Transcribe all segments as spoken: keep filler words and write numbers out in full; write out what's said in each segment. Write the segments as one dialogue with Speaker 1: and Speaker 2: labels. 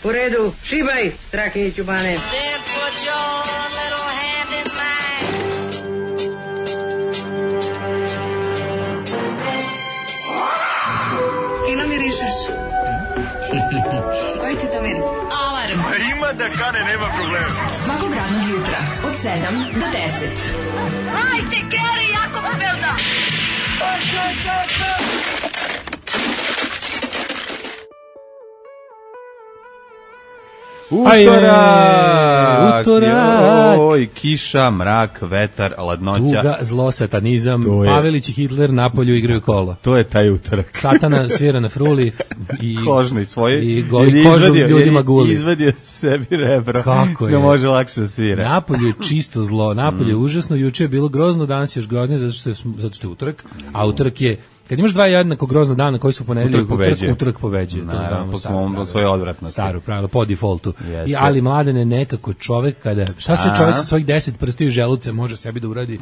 Speaker 1: U redu, šibaj, Strahinjiću Bane.
Speaker 2: Fino mirišeš. Koji ti to miris? Alarm.
Speaker 3: A ima da kane, nema problema.
Speaker 2: Svakog radnog jutra, od sedam do deset.
Speaker 4: Hajde, Geri, jako se velda.
Speaker 5: Utorak! Utorak! Oj, kiša, mrak, vetar, ladnoća.
Speaker 6: Tuga, zlo, satanizam, Pavelić i Hitler napolju igraju kola.
Speaker 5: To je taj utorak.
Speaker 6: Satana svira na fruli i
Speaker 5: kožno i svoje.
Speaker 6: I goli kožu ljudima guli.
Speaker 5: Izvadio sebi rebro.
Speaker 6: Kako je?
Speaker 5: Da može lakše da svira.
Speaker 6: Napolju je čisto zlo, napolju je užasno, juče je bilo grozno, danas je još groznije zato što je, zato što je utorak, a utorak je kad imaš dva jednako grozna dana koji su ponedeljak, utorak pobeđuje. Utorak pobeđuje, to znamo.
Speaker 5: Po svom svoje odvratnosti.
Speaker 6: Staro pravilo, po defaultu. I ali Mladene nekako čovek kada šta sve čovek sa svojih deset prstiju i želuce može sebi da uradi.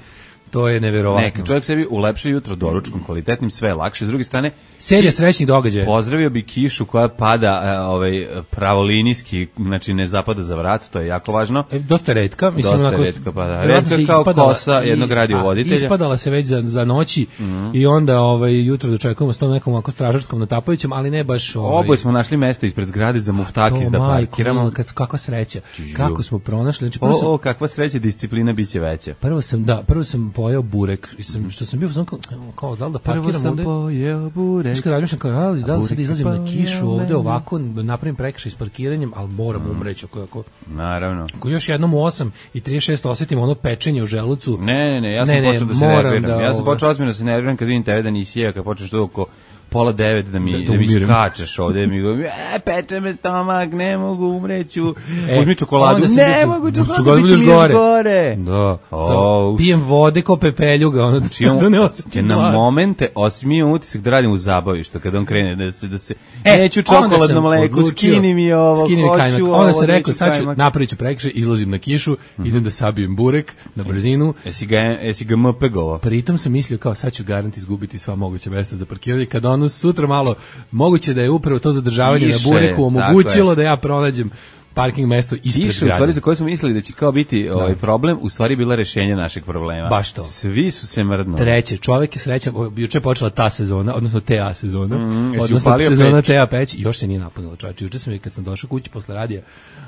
Speaker 6: To je neverovatno.
Speaker 5: Neka čovjek sebi ulepša jutro doručkom kvalitetnim, sve je lakše. S druge strane,
Speaker 6: serija srećnih događaja.
Speaker 5: Pozdravio bi kišu koja pada ovaj pravolinijski, znači ne zapada za vrat, to je jako važno.
Speaker 6: E, dosta retka, mislim
Speaker 5: dosta
Speaker 6: onako.
Speaker 5: Retka pada. Retka kao kosa jednog radiovoditelja.
Speaker 6: Ispadala se već za, za noći mm-hmm. i onda ovaj jutro dočekujemo s tom nekom ovako stražarskom natapajućem, ali ne baš ovaj.
Speaker 5: Oboje smo našli mesto ispred zgrade za muftakis da parkiramo.
Speaker 6: Kad kakva sreća. Kako smo pronašli, znači
Speaker 5: prvo sam, o, o kakva sreća, disciplina biće veća.
Speaker 6: Prvo sam da, prvo sam pojeo burek i sam što sam bio sam kao, kao da li da parkiram
Speaker 5: ovde. Prvo sam pojeo burek.
Speaker 6: Znači razmišljam kao ali da li sad izlazim na kišu ovde ovako napravim prekršaj s parkiranjem, al moram mm. umreći ako ako.
Speaker 5: Naravno.
Speaker 6: Ako još jednom u osam i trideset šest osetim ono pečenje u želucu.
Speaker 5: Ne, ne, ne, ja sam ne, počeo ne, da se nerviram. Da, ja sam počeo ozbiljno da se nerviram kad vidim tebe da nisi jeo, kad počneš to oko pola devet da mi, da, da mi skačeš ovde, mi go, e, peče me stomak, ne mogu, umreću, e, uzmi čokoladu, ne mogu, čokoladu
Speaker 6: biće mi
Speaker 5: gore. gore.
Speaker 6: Da, oh. Pijem vode ko pepeljuga, ono,
Speaker 5: znači, on, da ne osetim. Na momente osmijem utisak da radim u zabavištu, kad on krene, da se, da se, e, neću čokoladno mleko, skini mi ovo,
Speaker 6: skini mi
Speaker 5: hoću ovo,
Speaker 6: onda sam rekao, sad ću, napravit ću prekršaj, izlazim na kišu, mm. idem da sabijem burek na brzinu.
Speaker 5: Jesi ga, jesi ga mpegovao?
Speaker 6: Pritom sam mislio, kao, sad ću garant izgubiti sva moguća mesta za parkiranje, kad ono sutra malo moguće da je upravo to zadržavanje Kiše, na bureku omogućilo da ja pronađem parking mesto ispred
Speaker 5: Kiše, grada. U stvari za koje smo mislili da će kao biti ovaj problem, u stvari bila rešenje našeg problema.
Speaker 6: Baš to.
Speaker 5: Svi su se mrdnuli.
Speaker 6: Treće, čovjek je srećan, juče je počela ta sezona, odnosno T A sezona, mm, odnosno sezona T A peć, još se nije napunila, čovječe. Juče sam, kad sam došao kući posle radija,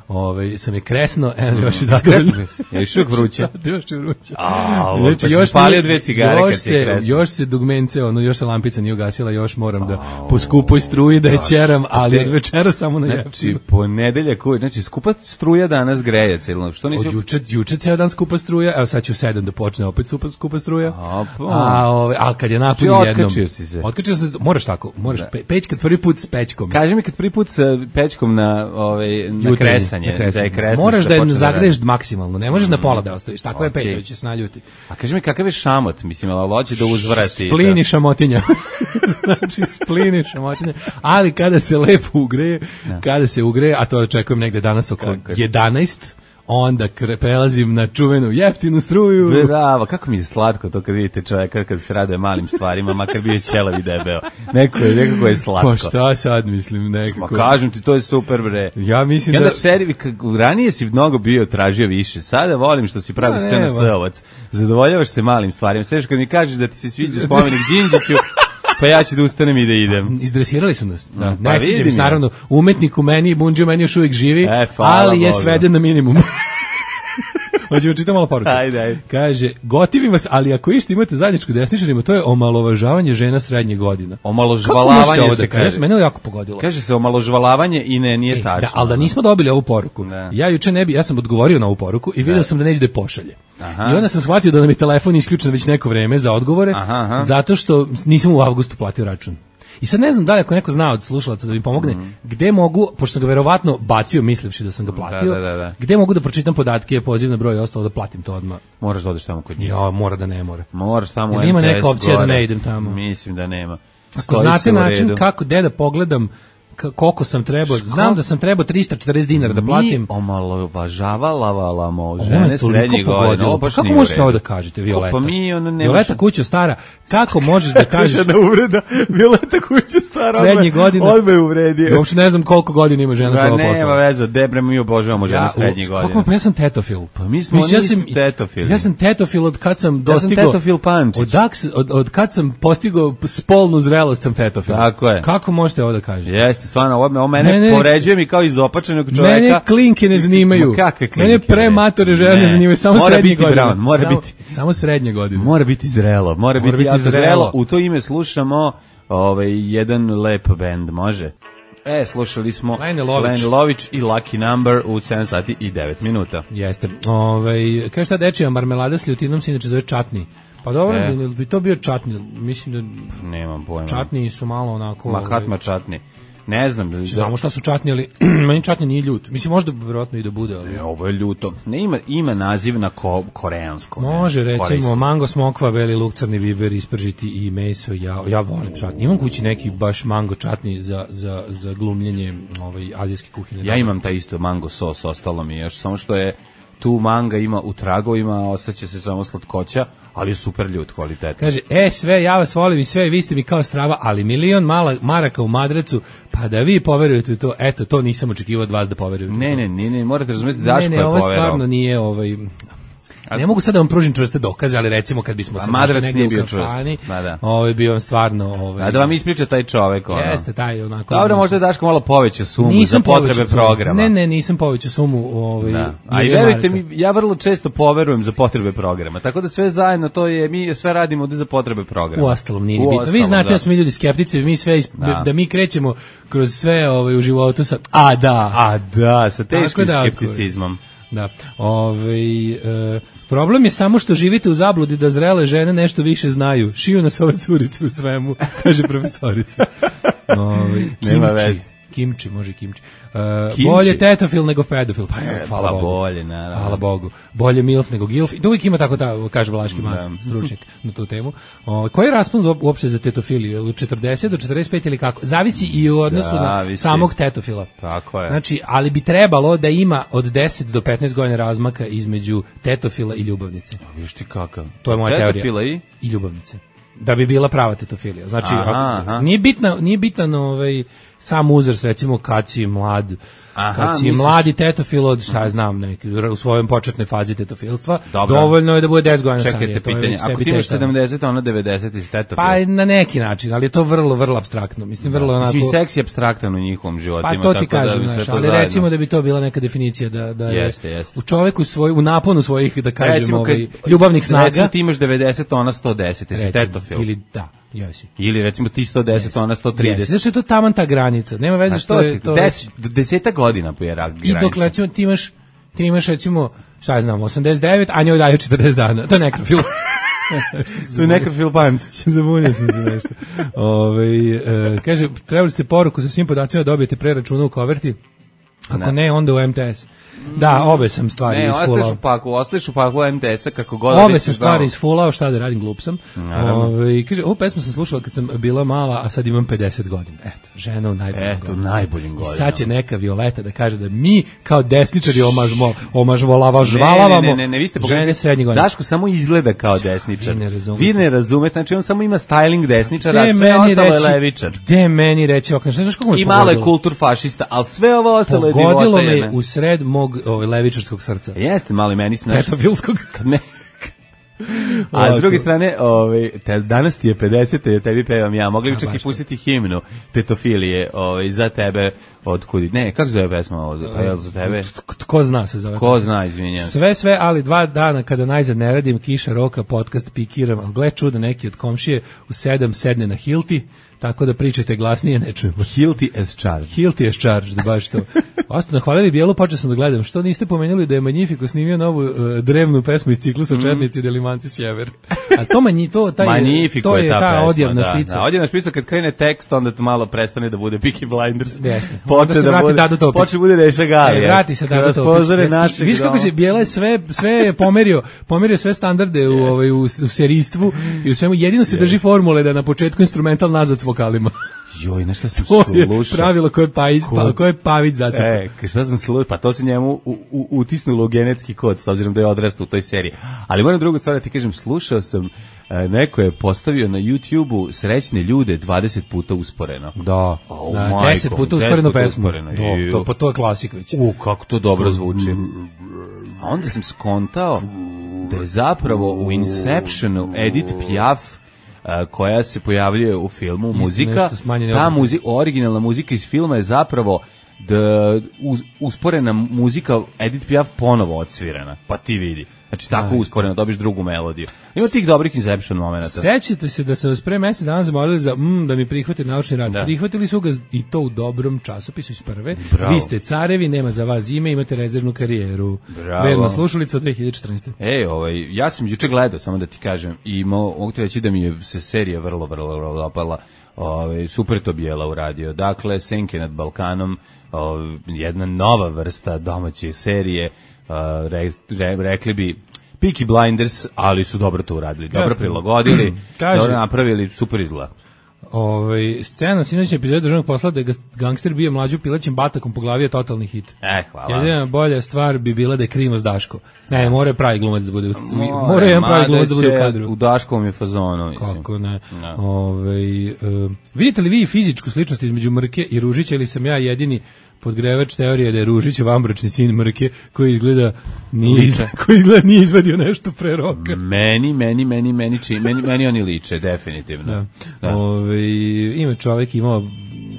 Speaker 6: ovaj, sam je kresno, eno, mm, još je zadovoljno.
Speaker 5: Ja još uvijek vruće.
Speaker 6: Još je vruće.
Speaker 5: A, znači, pa još spalio dve cigare
Speaker 6: kad se je kresno. Još se dugmence, ono, još se lampica nije ugasila, još moram da po skupoj struji da je ćeram, ali od večera samo na jeftinom.
Speaker 5: Znači, ponedeljak, znači, skupa struja danas greje celo. Što nisu?
Speaker 6: Od juče, juče ceo dan skupa struja, evo sad ću sedam da počne opet skupa, skupa struja.
Speaker 5: A,
Speaker 6: a ove, al kad je napolju jednom.
Speaker 5: Otkačio si se.
Speaker 6: Otkačio se, moraš tako, moraš pe, peć kad prvi put s pečkom.
Speaker 5: Kaži mi kad prvi put sa pečkom na, ovaj, na kresanje, na kresanje. Da je kresno.
Speaker 6: Moraš da je zagreješ da maksimalno, ne možeš mm. na pola da ostaviš, tako okay. je peć, će se naljuti.
Speaker 5: A kaži mi kakav je šamot, mislim, ali hoće da uzvrati.
Speaker 6: Splini šamotinja. Znači, splini šamotinja. Ali kada se lepo ugreje, no. kada se ugreje, a to očekujem negde danas oko jedanaest, onda prelazim na čuvenu jeftinu struju.
Speaker 5: Bravo, kako mi je slatko to kad vidite čovjeka kad se raduje malim stvarima, makar bio ćelav i debeo. Neko je, nekako je slatko.
Speaker 6: Pa šta sad mislim, nekako.
Speaker 5: Ma kažem ti, to je super, bre.
Speaker 6: Ja mislim
Speaker 5: ja
Speaker 6: da...
Speaker 5: Seri, ranije si mnogo bio tražio više, sada volim što si pravi S N S-ovac. Zadovoljavaš se malim stvarima. Sve što kad mi kažeš da ti se sviđa spomenik Đinđiću, pa ja ću da ustanem i da idem.
Speaker 6: Izdresirali su nas. Da. Pa ne sjećam se, naravno, umetnik u meni i Bunđio meni još uvijek živi,
Speaker 5: e,
Speaker 6: ali je sveden na minimum. Hoćemo čitati malo poruke.
Speaker 5: Ajde, ajde.
Speaker 6: Kaže, gotivim vas, ali ako išta imate zajedničko desničarima, to je omalovažavanje žena srednje godina.
Speaker 5: Omaložvalavanje se kaže.
Speaker 6: Mene je jako pogodilo.
Speaker 5: Kaže se omaložvalavanje i ne, nije e, tačno.
Speaker 6: Da, ali da nismo dobili ovu poruku. Ne. Ja juče ne bi, ja sam odgovorio na ovu poruku i vidio sam da neće da je pošalje. Aha. I onda sam shvatio da nam je telefon isključen već neko vreme za odgovore, aha, aha. zato što nisam u avgustu platio račun. I sad ne znam da li ako neko zna od slušalaca da mi pomogne, mm. gde mogu, pošto sam ga verovatno bacio mislivši da sam ga platio,
Speaker 5: da, da, da, da.
Speaker 6: gde mogu da pročitam podatke, poziv na broj i ostalo da platim to odmah.
Speaker 5: Moraš da odeš tamo kod njih.
Speaker 6: Ja, mora da ne mora.
Speaker 5: Moraš tamo
Speaker 6: u ima neka opcija gore. Da ne idem tamo.
Speaker 5: Mislim da nema.
Speaker 6: Ako znate način kako, gde da pogledam koliko sam trebao, znam da sam trebao trista četrdeset dinara da platim.
Speaker 5: Mi omalovažavala žene srednjih godina.
Speaker 6: Kako možete ovo da kažete, Violeta?
Speaker 5: Pa mi, ono, ne
Speaker 6: Violeta Kućo stara, kako možeš da kažeš...
Speaker 5: da uvreda, Violeta Kućo stara,
Speaker 6: srednjih godina.
Speaker 5: Odmah je uvredio.
Speaker 6: Uopšte ne znam koliko godina ima žena koja posla.
Speaker 5: Nema veze, debre, mi obožavamo žene srednjih godina.
Speaker 6: Kako, pa ja sam tetofil.
Speaker 5: Pa mi smo oni isti tetofili.
Speaker 6: Ja sam tetofil od kad sam dostigao...
Speaker 5: Ja sam tetofil Pančić.
Speaker 6: Od, od, od kad sam postigao spolnu zrelost sam tetofil.
Speaker 5: Tako je.
Speaker 6: Kako možete ovo da kažete?
Speaker 5: Jeste, stvarno, ovo, ovo mene, mene povređuje mi kao izopačenog čoveka.
Speaker 6: Mene klinke ne zanimaju.
Speaker 5: Kakve klinke?
Speaker 6: Mene prematore žene ne zanimaju, samo
Speaker 5: mora
Speaker 6: srednje
Speaker 5: biti
Speaker 6: godine.
Speaker 5: Brown, mora
Speaker 6: samo,
Speaker 5: biti,
Speaker 6: samo srednje godine.
Speaker 5: Mora biti zrelo, mora, mora biti, biti zrelo.
Speaker 6: zrelo.
Speaker 5: U to ime slušamo ovaj, jedan lep bend, može? E, slušali smo
Speaker 6: Lene Lović.
Speaker 5: Lene Lović i Lucky Number u sedam sati i devet minuta.
Speaker 6: Jeste. Ovaj, kaže šta dečija marmelada s ljutinom se inače zove čatni. Pa dobro, e. bi to bio čatni, mislim da...
Speaker 5: Nemam pojma.
Speaker 6: Čatni su malo onako...
Speaker 5: Mahatma čatni. Ne znam. Da...
Speaker 6: Znamo šta su čatni, ali meni čatni nije ljut. Mislim, možda vjerojatno i da bude, ali...
Speaker 5: Ne, ovo je ljuto. Ne, ima, ima naziv na ko, koreanskom.
Speaker 6: Može, recimo, korejskom. Mango smokva, beli luk, crni biber, ispržiti i meso. Ja, ja volim čatni. Imam kući neki baš mango čatni za, za, za glumljenje ovaj, azijske kuhine.
Speaker 5: Ja imam taj isto mango sos, ostalo mi još, samo što je tu manga ima u tragovima, ostaće se samo slatkoća, ali je super ljut, kvalitetno.
Speaker 6: Kaže, e, sve, ja vas volim i sve, vi ste mi kao strava, ali milion mala, maraka u madracu, pa da vi poverujete u to, eto, to nisam očekivao od vas da poverujete.
Speaker 5: Ne, ne, ne, ne, morate razumjeti, Daško je poverao.
Speaker 6: Ne, ne, ovo stvarno nije, ovaj... Ne mogu sad da vam pružim čvrste dokaze, ali recimo kad bismo se našli negdje u kafani, ovaj bi vam stvarno... Ovaj,
Speaker 5: a da vam ispriča taj čovek, ono.
Speaker 6: Jeste, taj onako...
Speaker 5: Dobro, možda je Daško malo povećao sumu nisam za potrebe programa.
Speaker 6: Ne, ne, nisam povećao sumu. Ovaj,
Speaker 5: da. A i verujte mi, ja vrlo često poverujem za potrebe programa, tako da sve zajedno to je, mi sve radimo ovdje za potrebe programa.
Speaker 6: U ostalom nije bitno. Vi znate da, da smo mi ljudi skeptici, mi sve, da. da mi krećemo kroz sve ovaj, u životu sa... A da!
Speaker 5: A da, sa teškim da, skepticizmom.
Speaker 6: Da, ovaj... E, problem je samo što živite u zabludi da zrele žene nešto više znaju. Šiju nas ove curice u svemu, kaže profesorica. Ovaj,
Speaker 5: nema veze.
Speaker 6: Kimči, može kimči. Uh, kimči. Bolje tetofil nego pedofil. Pa je, hvala
Speaker 5: pa
Speaker 6: Bogu.
Speaker 5: Bolje, naravno.
Speaker 6: Hvala Bogu. Bolje milf nego gilf. I uvijek ima tako, ta, kaže Vlaški man, stručnjak na tu temu. Uh, koji je raspon uopšte za tetofiliju? Od četrdeset do četrdeset pet ili kako? Zavisi i u odnosu
Speaker 5: Zavisi.
Speaker 6: na samog tetofila.
Speaker 5: Tako je.
Speaker 6: Znači, ali bi trebalo da ima od deset do petnaest godina razmaka između tetofila i ljubavnice.
Speaker 5: Viš ti kakav?
Speaker 6: To je moja teorija.
Speaker 5: Tetofila i?
Speaker 6: I ljubavnice. Da bi bila prava tetofilija. Znači,
Speaker 5: aha, aha.
Speaker 6: nije bitna, nije bitan ovaj sam uzrast, recimo kad si mlad, aha, kad si misliš... mladi tetofil od, šta ja znam, neki, u svojoj početnoj fazi tetofilstva, dobro. Dovoljno je da bude deset godina starije.
Speaker 5: Čekajte pitanje, ako ti imaš sedamdeset, ono devedeset iz tetofil?
Speaker 6: Pa na neki način, ali je to vrlo, vrlo apstraktno. Mislim, vrlo onako...
Speaker 5: Mislim, seks je apstraktan u njihovom životima.
Speaker 6: Pa to ti
Speaker 5: tako
Speaker 6: kažem,
Speaker 5: da
Speaker 6: znaš, ali zajedno. Recimo da bi to bila neka definicija, da, da je
Speaker 5: jeste, jeste.
Speaker 6: u čoveku svoj, u naponu svojih, da kažem, ovaj, ljubavnih snaga.
Speaker 5: Recimo ti imaš devedeset, ona sto deset, jesi tetofil.
Speaker 6: Ili da. Jesi.
Speaker 5: Ili recimo ti sto deset, yes. ona sto trideset.
Speaker 6: Yes. Zašto je to taman ta granica? Nema veze što je to...
Speaker 5: Des, deseta godina po je granica.
Speaker 6: I dok recimo ti imaš, ti imaš recimo, šta ja znam, osamdeset devet, a njoj daju četrdeset dana. To je nekrofil.
Speaker 5: To je nekrofil Pančić.
Speaker 6: Zabunio sam se nešto. Ove, e, kaže, trebali ste poruku sa svim podacima da dobijete pre računa u koverti. Ako ne, ne onda u M T S. Da, obe sam stvari isfulao. Ne,
Speaker 5: ostaš u paku, ostaš u paku M T S-a kako god.
Speaker 6: Obe sam stvari isfulao, šta da radim, glup sam. Ove, kaže, ovu pesmu sam slušala kad sam bila mala, a sad imam pedeset godina. Eto, žena u najboljim
Speaker 5: Eto,
Speaker 6: godinama.
Speaker 5: najboljim godinama.
Speaker 6: I sad će neka Violeta da kaže da mi kao desničari omažmo, omažvolava žvalavamo
Speaker 5: ne, ne, ne, ne, vi ste
Speaker 6: žene srednje godine.
Speaker 5: Daško samo izgleda kao desničar.
Speaker 6: Vi ne razumete.
Speaker 5: Vi ne razumete, znači on samo ima styling desničara, a sve ostalo je levičar.
Speaker 6: Gde meni reći, ok, znaš kako
Speaker 5: I malo je kultur fašista, ali sve ovo ostalo je divota.
Speaker 6: Pogodilo me u sred mog ovaj, levičarskog srca.
Speaker 5: Jeste, malo i meni snaš.
Speaker 6: Petofilskog.
Speaker 5: Ne. A s druge strane, ovaj, te, danas ti je pedeset, ja tebi pevam ja. Mogli bi čak i pustiti himnu tetofilije ovaj, za tebe od kudi. Ne, kako zove pesma ovdje? Pa je za tebe?
Speaker 6: Ko zna se zove?
Speaker 5: Ko zna, izvinjam.
Speaker 6: Sve, sve, ali dva dana kada najzad ne radim, kiša, roka, podcast, pikiram, ali gle čuda, neki od komšije u sedam sedne na Hilti, tako da pričajte glasnije, ne čujemo.
Speaker 5: Hilti as charged.
Speaker 6: Hilti as charged, da baš to. Ostano, hvalili bijelu, počeo sam da gledam. Što niste pomenuli da je Magnifico snimio novu uh, drevnu pesmu iz ciklusa mm. Četnici i Delimanci sjever? A to manji, to, taj, to je, je ta, ta odjavna da, špica.
Speaker 5: Da, odjavna špica kad krene tekst, onda to malo prestane da bude Peaky Blinders.
Speaker 6: Jeste.
Speaker 5: Počne da bude, Dado Topić. Počne bude Deša Galija.
Speaker 6: E, vrati se Dado Topić. Viš kako se bijela sve, sve je pomerio, pomerio sve standarde u, ovaj, u, u serijstvu i u svemu. Jedino se drži formule da na početku instrumental nazad s vokalima.
Speaker 5: Joj, nešto sam slušao.
Speaker 6: To je pravilo koje pavić, pa, koje pavić zacrta.
Speaker 5: E, šta sam slušao, pa to se njemu u, u, utisnulo u genetski kod, s obzirom da je odrastao u toj seriji. Ali moram drugu stvar da ti kažem, slušao sam, neko je postavio na YouTubeu srećne ljude dvadeset puta usporeno.
Speaker 6: Da, oh, na deset puta usporeno pesmu.
Speaker 5: Usporeno.
Speaker 6: Do, to, pa to je klasik već.
Speaker 5: U, kako to dobro zvuči. A onda sam skontao da je zapravo u Inceptionu Edith Piaf, koja se pojavljuje u filmu, muzika, ta muzika, originalna muzika iz filma je zapravo da usporena muzika Edith Piaf ponovo odsvirana, pa ti vidi. Znači tako usporeno dobiš drugu melodiju. Ima tih dobrih Inception momenata.
Speaker 6: Sećate se da se vas pre mesec dana zamolili za mm, da mi prihvate naučni rad. Da. Prihvatili su ga i to u dobrom časopisu iz prve. Bravo. Vi ste carevi, nema za vas ime, imate rezervnu karijeru. Verna slušalica od dve hiljade četrnaeste.
Speaker 5: Ej, ovaj, ja sam juče gledao, samo da ti kažem, i mogu ti reći da mi je se serija vrlo, vrlo, vrlo dopala. Ovaj, super to bijela uradio. Dakle, Senke nad Balkanom, ovaj, jedna nova vrsta domaće serije. Uh, re, re, rekli bi Peaky Blinders, ali su dobro to uradili, dobro Jasne. prilagodili, dobro napravili, super izgleda.
Speaker 6: Ovaj scena sinoćne epizode državnog posla da je gangster bio mlađu pilećim batakom po glavi je totalni hit.
Speaker 5: E, hvala.
Speaker 6: Jedina bolja stvar bi bila da je Krimos Daško. Ne, mora pravi glumac da bude u mora jedan pravi glumac da bude u kadru.
Speaker 5: U Daškovom je fazonu, mislim.
Speaker 6: Kako ne. No. Ovaj uh, vidite li vi fizičku sličnost između Mrke i Ružića ili sam ja jedini podgrevač teorije da je Ružić vanbračni sin Mrke koji izgleda nije, koji izgleda nije izvadio nešto pre roka.
Speaker 5: Meni, meni, meni, meni, či, meni, meni oni liče, definitivno.
Speaker 6: Da. Da. Ove, ima čovjek imao,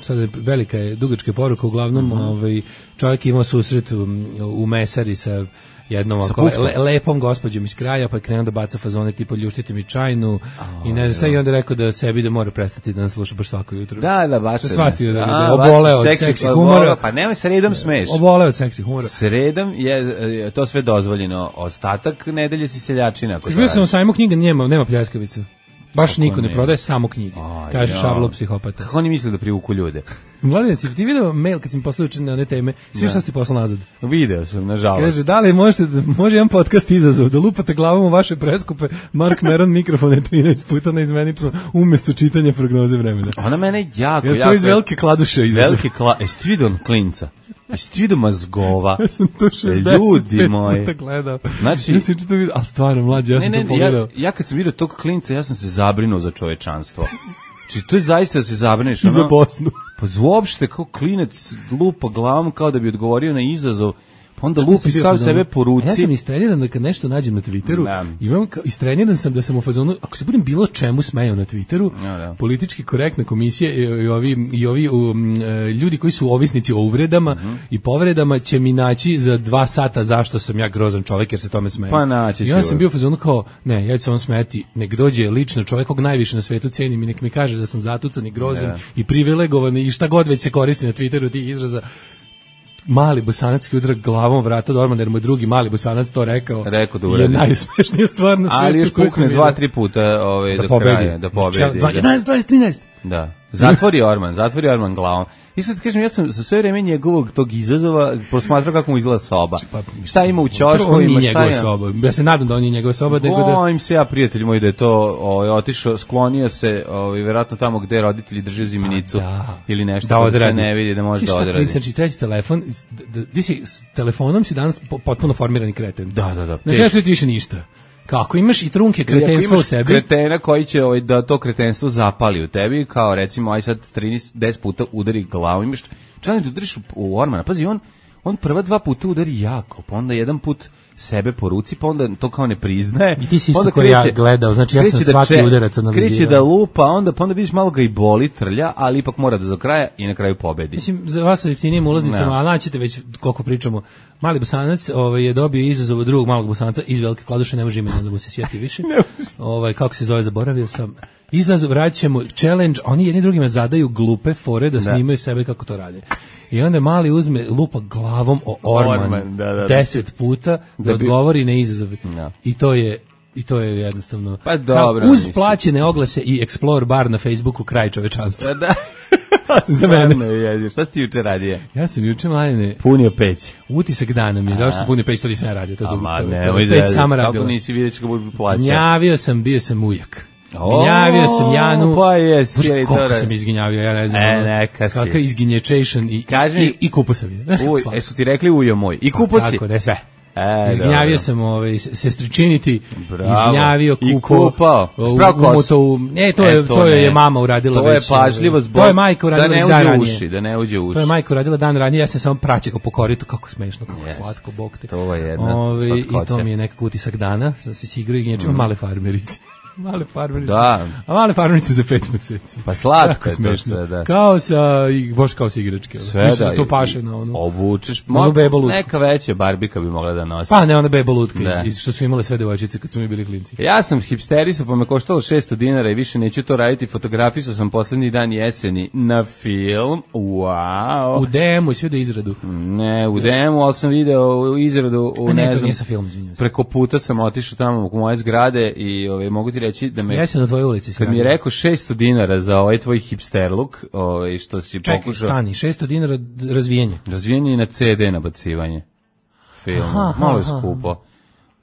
Speaker 6: sad je velika je dugačka poruka, uglavnom mm-hmm. ove, čovjek imao susret u, u mesari sa jednom ovako le, lepom gospođom iz kraja, pa je krenuo da baca fazone tipa ljuštite mi čajnu oh, i ne znam šta i onda rekao da sebi da mora prestati da nas sluša baš svako jutro.
Speaker 5: Da, da, baš.
Speaker 6: Shvatio da, da oboleo od seksi, seksi humora.
Speaker 5: Pa nema sredom smeš.
Speaker 6: Oboleo od seksi humora.
Speaker 5: Sredom je to sve dozvoljeno. Ostatak nedelje si seljačina.
Speaker 6: Bio sam u sajmu knjiga, nema, nema pljeskavica. Baš Kako niko ne, ne prodaje, samo knjige. Kaže Šablo psihopata.
Speaker 5: Kako oni misle da privuku ljude?
Speaker 6: Mladen, si ti video mail kad si mi poslao na one teme? Svi šta si poslao nazad?
Speaker 5: Video sam, nažalost.
Speaker 6: Kaže, da li možete, može jedan podcast izazov, da lupate glavom u vaše preskupe, Mark Meron mikrofone trinaest puta na izmenično, umjesto čitanja prognoze vremena.
Speaker 5: Ona mene jako,
Speaker 6: Jel
Speaker 5: jako...
Speaker 6: to iz velike kladuše izazov?
Speaker 5: Velike kladuše, jesi ti vidio on klinca? Jesi ti vidio mazgova?
Speaker 6: Ja sam to šezdeset
Speaker 5: Ljudi moji.
Speaker 6: puta gledao.
Speaker 5: Znači,
Speaker 6: ja sam čito vidio, a stvarno, mlađe, ja ne, sam
Speaker 5: ne,
Speaker 6: to pogledao.
Speaker 5: Ja, ja kad sam vidio tog klinca, ja sam se zabrinuo za čovečanstvo. Či to je zaista da se zabrineš.
Speaker 6: I za Bosnu.
Speaker 5: Pa uopšte kao klinec lupa glavom kao da bi odgovorio na izazov. Pa onda lupi sam sebe po ruci.
Speaker 6: Ja sam istreniran da kad nešto nađem na Twitteru, da. imam kao, istreniran sam da sam u fazonu, ako se budem bilo čemu smejao na Twitteru, ja, da. politički korektna komisija i, i ovi, i ovi um, ljudi koji su ovisnici o uvredama uh-huh. i povredama će mi naći za dva sata zašto sam ja grozan čovjek jer se tome smejem.
Speaker 5: Pa naći
Speaker 6: I onda sam bio u fazonu kao, ne, ja ću se on smeti, nek dođe lično čovjek kog najviše na svetu cenim i nek mi kaže da sam zatucan i grozan ja. i privilegovan i šta god već se koristi na Twitteru tih izraza. Mali Bosanacki udar glavom vrata do Ormana, jer mu je drugi Mali Bosanac to rekao.
Speaker 5: Rekao da
Speaker 6: uradi. Je najuspešnija stvar na svijetu.
Speaker 5: Ali još pukne dva, tri puta ovaj,
Speaker 6: da
Speaker 5: do
Speaker 6: pobedi.
Speaker 5: kraja. Da pobedi.
Speaker 6: jedanaest, dvadeset, trinaest
Speaker 5: Da. Zatvori Orman, zatvori Orman glavom. I sad kažem, ja sam za sve vreme njegovog tog izazova posmatrao kako mu izgleda soba. Šta ima u ćošku, ima šta je...
Speaker 6: soba. Ja se nadam da on je njegova soba.
Speaker 5: Bojim se ja, prijatelji moji, da je to ovaj, otišao, sklonio se ovaj, vjerojatno tamo gde roditelji drže ziminicu da. ili nešto da, da se ne vidi da može da odradi.
Speaker 6: Znači, treći telefon, ti si, s telefonom si danas potpuno formirani kreten.
Speaker 5: Da, da, da.
Speaker 6: Znači, ja ću više ništa. Kako imaš i trunke kretenstva u sebi?
Speaker 5: Kretena koji će ovaj, da to kretenstvo zapali u tebi, kao recimo aj sad trinaest, deset puta udari glavu, imaš čak da udariš u, u Ormana. Pazi, on, on prva dva puta udari jako, pa onda jedan put sebe po ruci, pa onda to kao ne priznaje.
Speaker 6: I ti si isto koji ja gledao, znači ja sam svaki da udarac analizirao.
Speaker 5: Kreće da lupa, onda, pa onda vidiš malo ga i boli, trlja, ali ipak mora da za kraja i na kraju pobedi.
Speaker 6: Mislim, za vas sa jeftinijim ulaznicama, a naćete već koliko pričamo, Mali Bosanac ovaj, je dobio izazov od drugog Malog Bosanca iz Velike Kladuše, ne može imena da mu se sjeti više. ovaj, kako se zove, zaboravio sam. Izazov, vraćamo challenge, oni jedni drugima zadaju glupe fore da snimaju sebe kako to rade. I onda Mali uzme lupa glavom o Orman, Orman da, da, deset puta da, da odgovori na izazove. No. I to je i to je jednostavno
Speaker 5: pa dobro,
Speaker 6: uz plaćene oglase i Explore bar na Facebooku kraj čovečanstva.
Speaker 5: Da. Za mene. Je, šta si ti juče radio?
Speaker 6: Ja sam juče Mladene
Speaker 5: punio peć.
Speaker 6: Utisak dana mi je došao sam punio peć, to nisam ja radio, to je dugo.
Speaker 5: Ne, peć
Speaker 6: sama radila.
Speaker 5: Kako nisi vidio kako bude plaća?
Speaker 6: Gnjavio sam, bio sam ujak. Izginjavio sam Janu.
Speaker 5: Pa jesi.
Speaker 6: Bože, koliko sam izginjavio, ja ne znam.
Speaker 5: E, neka si.
Speaker 6: Kakav izginječation i, i, i kupo sam je.
Speaker 5: Uj, e su ti rekli ujo moj. I kupo si.
Speaker 6: Tako, da je sve.
Speaker 5: E,
Speaker 6: izgnjavio
Speaker 5: dobro.
Speaker 6: sam ovaj sestričinity,
Speaker 5: Bravo.
Speaker 6: Izgnjavio, kupo,
Speaker 5: i kupao.
Speaker 6: Spravo to, ne, to je e, to, to je mama uradila
Speaker 5: to
Speaker 6: već.
Speaker 5: To je pažljivo zbog
Speaker 6: to je majka uradila
Speaker 5: da ne
Speaker 6: dan
Speaker 5: uđe
Speaker 6: ranije.
Speaker 5: uši, da ne uđe uši.
Speaker 6: To je majka uradila dan ranije, ja sam samo praćekao po koritu, kako smešno, kako yes. slatko, bog te.
Speaker 5: To je jedna
Speaker 6: Ove,
Speaker 5: slatkoća.
Speaker 6: I to mi je nekako utisak dana, da se igrao i gnječima mm. male farmerice. Male farmerice.
Speaker 5: Da.
Speaker 6: A male farmerice za pet meseci.
Speaker 5: Pa slatko je to sve, da.
Speaker 6: Kao sa, baš kao sa igračke.
Speaker 5: Sve
Speaker 6: Mislim,
Speaker 5: da.
Speaker 6: To paše na ono.
Speaker 5: Obučeš.
Speaker 6: Ono bebo lutku.
Speaker 5: Neka veća barbika bi mogla da nosi.
Speaker 6: Pa ne, ona bebo lutka, iz, što su imale sve devojčice kad smo mi bili klinci.
Speaker 5: Ja sam hipsterisao, pa me koštalo šesto dinara i više neću to raditi. Fotografisao sam poslednji dan jeseni na film. Wow.
Speaker 6: U demu i sve do izradu.
Speaker 5: Ne, u demu, ali sam video izradu u,
Speaker 6: A ne,
Speaker 5: ne
Speaker 6: to
Speaker 5: znam,
Speaker 6: nije sa film, izvinjam se.
Speaker 5: Preko puta sam otišao tamo u moje zgrade i ove, mogu ti reći da me...
Speaker 6: Jesi na tvojoj ulici.
Speaker 5: Kad mi je rekao šesto dinara za ovaj tvoj hipster look, ovaj, što si
Speaker 6: Čekaj,
Speaker 5: pokušao...
Speaker 6: Čekaj, stani, šesto dinara razvijenje.
Speaker 5: Razvijenje i na ce de nabacivanje filmu. Aha, malo je skupo.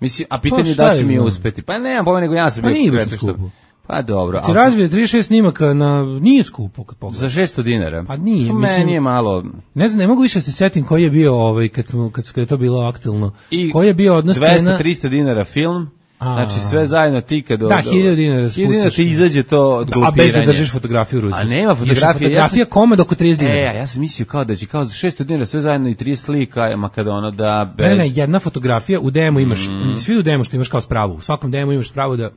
Speaker 5: Mislim, a pitanje
Speaker 6: pa
Speaker 5: da će
Speaker 6: je
Speaker 5: mi
Speaker 6: znam.
Speaker 5: uspeti. Pa nemam pojma, nego ja sam
Speaker 6: pa
Speaker 5: bio...
Speaker 6: nije baš skupo.
Speaker 5: Pa dobro.
Speaker 6: Ti razvije trideset šest snimaka na... Nije skupo kad pogledam.
Speaker 5: Za šesto dinara?
Speaker 6: Pa nije.
Speaker 5: Mislim, meni je malo...
Speaker 6: Ne znam, ne mogu više se setim koji je bio, ovaj, kad, smo, kad, kad je to bilo aktualno.
Speaker 5: I
Speaker 6: koji je bio odnos cena...
Speaker 5: dvesta do trista dinara film... A, znači sve zajedno ti kad...
Speaker 6: Da, hiljadu dinara
Speaker 5: hiljadu dinara ti izađe to od glupiranja.
Speaker 6: A bez da držiš fotografiju u ruci.
Speaker 5: A nema fotografije.
Speaker 6: Fotografija
Speaker 5: ja sam,
Speaker 6: komad oko trideset dinara.
Speaker 5: E, ja sam mislio kao da će kao za šesto dinara sve zajedno i trideset slika, ma kada ono da bez...
Speaker 6: Ne, ne, jedna fotografija, u demo imaš, mm. svi u demo što imaš kao spravu, u svakom demo imaš spravu da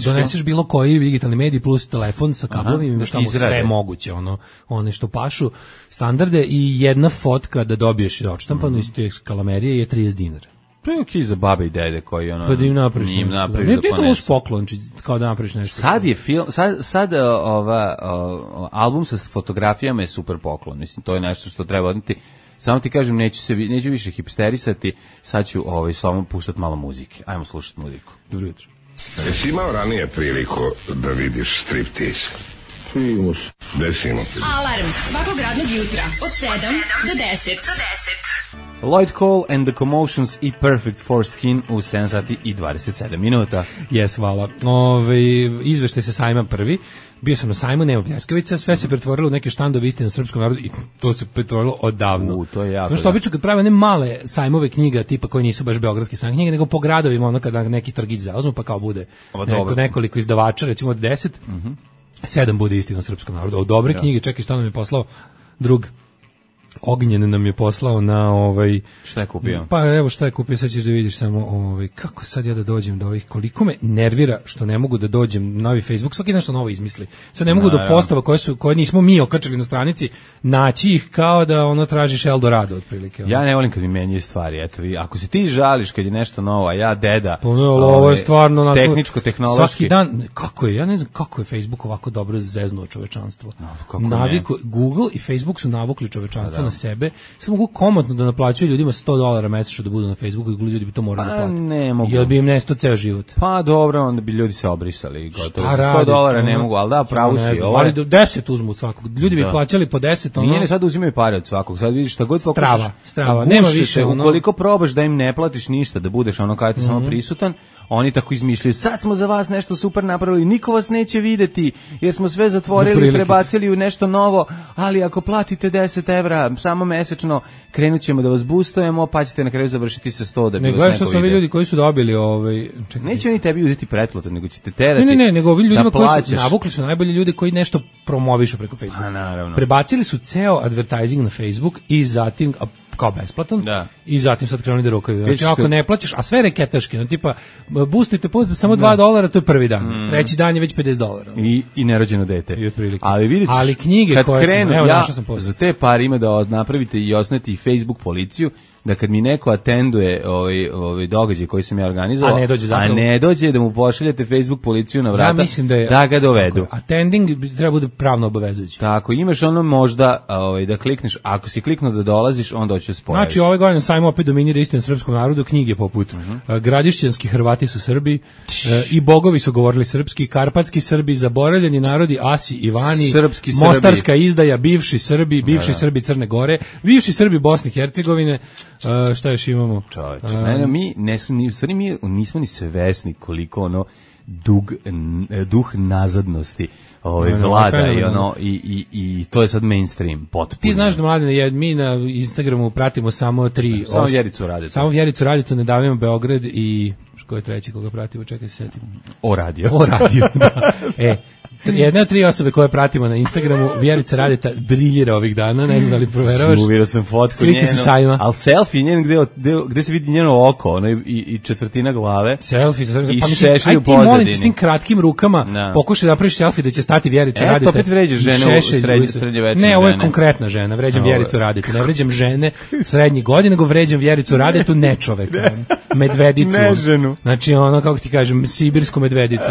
Speaker 6: doneseš bilo koji digitalni medij plus telefon sa kablovima, imaš tamo sve moguće, ono, one što pašu, standarde i jedna fotka da dobiješ odštampanu iz te kalamerije je trideset dinara.
Speaker 5: To je okej za babe i dede koji ono...
Speaker 6: Pa da im napraviš
Speaker 5: njim
Speaker 6: nešto.
Speaker 5: Napraviš
Speaker 6: ne,
Speaker 5: da
Speaker 6: nije to loš poklon, kao da napraviš nešto.
Speaker 5: Sad je film, sad, sad ova, ova, album sa fotografijama je super poklon. Mislim, to je nešto što treba odneti. Samo ti kažem, neću, se, neću više hipsterisati, sad ću ovaj, samo puštati malo muzike. Ajmo slušati muziku.
Speaker 6: Dobro jutro.
Speaker 7: Jesi imao ranije priliku da vidiš striptease?
Speaker 8: Primus.
Speaker 7: Desimo.
Speaker 2: Alarm svakog radnog jutra od sedam do deset.
Speaker 5: Lloyd Cole and the Commotions i Perfect for Skin u sedam sati i dvadeset sedam minuta.
Speaker 6: Jes, hvala. Ove, izvešte se sajma prvi. Bio sam na sajmu, nema pljeskavica, sve se pretvorilo u neke štandove istine na srpskom narodu i to se pretvorilo odavno.
Speaker 5: U, to je jako.
Speaker 6: Samo što obično kad prave ne male sajmove knjiga tipa koji nisu baš beogradski sajm knjige, nego po gradovima, ono kada neki trgić zauzmu, pa kao bude neko, nekoliko izdavača, recimo od deset, mm-hmm. sedam bude istina na srpskom narodu. Od dobre ja. knjige, čekaj, što nam je poslao drug Ognjen nam je poslao na ovaj
Speaker 5: šta je kupio?
Speaker 6: Pa evo šta je kupio, sad ćeš da vidiš samo ovaj kako sad ja da dođem do ovih, koliko me nervira što ne mogu da dođem na novi Facebook, svaki nešto novo izmisli. Sad ne mogu no, do postava koje su koje nismo mi okačili na stranici, naći ih kao da ono tražiš Eldorado otprilike. Ono.
Speaker 5: Ja ne volim kad mi menjaju stvari, eto vi, ako se ti žališ kad je nešto novo, a ja deda.
Speaker 6: Pa no, ovo je stvarno onako,
Speaker 5: tehničko tehnološki.
Speaker 6: Svaki dan kako je, ja ne znam kako je Facebook ovako dobro zeznuo čovečanstvo.
Speaker 5: No,
Speaker 6: Naviku, Google i Facebook su navukli čovečanstvo na sebe, samo mogu komotno da naplaćuju ljudima sto dolara mesečno da budu na Facebooku i ljudi bi to morali da plate.
Speaker 5: Ne mogu.
Speaker 6: Jer bi im nestao ceo život.
Speaker 5: Pa dobro, onda bi ljudi se obrisali. Gotovo. sto dolara ne mogu, ali da, pravo si.
Speaker 6: Ovo ali do deset uzmu od svakog. Ljudi bi da. plaćali po deset. Ono...
Speaker 5: Nije ne sad uzimaju pare od svakog. Sad vidiš šta god pokušaš.
Speaker 6: Strava, strava. Nema više.
Speaker 5: Ono... Ukoliko probaš da im ne platiš ništa, da budeš ono kao ti mm-hmm. samo prisutan, oni tako izmišljaju, sad smo za vas nešto super napravili, niko vas neće videti, jer smo sve zatvorili i prebacili u nešto novo, ali ako platite deset evra samo mesečno, krenut ćemo da vas boostujemo, pa ćete na kraju završiti sa sto da bi
Speaker 6: ne,
Speaker 5: vas neko
Speaker 6: vidio. Ne, gledaj što su ljudi koji su dobili ovaj... Čekaj.
Speaker 5: Neće oni tebi uzeti pretplatu, nego ćete terati.
Speaker 6: Ne, ne, ne, nego ovi ljudima
Speaker 5: da
Speaker 6: koji su navukli su najbolji ljudi koji nešto promovišu preko Facebooka.
Speaker 5: A, naravno.
Speaker 6: Prebacili su ceo advertising na Facebook i zatim kao besplatan
Speaker 5: da.
Speaker 6: I zatim sad krenuli da rokaju. Znači ako ne plaćaš, a sve reketaški, no tipa boostujte post za samo dva dolara, to je prvi dan. Mm. Treći dan je već pedeset dolara.
Speaker 5: I i nerođeno dete.
Speaker 6: I otprilike.
Speaker 5: Ali vidite,
Speaker 6: ali knjige koje
Speaker 5: krenu,
Speaker 6: sam, evo
Speaker 5: ja,
Speaker 6: sam post.
Speaker 5: za te pare ima da napravite i osnujete i Facebook policiju, da kad mi neko atenduje ovaj ovaj događaj koji sam ja organizovao,
Speaker 6: a ne dođe,
Speaker 5: zapravo, a ne dođe da mu pošaljete Facebook policiju na vrata,
Speaker 6: ja mislim da, je,
Speaker 5: da ga dovedu.
Speaker 6: Attending treba bude pravno obavezujući.
Speaker 5: Tako, imaš ono možda ovaj da klikneš, ako si kliknuo da dolaziš, onda hoćeš spojaviš.
Speaker 6: Znači ovaj godin sajmo opet dominira istina srpskom narodu, knjige poput uh-huh. Gradišćanski Hrvati su Srbi, i bogovi su govorili srpski, karpatski Srbi, zaboravljeni narodi Asi Ivani,
Speaker 5: srpski
Speaker 6: Mostarska
Speaker 5: Srbi.
Speaker 6: Izdaja, bivši Srbi, bivši da, da. Srbi Crne Gore, bivši Srbi Bosne i Hercegovine. Uh, šta još imamo?
Speaker 5: Čovječe, um, ne, ne, mi, ne, ni, stvari, mi nismo ni svesni koliko ono dug, duh nazadnosti ovaj no, vlada no, i ono i, i, i to je sad mainstream potpuno.
Speaker 6: Ti znaš da mladine, mi na Instagramu pratimo samo tri
Speaker 5: samo os, Vjericu Radetu.
Speaker 6: Samo Vjericu Radetu, Ne davimo Beograd i ko je treći koga pratimo, čekaj se setim.
Speaker 5: O radio.
Speaker 6: O radio, da. E, jedna od tri osobe koje pratimo na Instagramu, Vjerica Radeta briljira ovih dana, ne znam da li proveravaš.
Speaker 5: Uvirio sam fotku
Speaker 6: slike njeno, sa sajma.
Speaker 5: Ali selfie njen gde, gde, gde se vidi njeno oko, ono i, i četvrtina glave.
Speaker 6: Selfie, sa
Speaker 5: i
Speaker 6: pa
Speaker 5: šešelj u
Speaker 6: pozadini. Aj ti molim s tim kratkim rukama, no. Pokušaj da napraviš selfie da će stati Vjerica
Speaker 5: e,
Speaker 6: Radeta.
Speaker 5: E, to opet vređaš žene u srednje, srednje večerne.
Speaker 6: Ne, ovo je konkretna žena, vređam no, Vjericu Radetu, ne vređam žene srednjih godina, nego vređam Vjericu Radetu, ne čoveka, medvedicu.
Speaker 5: Ne ženu.
Speaker 6: Znači ono, kako ti kažem, sibirsku medvedicu.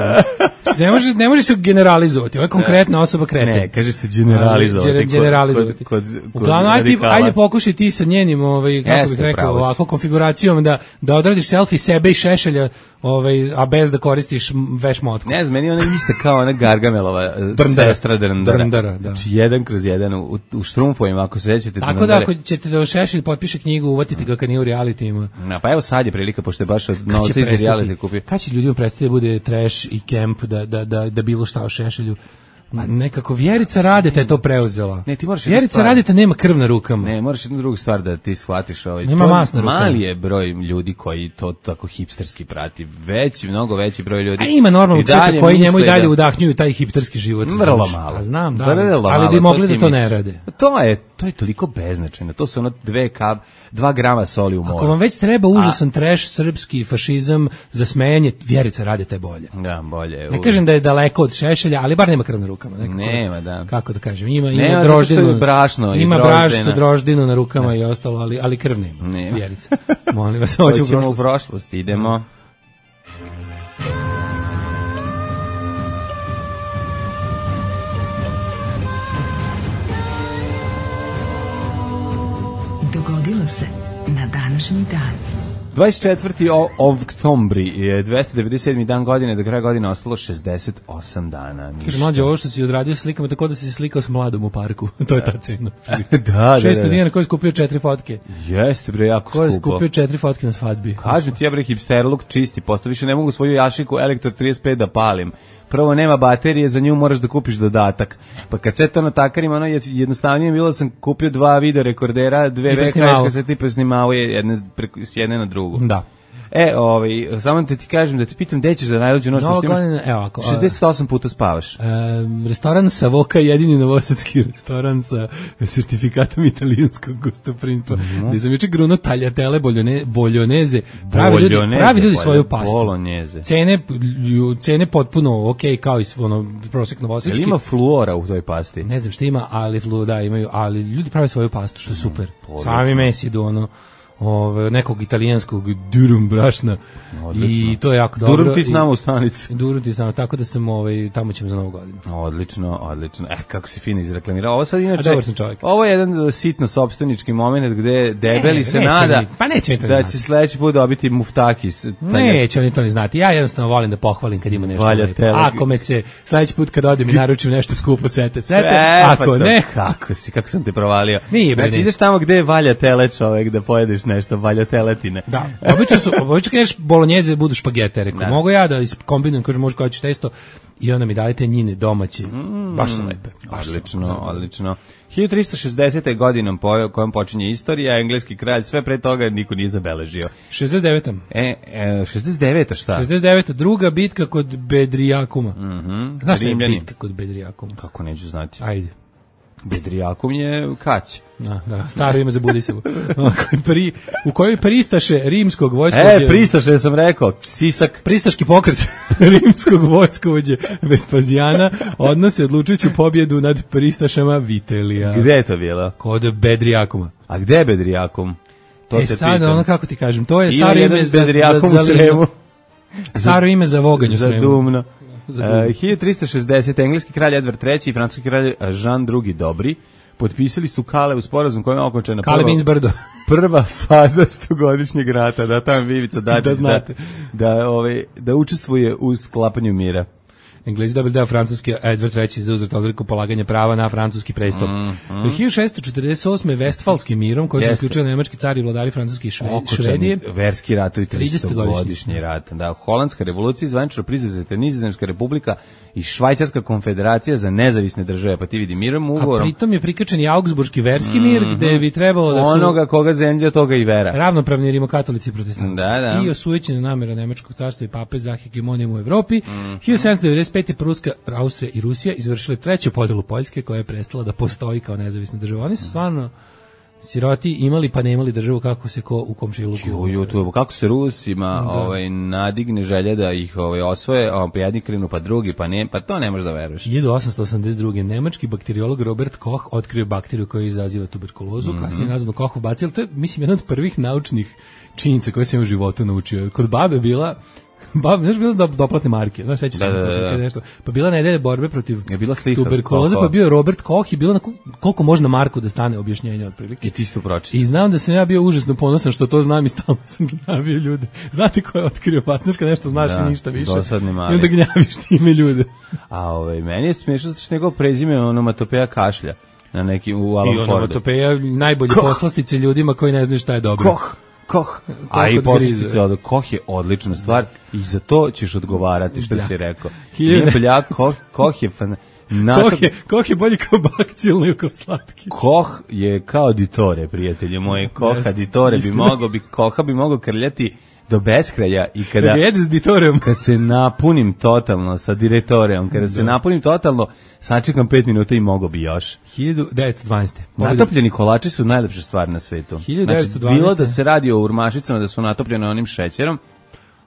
Speaker 6: Ne može, ne može se generalizovati, ovo je konkretna osoba kreten.
Speaker 5: Ne, kaže se generalizovati.
Speaker 6: Generalizovati.
Speaker 5: Kod, kod, kod
Speaker 6: uglavnom, ajde, ajde pokušaj ti sa njenim, ovaj, kako Jeste, bih rekao, ovako konfiguracijom da, da odradiš selfie sebe i Šešelja, ovaj, a bez da koristiš veš motku.
Speaker 5: Ne znam, meni ona ista kao ona Gargamelova sestra Drndara. Drndara, da. Znači, jedan kroz jedan u, u štrumfovima, ako se sećate.
Speaker 6: Tako Drndare. Da, ako ćete da Šešelj potpiše knjigu, uvatite ga kad nije u realitima.
Speaker 5: No, pa evo sad je prilika, pošto je baš od novca iz reality kupio.
Speaker 6: Kad će ljudima prestati da bude trash i camp, da, da, da, da bilo šta o Šešelju? Nekako Vjerica Radeta je to preuzela.
Speaker 5: Ne, ti moraš
Speaker 6: Vjerica Radeta nema krv na rukama.
Speaker 5: Ne, moraš jednu drugu stvar da ti shvatiš. Ovaj.
Speaker 6: Nema mas na rukama.
Speaker 5: Mali je broj ljudi koji to tako hipsterski prati. Veći, mnogo veći broj ljudi.
Speaker 6: A ima normalno cveta koji njemu i dalje da... udahnjuju taj hipsterski život.
Speaker 5: Vrlo malo.
Speaker 6: A znam, da.
Speaker 5: Vrlo
Speaker 6: ali bi mogli da to ne rade.
Speaker 5: To je, to je toliko beznačajno. To su ono dve kap, dva grama soli u moru.
Speaker 6: Ako vam već treba užasan A... trash, srpski fašizam za smejanje, Vjerica Radeta je bolje.
Speaker 5: Da, bolje.
Speaker 6: Ne kažem da je daleko od Šešelja, ali bar nema krv na rukama. Nekako.
Speaker 5: Nema, da.
Speaker 6: Kako da kažem, ima ima
Speaker 5: nema,
Speaker 6: droždinu,
Speaker 5: brašno,
Speaker 6: ima brašno, droždinu na rukama ne. I ostalo, ali ali krv nema. nema. Vjerica. Molim vas, hoćemo u prošlost.
Speaker 5: u prošlost, idemo.
Speaker 2: Dogodilo se na današnji dan.
Speaker 5: dvadeset četvrti oktobri je dvesta devedeset sedmi dan godine, do kraja godine ostalo šezdeset osam dana.
Speaker 6: Kaže, mlađe, ovo što si odradio slikama, tako da si se slikao s mladom u parku. To je ta cena.
Speaker 5: da, da,
Speaker 6: šesto dinara koji je skupio četiri fotke.
Speaker 5: Jeste, bre, jako skupo.
Speaker 6: Koji je skupio četiri fotke na svadbi.
Speaker 5: Kažem ti, ja bre, hipsterluk čisti, posto više ne mogu svoju jašiku Elektro trideset pet da palim. Prvo, nema baterije, za nju moraš da kupiš dodatak. Pa kad sve to natakarima, ono je jednostavnije bilo da sam kupio dva video rekordera, dve V H S kasete i presnimao je jedne, s jedne na drugu.
Speaker 6: Da.
Speaker 5: E, ovaj, samo da ti kažem, da te pitam, gde ćeš za najluđu noć?
Speaker 6: Novo godine, evo ako.
Speaker 5: šezdeset osam puta spavaš.
Speaker 6: E, restoran Savoka, jedini novosadski restoran sa sertifikatom italijanskog gostoprinstva. Mm-hmm. Gde sam juče gruno tagliatelle, boljone, boljoneze. Pravi ljudi, pravi ljudi svoju pastu.
Speaker 5: Bolonjeze.
Speaker 6: Cene, cene potpuno ok, kao i ono, prosek novosadski.
Speaker 5: Jel ima fluora u toj pasti?
Speaker 6: Ne znam što ima, ali flu, da, imaju, ali ljudi prave svoju pastu, što je super. Mm, Sami mesi do ono, Ove, nekog italijanskog durum brašna. Odlično. I to je jako dobro.
Speaker 5: Durum ti s nama u stanicu.
Speaker 6: Durum ti s nama, tako da sam ovaj, tamo ćemo za novu godinu.
Speaker 5: Odlično, odlično. Eh, kako si fino izreklamirao. Ovo sad inače,
Speaker 6: A,
Speaker 5: ovo je jedan sitno sopstvenički moment gde debeli e, se nada
Speaker 6: mi, pa neće
Speaker 5: da će sledeći put dobiti muftakis.
Speaker 6: Neće oni to ni znati. Ja jednostavno volim da pohvalim kad ima nešto. Ako me se sledeći put kad odem i naručim nešto skupo, sete, sete. E, ako pa ne.
Speaker 5: Kako si, kako sam te provalio.
Speaker 6: Nije, bre,
Speaker 5: znači ideš tamo gde valja tele čovek da pojedeš nešto, valja teletine.
Speaker 6: Da. Obično su, obično kažeš bolonjeze budu špagete, rekao. Mogu ja da kombinujem, kaže može kao ćeš testo i onda mi dajete njine domaće. Mm, baš su lepe. Baš
Speaker 5: odlično, su, odlično. hiljadu tristo šezdesete godinom po kojom počinje istorija, engleski kralj, sve pre toga niko nije zabeležio.
Speaker 6: šezdeset deveta
Speaker 5: E, e šezdeset deveta šta?
Speaker 6: šezdeset deveta druga bitka kod Bedrijakuma.
Speaker 5: Mhm.
Speaker 6: Znaš šta je bitka kod Bedrijakuma?
Speaker 5: Kako neću znati.
Speaker 6: Ajde.
Speaker 5: Bedrijakum je Kać.
Speaker 6: Da, da, staro ime za Budisevu. Pri, u kojoj pristaše rimskog vojskovođe...
Speaker 5: E, pristaše sam rekao, Sisak.
Speaker 6: Pristaški pokret rimskog vojskovođe Vespazijana odnose odlučujuću pobjedu nad pristašama Vitelija.
Speaker 5: Gde je to bilo?
Speaker 6: Kod Bedrijakuma.
Speaker 5: A gde je Bedrijakum? To
Speaker 6: e,
Speaker 5: te
Speaker 6: sad,
Speaker 5: pitam.
Speaker 6: ono kako ti kažem, to je staro ime za...
Speaker 5: Bedrijakum
Speaker 6: za,
Speaker 5: u Sremu.
Speaker 6: Staro ime za voganju
Speaker 5: Sremu. Za Dumno.
Speaker 6: Uh,
Speaker 5: hiljadu tristo šezdesete engleski kralj Edvard treći i francuski kralj Jean drugi Dobri potpisali su Kale u sporazum kojim je okončena
Speaker 6: prva,
Speaker 5: prva faza stogodišnjeg rata, da tamo Vivica Dačić
Speaker 6: da,
Speaker 5: da, da, ove, da učestvuje u sklapanju mira.
Speaker 6: Englezi dobili deo Francuske, Edvard treći zauzeo odluku polaganja prava na francuski prestol. Mm, mm. hiljadu šessto četrdeset osme Vestfalskim mirom, koji su zaključili nemački car i vladari Francuske i Šve, Švedije.
Speaker 5: Verski rat i tridesetogodišnji rat. Da, Holandska revolucija zvanično priznata Nizozemska republika i Švajcarska konfederacija za nezavisne države, pa ti vidi mirom ugovorom.
Speaker 6: A pritom je prikačen i Augsburški verski mir, mm -hmm. gde bi trebalo da su
Speaker 5: onoga koga zemlja, toga i vera.
Speaker 6: Ravnopravni rimokatolici i protestanti.
Speaker 5: Da, da.
Speaker 6: I osujećena namera nemačkog carstva i pape za hegemonijom u Evropi. Mm -hmm. hiljadu sedamsto devedeset pete. Pruska, Austrija i Rusija izvršile treću podelu Poljske, koja je prestala da postoji kao nezavisna država. Oni su stvarno siroti imali pa nemali državu, kako se ko u komšiluku.
Speaker 5: U YouTube, kako se Rusima da. ovaj, nadigne želja da ih ovaj, osvoje, a pa jedni krenu pa drugi, pa ne, pa to ne možeš da veruješ.
Speaker 6: hiljadu osamsto osamdeset druge. nemački bakteriolog Robert Koch otkrio bakteriju koja izaziva tuberkulozu, mm -hmm. kasnije nazvano Kochov bacil. To je, mislim, jedna od prvih naučnih činjenica koje sam u životu naučio. Kod babe bila Ba, znaš, bilo do, doplatne marke, znaš, sećaš se da, da, da. nešto. Pa bila nedelja borbe protiv tuberkuloze, pa bio Robert Koch i bilo na koliko možna marku da stane objašnjenje otprilike.
Speaker 5: I ti isto pročitao.
Speaker 6: I znam da sam ja bio užasno ponosan što to znam i stalno sam gnjavio ljude. Znate ko je otkrio, pa znaš kad nešto znaš da, i ništa više.
Speaker 5: Dosadni mali.
Speaker 6: I onda gnjaviš time ljude.
Speaker 5: A ovaj, meni je smiješno zato što njegov prezime onomatopeja kašlja na neki u Alan Fordu.
Speaker 6: I onomatopeja najbolje poslastice ljudima koji ne znaju šta je dobro.
Speaker 5: Koch. Koh, a i posljedice od Koh je odlična stvar i za to ćeš odgovarati što si rekao. Nije bljak, Koh, Koh je fan...
Speaker 6: Koh je, Koh je bolji kao bakcil nego kao slatki.
Speaker 5: Koh je kao ditore, prijatelje moji. Koh ditore bi mogao, bi, Koha bi mogao krljati do beskraja i kada
Speaker 6: kad jedu s ditorijom,
Speaker 5: kad se napunim totalno sa diretorijom, kada da. se napunim totalno, sačekam pet minuta i mogo bi još.
Speaker 6: hiljadu devetsto dvanaeste.
Speaker 5: Natopljeni kolači su najlepša stvar na svetu.
Speaker 6: hiljadu devetsto dvanaeste.
Speaker 5: Znači, bilo da se radi o urmašicama da su natopljene onim šećerom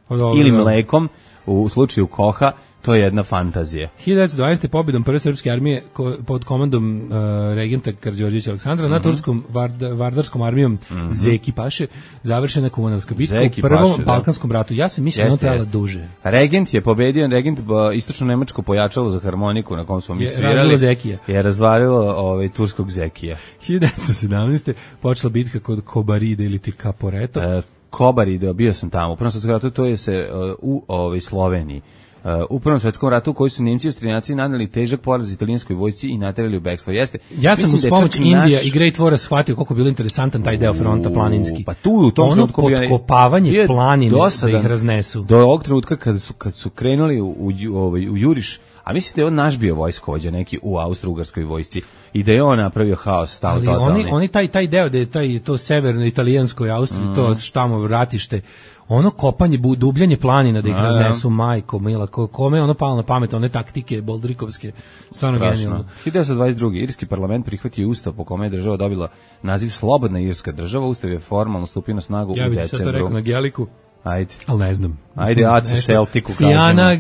Speaker 5: dobro, ili mlekom, u slučaju Koha, to je jedna fantazija.
Speaker 6: hiljadu devetsto dvanaeste. pobjedom prve srpske armije ko, pod komandom uh, regenta Karađorđevića Aleksandra mm -hmm. nad turskom vard, vardarskom armijom mm -hmm. Zeki Paše završena Kumanovska bitka u prvom Paše, Balkanskom ratu. Ja sam mislio da ona trebala duže.
Speaker 5: Regent je pobedio, regent istočno nemačko pojačalo za harmoniku na kom smo mi svirali.
Speaker 6: Zekija.
Speaker 5: Je razvalilo ovaj, turskog Zekija.
Speaker 6: hiljadu devetsto sedamnaeste. počela bitka kod Kobaride ili ti Caporetto.
Speaker 5: E, Kobaride, bio sam tamo. U prvom svetskom ratu to je se uh, u ovaj, Sloveniji. Uh, u Prvom svetskom ratu u kojoj su Nemci i Austrijanci naneli težak poraz italijanskoj vojsci i naterali u bekstvo. Jeste.
Speaker 6: Ja sam uz pomoć Indija naš... i Great War shvatio koliko je bilo interesantan taj deo fronta planinski.
Speaker 5: Pa tu u tom
Speaker 6: ono potkopavanje planine da ih raznesu.
Speaker 5: Do ovog trenutka kad su, kad su krenuli u, u, u, u juriš, a mislim da je on naš bio vojskovođa neki u Austro-Ugarskoj vojsci i da je on napravio haos stav
Speaker 6: ali
Speaker 5: totalni.
Speaker 6: Oni, oni taj, taj deo da je taj, to severno italijansko Austriji, mm. to štamo ratište, ono kopanje, dubljanje planina da ih a, raznesu, majko, mila, kome ono palo na pamet, one taktike boldrikovske, stvarno genijalno.
Speaker 5: hiljadu devetsto dvadeset druge. Irski parlament prihvatio ustav po kome je država dobila naziv Slobodna irska država. Ustav je formalno stupio na snagu
Speaker 6: ja
Speaker 5: u decembru.
Speaker 6: Ja bih sad to rekao na Geliku.
Speaker 5: Ajde.
Speaker 6: Ali ne znam.
Speaker 5: Ajde, Acu Celticu kažemo.
Speaker 6: Fijana,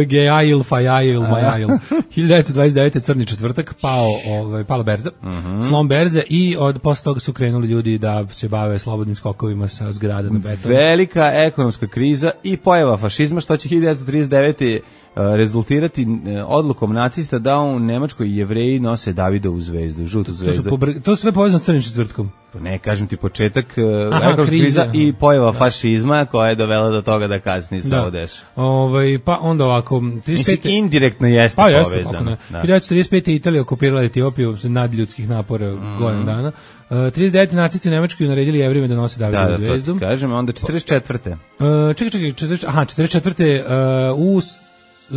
Speaker 6: Gejail, Fajail, Majail. hiljadu devetsto dvadeset devete. crni četvrtak, pao, ovaj, pala berza, uh -huh. slom berze i od posle toga su krenuli ljudi da se bave slobodnim skokovima sa zgrada na beton.
Speaker 5: Velika ekonomska kriza i pojava fašizma, što će hiljadu devetsto trideset devete. rezultirati odlukom nacista da u Nemačkoj Jevreji nose Davidovu zvezdu, žutu zvezdu.
Speaker 6: To su, pobr... to su sve povezano s crnim četvrtkom.
Speaker 5: Ne, kažem ti početak ekonomska kriza i pojava da. fašizma koja je dovela do toga da kasnije se ovo deša.
Speaker 6: Ovaj, pa onda ovako... trideset pete.
Speaker 5: Mislim, indirektno jeste pa, povezano.
Speaker 6: Da. hiljadu devetsto trideset pete. Italija okupirala Etiopiju nadljudskih napora mm. godinu dana. Uh, trideset devete. nacisti u Nemačkoj naredili Jevrejima da nose Davidovu da, da, zvezdu.
Speaker 5: Da, kažem, onda četrdeset četvrte.
Speaker 6: Uh, čekaj, čekaj, četrdeset, aha, četrdeset četvrte. Uh, u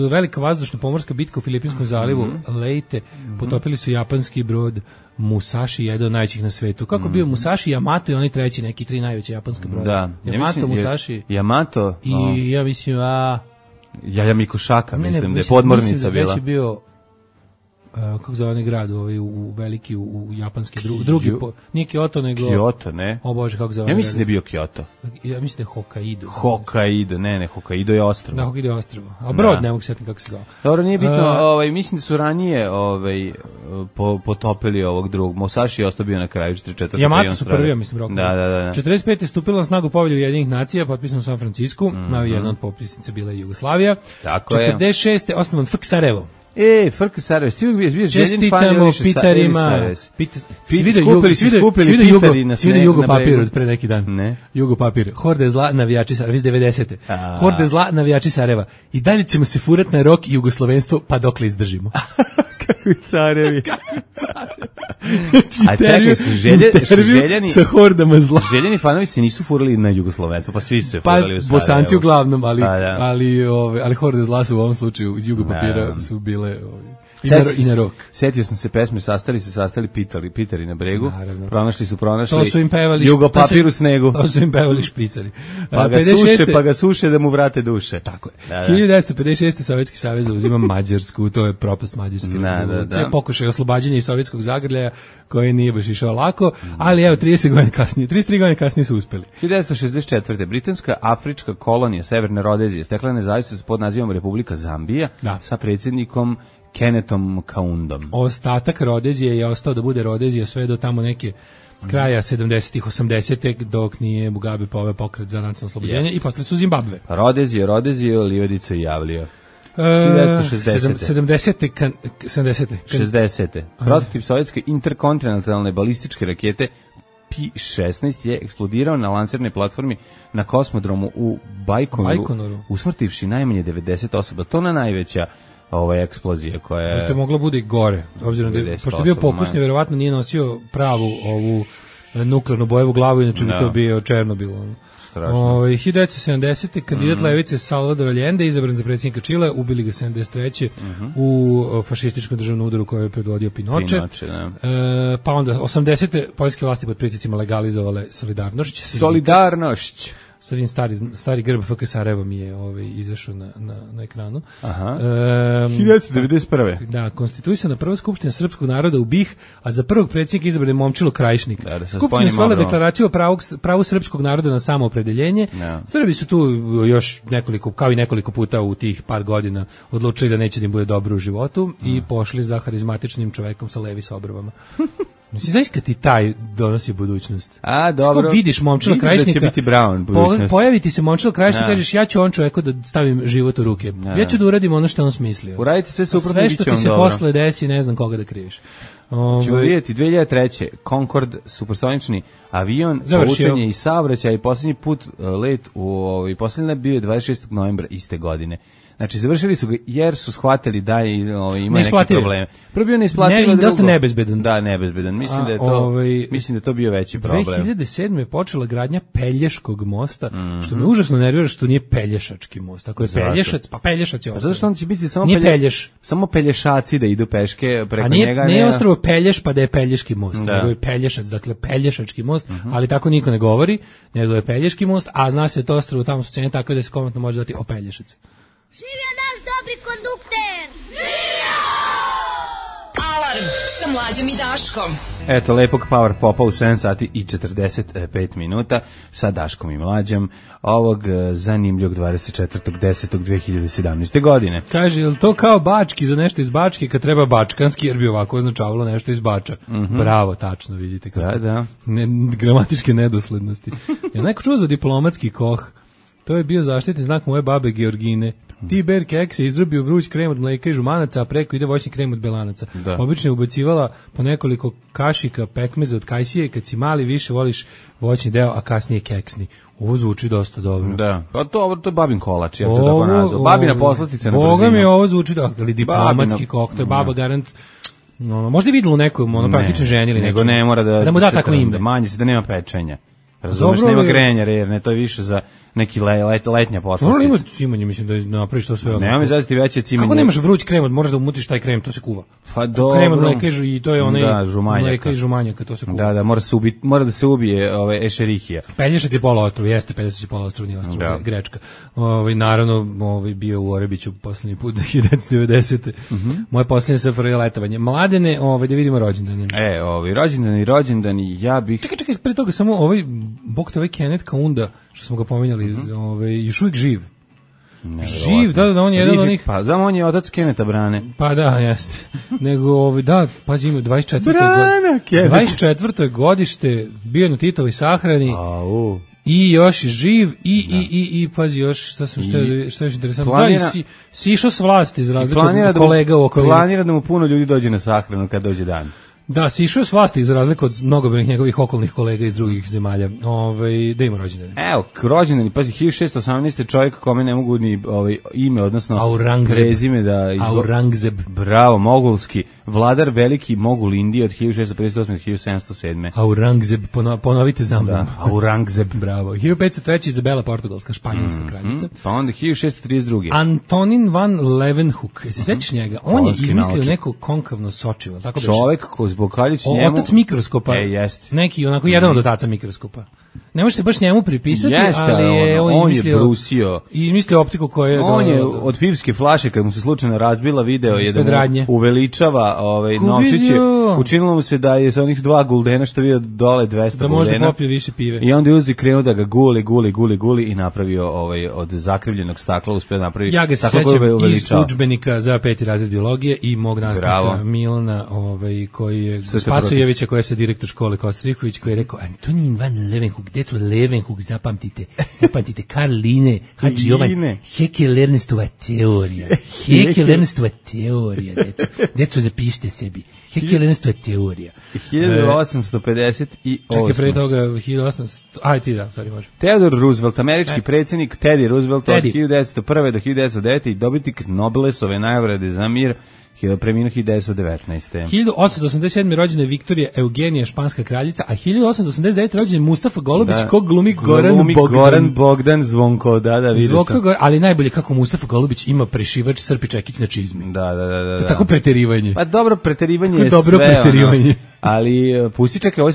Speaker 6: velika vazdušna pomorska bitka u Filipinskom zalivu, mm -hmm. Leyte, potopili su japanski brod Musashi, jedan od najvećih na svetu. Kako mm -hmm. bio Musashi, Yamato i oni treći, neki tri najveće japanske broda.
Speaker 5: Da.
Speaker 6: Yamato,
Speaker 5: ja mislim,
Speaker 6: Musashi.
Speaker 5: Yamato.
Speaker 6: I no. ja mislim, a...
Speaker 5: Jaja Mikošaka, mislim, ne, ne, da je podmornica
Speaker 6: mislim da
Speaker 5: bila.
Speaker 6: Mislim da je bio... Uh, kako zove onaj grad ovaj, u, u veliki, u, u japanski, drugi, drugi po, nije Kyoto, nego...
Speaker 5: Kyoto, ne?
Speaker 6: O Bože, kako zove?
Speaker 5: Ja mislim da je bio Kyoto.
Speaker 6: Ja mislim da je Hokkaido.
Speaker 5: Hokkaido, ne, ne, Hokkaido je ostrvo.
Speaker 6: Da, Hokkaido je ostrvo. A brod, da. Ne mogu sjetiti kako se zove.
Speaker 5: Dobro, nije bitno, uh, ovaj, mislim da su ranije ovaj, po, potopili ovog drugog. Musashi je ostao bio na kraju četrdeset četvrte.
Speaker 6: Yamato su prvi, ja mislim, rokovi.
Speaker 5: Da, da, da.
Speaker 6: četrdeset pete. stupila na snagu povelju Ujedinjenih nacija, potpisano u San Francisku, mm -hmm. na jedna od potpisnica bila je Jugoslavija.
Speaker 5: Tako je.
Speaker 6: četrdeset šeste. osnovan F K Sarajevo.
Speaker 5: E, Frka Sarajevo, ti uvijek bio željen fan ili više
Speaker 6: Pitarima.
Speaker 5: Svi skupili, svi skupili Pitari na
Speaker 6: Svi Jugo papir od pre neki dan.
Speaker 5: Ne.
Speaker 6: Jugo papir. Horde zla, navijači Sarajeva, iz devedesete. Horde zla, navijači Sarajeva. I dalje ćemo se furat na rok i jugoslovenstvo, pa dokle izdržimo.
Speaker 5: Kakvi carevi.
Speaker 6: Kakvi carevi.
Speaker 5: A čekaj, su, želje, su željeni...
Speaker 6: Sa hordama zla.
Speaker 5: Željeni fanovi se nisu furali na jugoslovenstvo, pa svi su se furali
Speaker 6: pa,
Speaker 5: u Sarajevo.
Speaker 6: Bosanci uglavnom, ali,
Speaker 5: pa, da.
Speaker 6: ali, ove, ali horde zla su u ovom slučaju iz Jugo papira su bile... Ove, I
Speaker 5: na,
Speaker 6: i na rok.
Speaker 5: Setio sam se pesme, sastali se, sastali pitali, pitari na bregu,
Speaker 6: naravno.
Speaker 5: pronašli su, pronašli
Speaker 6: to su im pevali,
Speaker 5: Jugo papir u snegu.
Speaker 6: To su im pevali špricari.
Speaker 5: Pa ga suše, pa ga suše da mu vrate duše.
Speaker 6: Tako je. Da, da. hiljadu devetsto pedeset šeste. Sovjetski savez uzima Mađarsku, to je propast Mađarske. Da, da, da. Pokušaj oslobađanja iz sovjetskog zagrljaja, koji nije baš išao lako, ali evo trideset godina kasnije, trideset tri godine kasnije su uspeli.
Speaker 5: hiljadu devetsto šezdeset četvrte. Britanska afrička kolonija Severne Rodezije stekla nezavisnost pod nazivom Republika Zambija
Speaker 6: da.
Speaker 5: sa predsjednikom Kennethom Kaundom.
Speaker 6: Ostatak Rodezije je ostao da bude Rodezija sve do tamo neke kraja sedamdesetih, osamdesetih dok nije Mugabe poveo pokret za nacionalno oslobođenje i posle su Zimbabve.
Speaker 5: Rodezije, Rodezije, Livadica i Javlija.
Speaker 6: sedamdesete.
Speaker 5: šezdesete. Prototip sovjetske interkontinentalne balističke rakete P šesnaest je eksplodirao na lansirnoj platformi na kosmodromu u Bajkonoru,
Speaker 6: Bajkonoru.
Speaker 5: usmrtivši najmanje devedeset osoba. To na najveća ova eksplozija koja je...
Speaker 6: Možda mogla bude i gore, obzirom da je, pošto je bio pokusni, verovatno nije nosio pravu ovu nuklearnu bojevu glavu, inače bi to bio Černobil. Ove, hiljadu devetsto sedamdesete. kandidat mm. levice Salvador Allende izabran za predsjednika Čile, ubili ga sedamdeset treće Mm-hmm. u fašističkom državnom udaru koju je predvodio Pinoče.
Speaker 5: Pinoče da.
Speaker 6: E, pa onda osamdesete. poljske vlasti pod pritiscima legalizovale solidarnošć.
Speaker 5: Solidarnošć.
Speaker 6: Sad stari, stari grb F K Sarajeva mi je ovaj, izašao na, na, na ekranu.
Speaker 5: Aha. Um, hiljadu devetsto devedeset prve.
Speaker 6: Da, konstituisana prva skupština srpskog naroda u B i H, a za prvog predsjednika izabran je Momčilo Krajišnik. Da, da skupština stvorila deklaraciju o pravu, pravu srpskog naroda na samoopredeljenje. No. Srbi su tu još nekoliko, kao i nekoliko puta u tih par godina odlučili da neće da im bude dobro u životu mm. i pošli za harizmatičnim čovekom sa levi sa obrvama. Mislim, znaš kad ti taj donosi budućnost?
Speaker 5: A, dobro.
Speaker 6: Kako vidiš Momčila Krajišnika,
Speaker 5: da će biti Brown budućnost.
Speaker 6: Po, pojavi ti se Momčilo Krajišnika i kažeš, ja ću on čoveku da stavim život u ruke. Ja, ja ću da uradim ono što on smislio.
Speaker 5: Uradite sve suprotno,
Speaker 6: sve što ti se dobro. Posle desi, ne znam koga da kriviš.
Speaker 5: Ove... Ćemo vidjeti, dve hiljade treće. Concorde, supersonični avion, povučenje i saobraćaj, i posljednji put let u i posljednji bio je dvadeset šestog novembra iste godine. Znači, završili su ga jer su shvatili da je, ovaj, ima neke probleme. Prvo bio neisplativo,
Speaker 6: ne, dosta nebezbedan.
Speaker 5: Da, nebezbedan. Mislim A, da je to ovaj, mislim da je to bio veći problem.
Speaker 6: dve hiljade sedme je počela gradnja Pelješkog mosta, mm-hmm. što me užasno nervira što nije Pelješački most. Ako je Zato. Pelješac, pa Pelješac je ostrvo.
Speaker 5: Zato što on će biti samo
Speaker 6: pelje, Pelješ.
Speaker 5: Samo Pelješaci da idu peške preko
Speaker 6: A nije,
Speaker 5: njega.
Speaker 6: Ne je ostrvo Pelješ pa da je Pelješki most, da. Nego je Pelješac, dakle Pelješački most, mm-hmm. ali tako niko ne govori, nego je Pelješki most, a zna se to ostrvo tamo su cene tako da se komotno može dati o Pelješac.
Speaker 4: Živio naš dobri kondukter! Živio!
Speaker 2: Alarm sa Mlađom i Daškom.
Speaker 5: Eto, lepog power popa u sedam sati i četrdeset pet minuta sa Daškom i Mlađom ovog zanimljivog dvadeset četvrtog desetog dve hiljade sedamnaeste. godine.
Speaker 6: Kaže, je li to kao bački za nešto iz Bačke kad treba bačkanski, jer bi ovako označavalo nešto iz Bača? Mm-hmm. Bravo, tačno, vidite kako.
Speaker 5: Da, da.
Speaker 6: Ne, gramatičke nedoslednosti. Je neko čuo za diplomatski koh? To je bio zaštitni znak moje babe Georgine. Tiber keks je izdrobio vruć krem od mleka i žumanaca, a preko ide voćni krem od belanaca. Da. Obično je ubacivala po nekoliko kašika pekmeza od kajsije, kad si mali više voliš voćni deo, a kasnije keksni. Ovo zvuči dosta dobro.
Speaker 5: Da, pa to, to je babin kolač, ja to tako nazvao. Babina poslastica na brzinu.
Speaker 6: Boga mi ovo zvuči dobro, ali diplomatski kok, to je baba garant... No, možda je vidjelo nekom, ono praktično ženi ili
Speaker 5: nego ne mora da,
Speaker 6: da mu da tako ime.
Speaker 5: Manje se da nema pečenja. Razumeš, nema grenja, jer ne, to je više za neki le, let, letnja poslastica.
Speaker 6: Dobro ima cimanje, mislim da napraviš to sve.
Speaker 5: Nema mi zaziti veće cimanje.
Speaker 6: Kako nemaš vruć krem, moraš da umutiš taj krem, to se kuva.
Speaker 5: Pa dobro.
Speaker 6: Krem od mleka i to je onaj
Speaker 5: da, žumanjaka.
Speaker 6: Mleka i žumanjaka, to se kuva.
Speaker 5: Da, da, mora, se ubi, mora da se ubije ove, ešerihija.
Speaker 6: Pelješac je poluostrvo, jeste, Pelješac je poluostrvo, nije ostrvo, da. Grečka. Ovaj naravno, ovaj bio u Orebiću poslednji put hiljadu devetsto devedesete. Mm-hmm. Moje poslednje S F R J letovanje. Mladene, ovaj da vidimo rođendane.
Speaker 5: E, ovaj rođendani, rođendani, ja bih
Speaker 6: Čekaj, čekaj, pre toga samo ovaj bog te ovaj Kenneth Kaunda, što smo ga pominjali, mm-hmm. ovaj još uvijek živ. Živ, da, da, on je jedan od onih...
Speaker 5: Pa, znam, on je otac Keneta Brane.
Speaker 6: Pa da, jeste. Nego, ovaj, da, pazi, ima dvadeset četvrto
Speaker 5: Brana, Kenet.
Speaker 6: dvadeset četvrto godište, bio na Titovoj sahrani.
Speaker 5: Au.
Speaker 6: I još živ i i i i pazi još šta sam što je što je interesantno. Planira, da, si, si išao s vlasti iz razliku od kolega u okolini.
Speaker 5: Planira da mu puno ljudi dođe na sahranu kad dođe dan.
Speaker 6: Da, si išao s vlasti za razliku od mnogobrojnih njegovih okolnih kolega iz drugih zemalja. Ovaj da ima rođendan.
Speaker 5: Evo, rođendan, pazi hiljadu šessto osamnaeste čovjek kome ne mogu ni ovaj ime, odnosno
Speaker 6: Aurangzeb.
Speaker 5: prezime da izgo...
Speaker 6: Aurangzeb.
Speaker 5: Bravo, mogulski vladar, veliki mogul Indije od hiljadu šessto pedeset osme do hiljadu sedamsto sedme.
Speaker 6: Aurangzeb, pono, ponovite za mnom.
Speaker 5: Da, Aurangzeb.
Speaker 6: Bravo. hiljadu petsto treće Izabela Portugalska, španjolska mm, kraljica.
Speaker 5: Mm, pa onda hiljadu šessto trideset druge.
Speaker 6: Antonin van Leeuwenhoek. Se sećaš njega? On je izmislio naučnik. Neko konkavno sočivo, tako da
Speaker 5: čovek ko zbog kaljić njemu
Speaker 6: otac mikroskopa.
Speaker 5: E, jeste.
Speaker 6: Neki onako jedan od otaca mikroskopa. Ne može se baš njemu pripisati,
Speaker 5: jeste,
Speaker 6: ali je on,
Speaker 5: on
Speaker 6: izmislio,
Speaker 5: je brusio.
Speaker 6: izmislio optiku koja je...
Speaker 5: On je od pivske flaše, kad mu se slučajno razbila video, je da mu uveličava ovaj, novčiće. Učinilo mu se da je sa onih dva guldena što vidio dole dvesta
Speaker 6: da
Speaker 5: guldena.
Speaker 6: Da možda popio više pive.
Speaker 5: I onda je uzi krenuo da ga guli, guli, guli, guli i napravio ovaj, od zakrivljenog stakla, uspio da napravi.
Speaker 6: Ja ga se sećam iz udžbenika za peti razred biologije i mog nastavnika Milana, ovaj, koji je Spasojevića, koji je sa direktor škole Kostriković, koji je rekao Antonin van Leeuwenhoek, djeco Leeuwenhoek, zapamtite, zapamtite, Karl Linne, Hadži Jovan, Hecke-Lernstova teorija, Hecke-Lernstova teorija, djeco, djeco zapišite sebi, Hecke-Lernstova teorija.
Speaker 5: hiljadu osamsto pedeset osme.
Speaker 6: Čekaj, pre toga hiljadu osamsto, aj ti da, stvari može.
Speaker 5: Theodore Roosevelt, američki predsjednik, Teddy Roosevelt od hiljadu devetsto prve do hiljadu devetsto devete i dobitnik Nobelesove nagrade za mir, preminuo hiljadu devetsto devetnaeste.
Speaker 6: hiljadu osamsto osamdeset sedme rođena je Viktorija Eugenija, španska kraljica, a hiljadu osamsto osamdeset devete rođen je Mustafa Golubić, da, kog glumi Goran glumi Bogdan.
Speaker 5: Goran Bogdan Zvonko, da, da, vidio sam.
Speaker 6: Ali najbolje kako Mustafa Golubić ima prešivač Srpi Čekić na čizmi.
Speaker 5: Da, da, da. da.
Speaker 6: To je tako preterivanje.
Speaker 5: Pa dobro, preterivanje je
Speaker 6: dobro
Speaker 5: sve.
Speaker 6: Preterivanje.
Speaker 5: Ono, ali pusti čekaj, ovaj,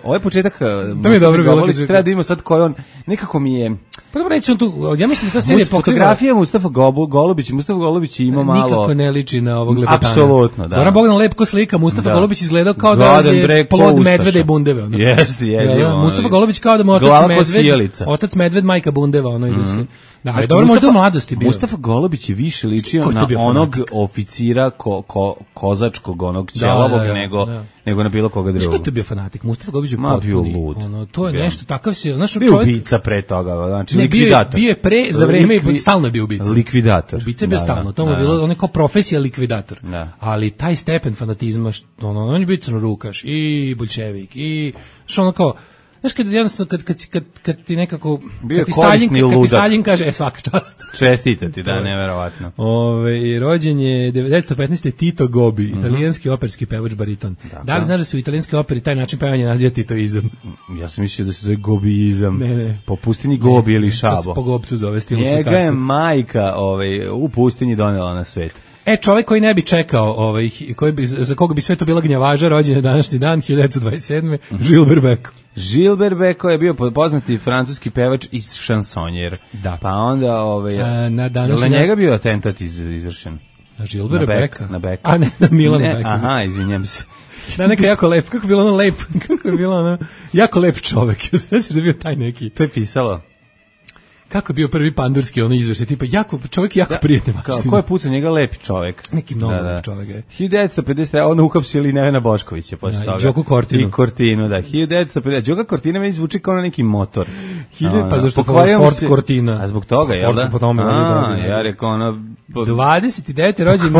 Speaker 5: ovaj početak
Speaker 6: to mi je dobro
Speaker 5: Golubić treba da ima sad koji on, nekako mi je...
Speaker 6: Pa dobro reći on tu, ja mislim da ta serija
Speaker 5: pokriva... Fotografija Mustafa Golubić, Mustafa Golubić ima malo...
Speaker 6: Nikako ne liči na ovog lepetana.
Speaker 5: Apsolutno, da.
Speaker 6: Goran Bogdan lepko slika, Mustafa da. Golubić izgledao kao da je plod medveda i bundeve. Ono.
Speaker 5: Jeste, jeste.
Speaker 6: Ja, Mustafa Golubić kao da mu otac medved, otac medved, majka bundeva, ono ide se. Da, ali dobro, možda u mladosti bio.
Speaker 5: Mustafa Golubić je više ličio na onog oficira ko, ko, kozačkog, onog ćelavog, da, da, nego, da. nego na bilo koga drugog.
Speaker 6: Što je to bio fanatik? Mustafa Golubić je potpuni. Ono, to je bio. Nešto takav se... Znaš,
Speaker 5: bio čovjek, ubica pre toga, znači ne, likvidator.
Speaker 6: Bio je pre, za vreme, Likvi, stalno je bio ubica.
Speaker 5: Likvidator.
Speaker 6: Ubica je bio da, stalno, to mu je bilo, on je kao profesija likvidator. Da. Ali taj stepen fanatizma, što, ono, on je bio crnorukaš i bolševik i što ono kao... Znaš, kad, jednostavno, kad, kad, kad, kad ti nekako...
Speaker 5: Bio
Speaker 6: kad ti Stalin, kad ti Stalin kaže, e, svaka čast.
Speaker 5: Čestita ti, da, neverovatno.
Speaker 6: Ove, rođen je devetnaeste petnaeste. Tito Gobi, mm-hmm. italijanski operski pevač bariton. Dakle. Da li znaš da se u italijanskoj operi taj način pevanja naziva titoizam?
Speaker 5: Ja sam mislio da se zove Gobiizam.
Speaker 6: Ne, ne.
Speaker 5: Po pustinji Gobi ili Šabo.
Speaker 6: To se po Gobcu zove stilom
Speaker 5: slikarstva. Njega je majka ovaj, u pustinji donela na svet.
Speaker 6: E, čovjek koji ne bi čekao, ovaj, koji bi, za koga bi sve to bila gnjavaža, rođen je današnji dan, hiljadu devetsto dvadeset sedme. Gilbert Beko.
Speaker 5: Gilbert Beko je bio poznati francuski pevač i šansonjer. Da. Pa onda, ovaj,
Speaker 6: A, na današnji
Speaker 5: na njega bio atentat iz, izvršen.
Speaker 6: Na Gilbert Beka?
Speaker 5: Na Beka.
Speaker 6: A ne, na Milana Beka.
Speaker 5: Aha, izvinjam se.
Speaker 6: Da, neka jako lep, kako je bilo ono lep, kako je bilo ono, jako lep čovjek. Sveći da je bio taj neki.
Speaker 5: To je pisalo.
Speaker 6: Kako je bio prvi pandurski ono izvršaj, tipa jako, čovjek jako da, prijatne maštine.
Speaker 5: Ko je pucao njega lepi čovjek?
Speaker 6: Neki mnogo
Speaker 5: da, da.
Speaker 6: lep čovjek je.
Speaker 5: hiljadu devetsto pedeset. Onda uhapsili Nevena Boškovića posle
Speaker 6: da,
Speaker 5: toga.
Speaker 6: I Đoku Kortinu.
Speaker 5: I Kortinu, da. hiljadu devetsto pedeset. Đoka Kortina me zvuči kao na neki motor.
Speaker 6: Hiljadu, pa zašto Ford se... Kortina?
Speaker 5: A zbog toga, jel da?
Speaker 6: Po tome,
Speaker 5: a, ja rekao ono...
Speaker 6: dvadeset devete rođen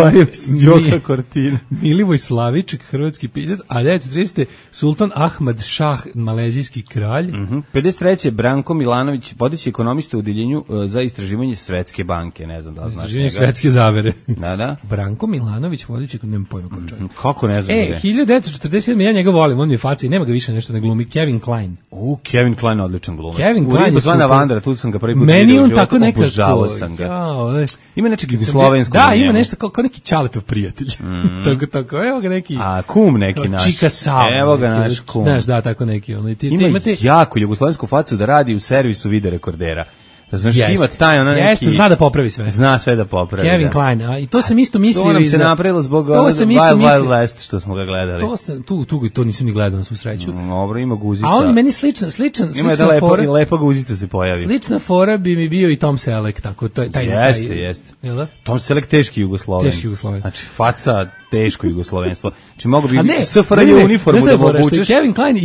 Speaker 5: Đoka Kortina.
Speaker 6: Milivoj Slaviček, hrvatski pisac, a devetsto tridesete. Sultan Ahmad Šah, malezijski kralj.
Speaker 5: Uh-huh. pedeset treće. Branko Milanović, vodeći ekonomista u odeljenju za istraživanje Svetske banke, ne znam da li znaš njega.
Speaker 6: Istraživanje svetske zavere.
Speaker 5: Da, da.
Speaker 6: Branko Milanović, vodeći, nemam pojma kao čovjek.
Speaker 5: Kako ne znam.
Speaker 6: E, hiljadu devetsto četrdeset sedme. ja njega volim, on mi je faca i nema ga više nešto na glumi. Kevin Kline.
Speaker 5: U, Kevin Kline odličan glumac.
Speaker 6: Kevin Kline je
Speaker 5: super. Vandra, tu sam ga prvi put
Speaker 6: meni on tako nekako.
Speaker 5: Sam ga.
Speaker 6: Ja,
Speaker 5: ima nečeg jugoslovenskog.
Speaker 6: Da, ima nešto kao, kao neki Ćaletov prijatelj. Mm. tako, tako, evo ga neki.
Speaker 5: A, kum neki naš.
Speaker 6: Čika Sava.
Speaker 5: Evo ga naš kum.
Speaker 6: Znaš, da, tako neki. Ono, ti,
Speaker 5: ima
Speaker 6: ti imate...
Speaker 5: jako jugoslovensku facu da radi u servisu video rekordera. Znaš, ima taj ona neki...
Speaker 6: Jeste, zna da popravi sve.
Speaker 5: Zna sve da popravi.
Speaker 6: Kevin
Speaker 5: da.
Speaker 6: Kline, a i to sam isto mislio...
Speaker 5: To nam se napravilo zbog Wild Wild West što smo ga gledali.
Speaker 6: To sam, tu, tu, to nisam ni gledao na svu sreću.
Speaker 5: Dobro, ima guzica.
Speaker 6: A on je meni sličan, sličan, slična
Speaker 5: ima da lepo, fora... Ima lepa guzica se pojavi.
Speaker 6: Slična fora bi mi bio i Tom Selleck, tako, taj... taj
Speaker 5: jeste,
Speaker 6: taj,
Speaker 5: jeste.
Speaker 6: Jel da?
Speaker 5: Tom Selleck teški Jugosloven.
Speaker 6: Teški Jugosloven.
Speaker 5: Znači, faca... teško jugoslovenstvo. Znači mogu bi S F R J uniformu da mu obučeš,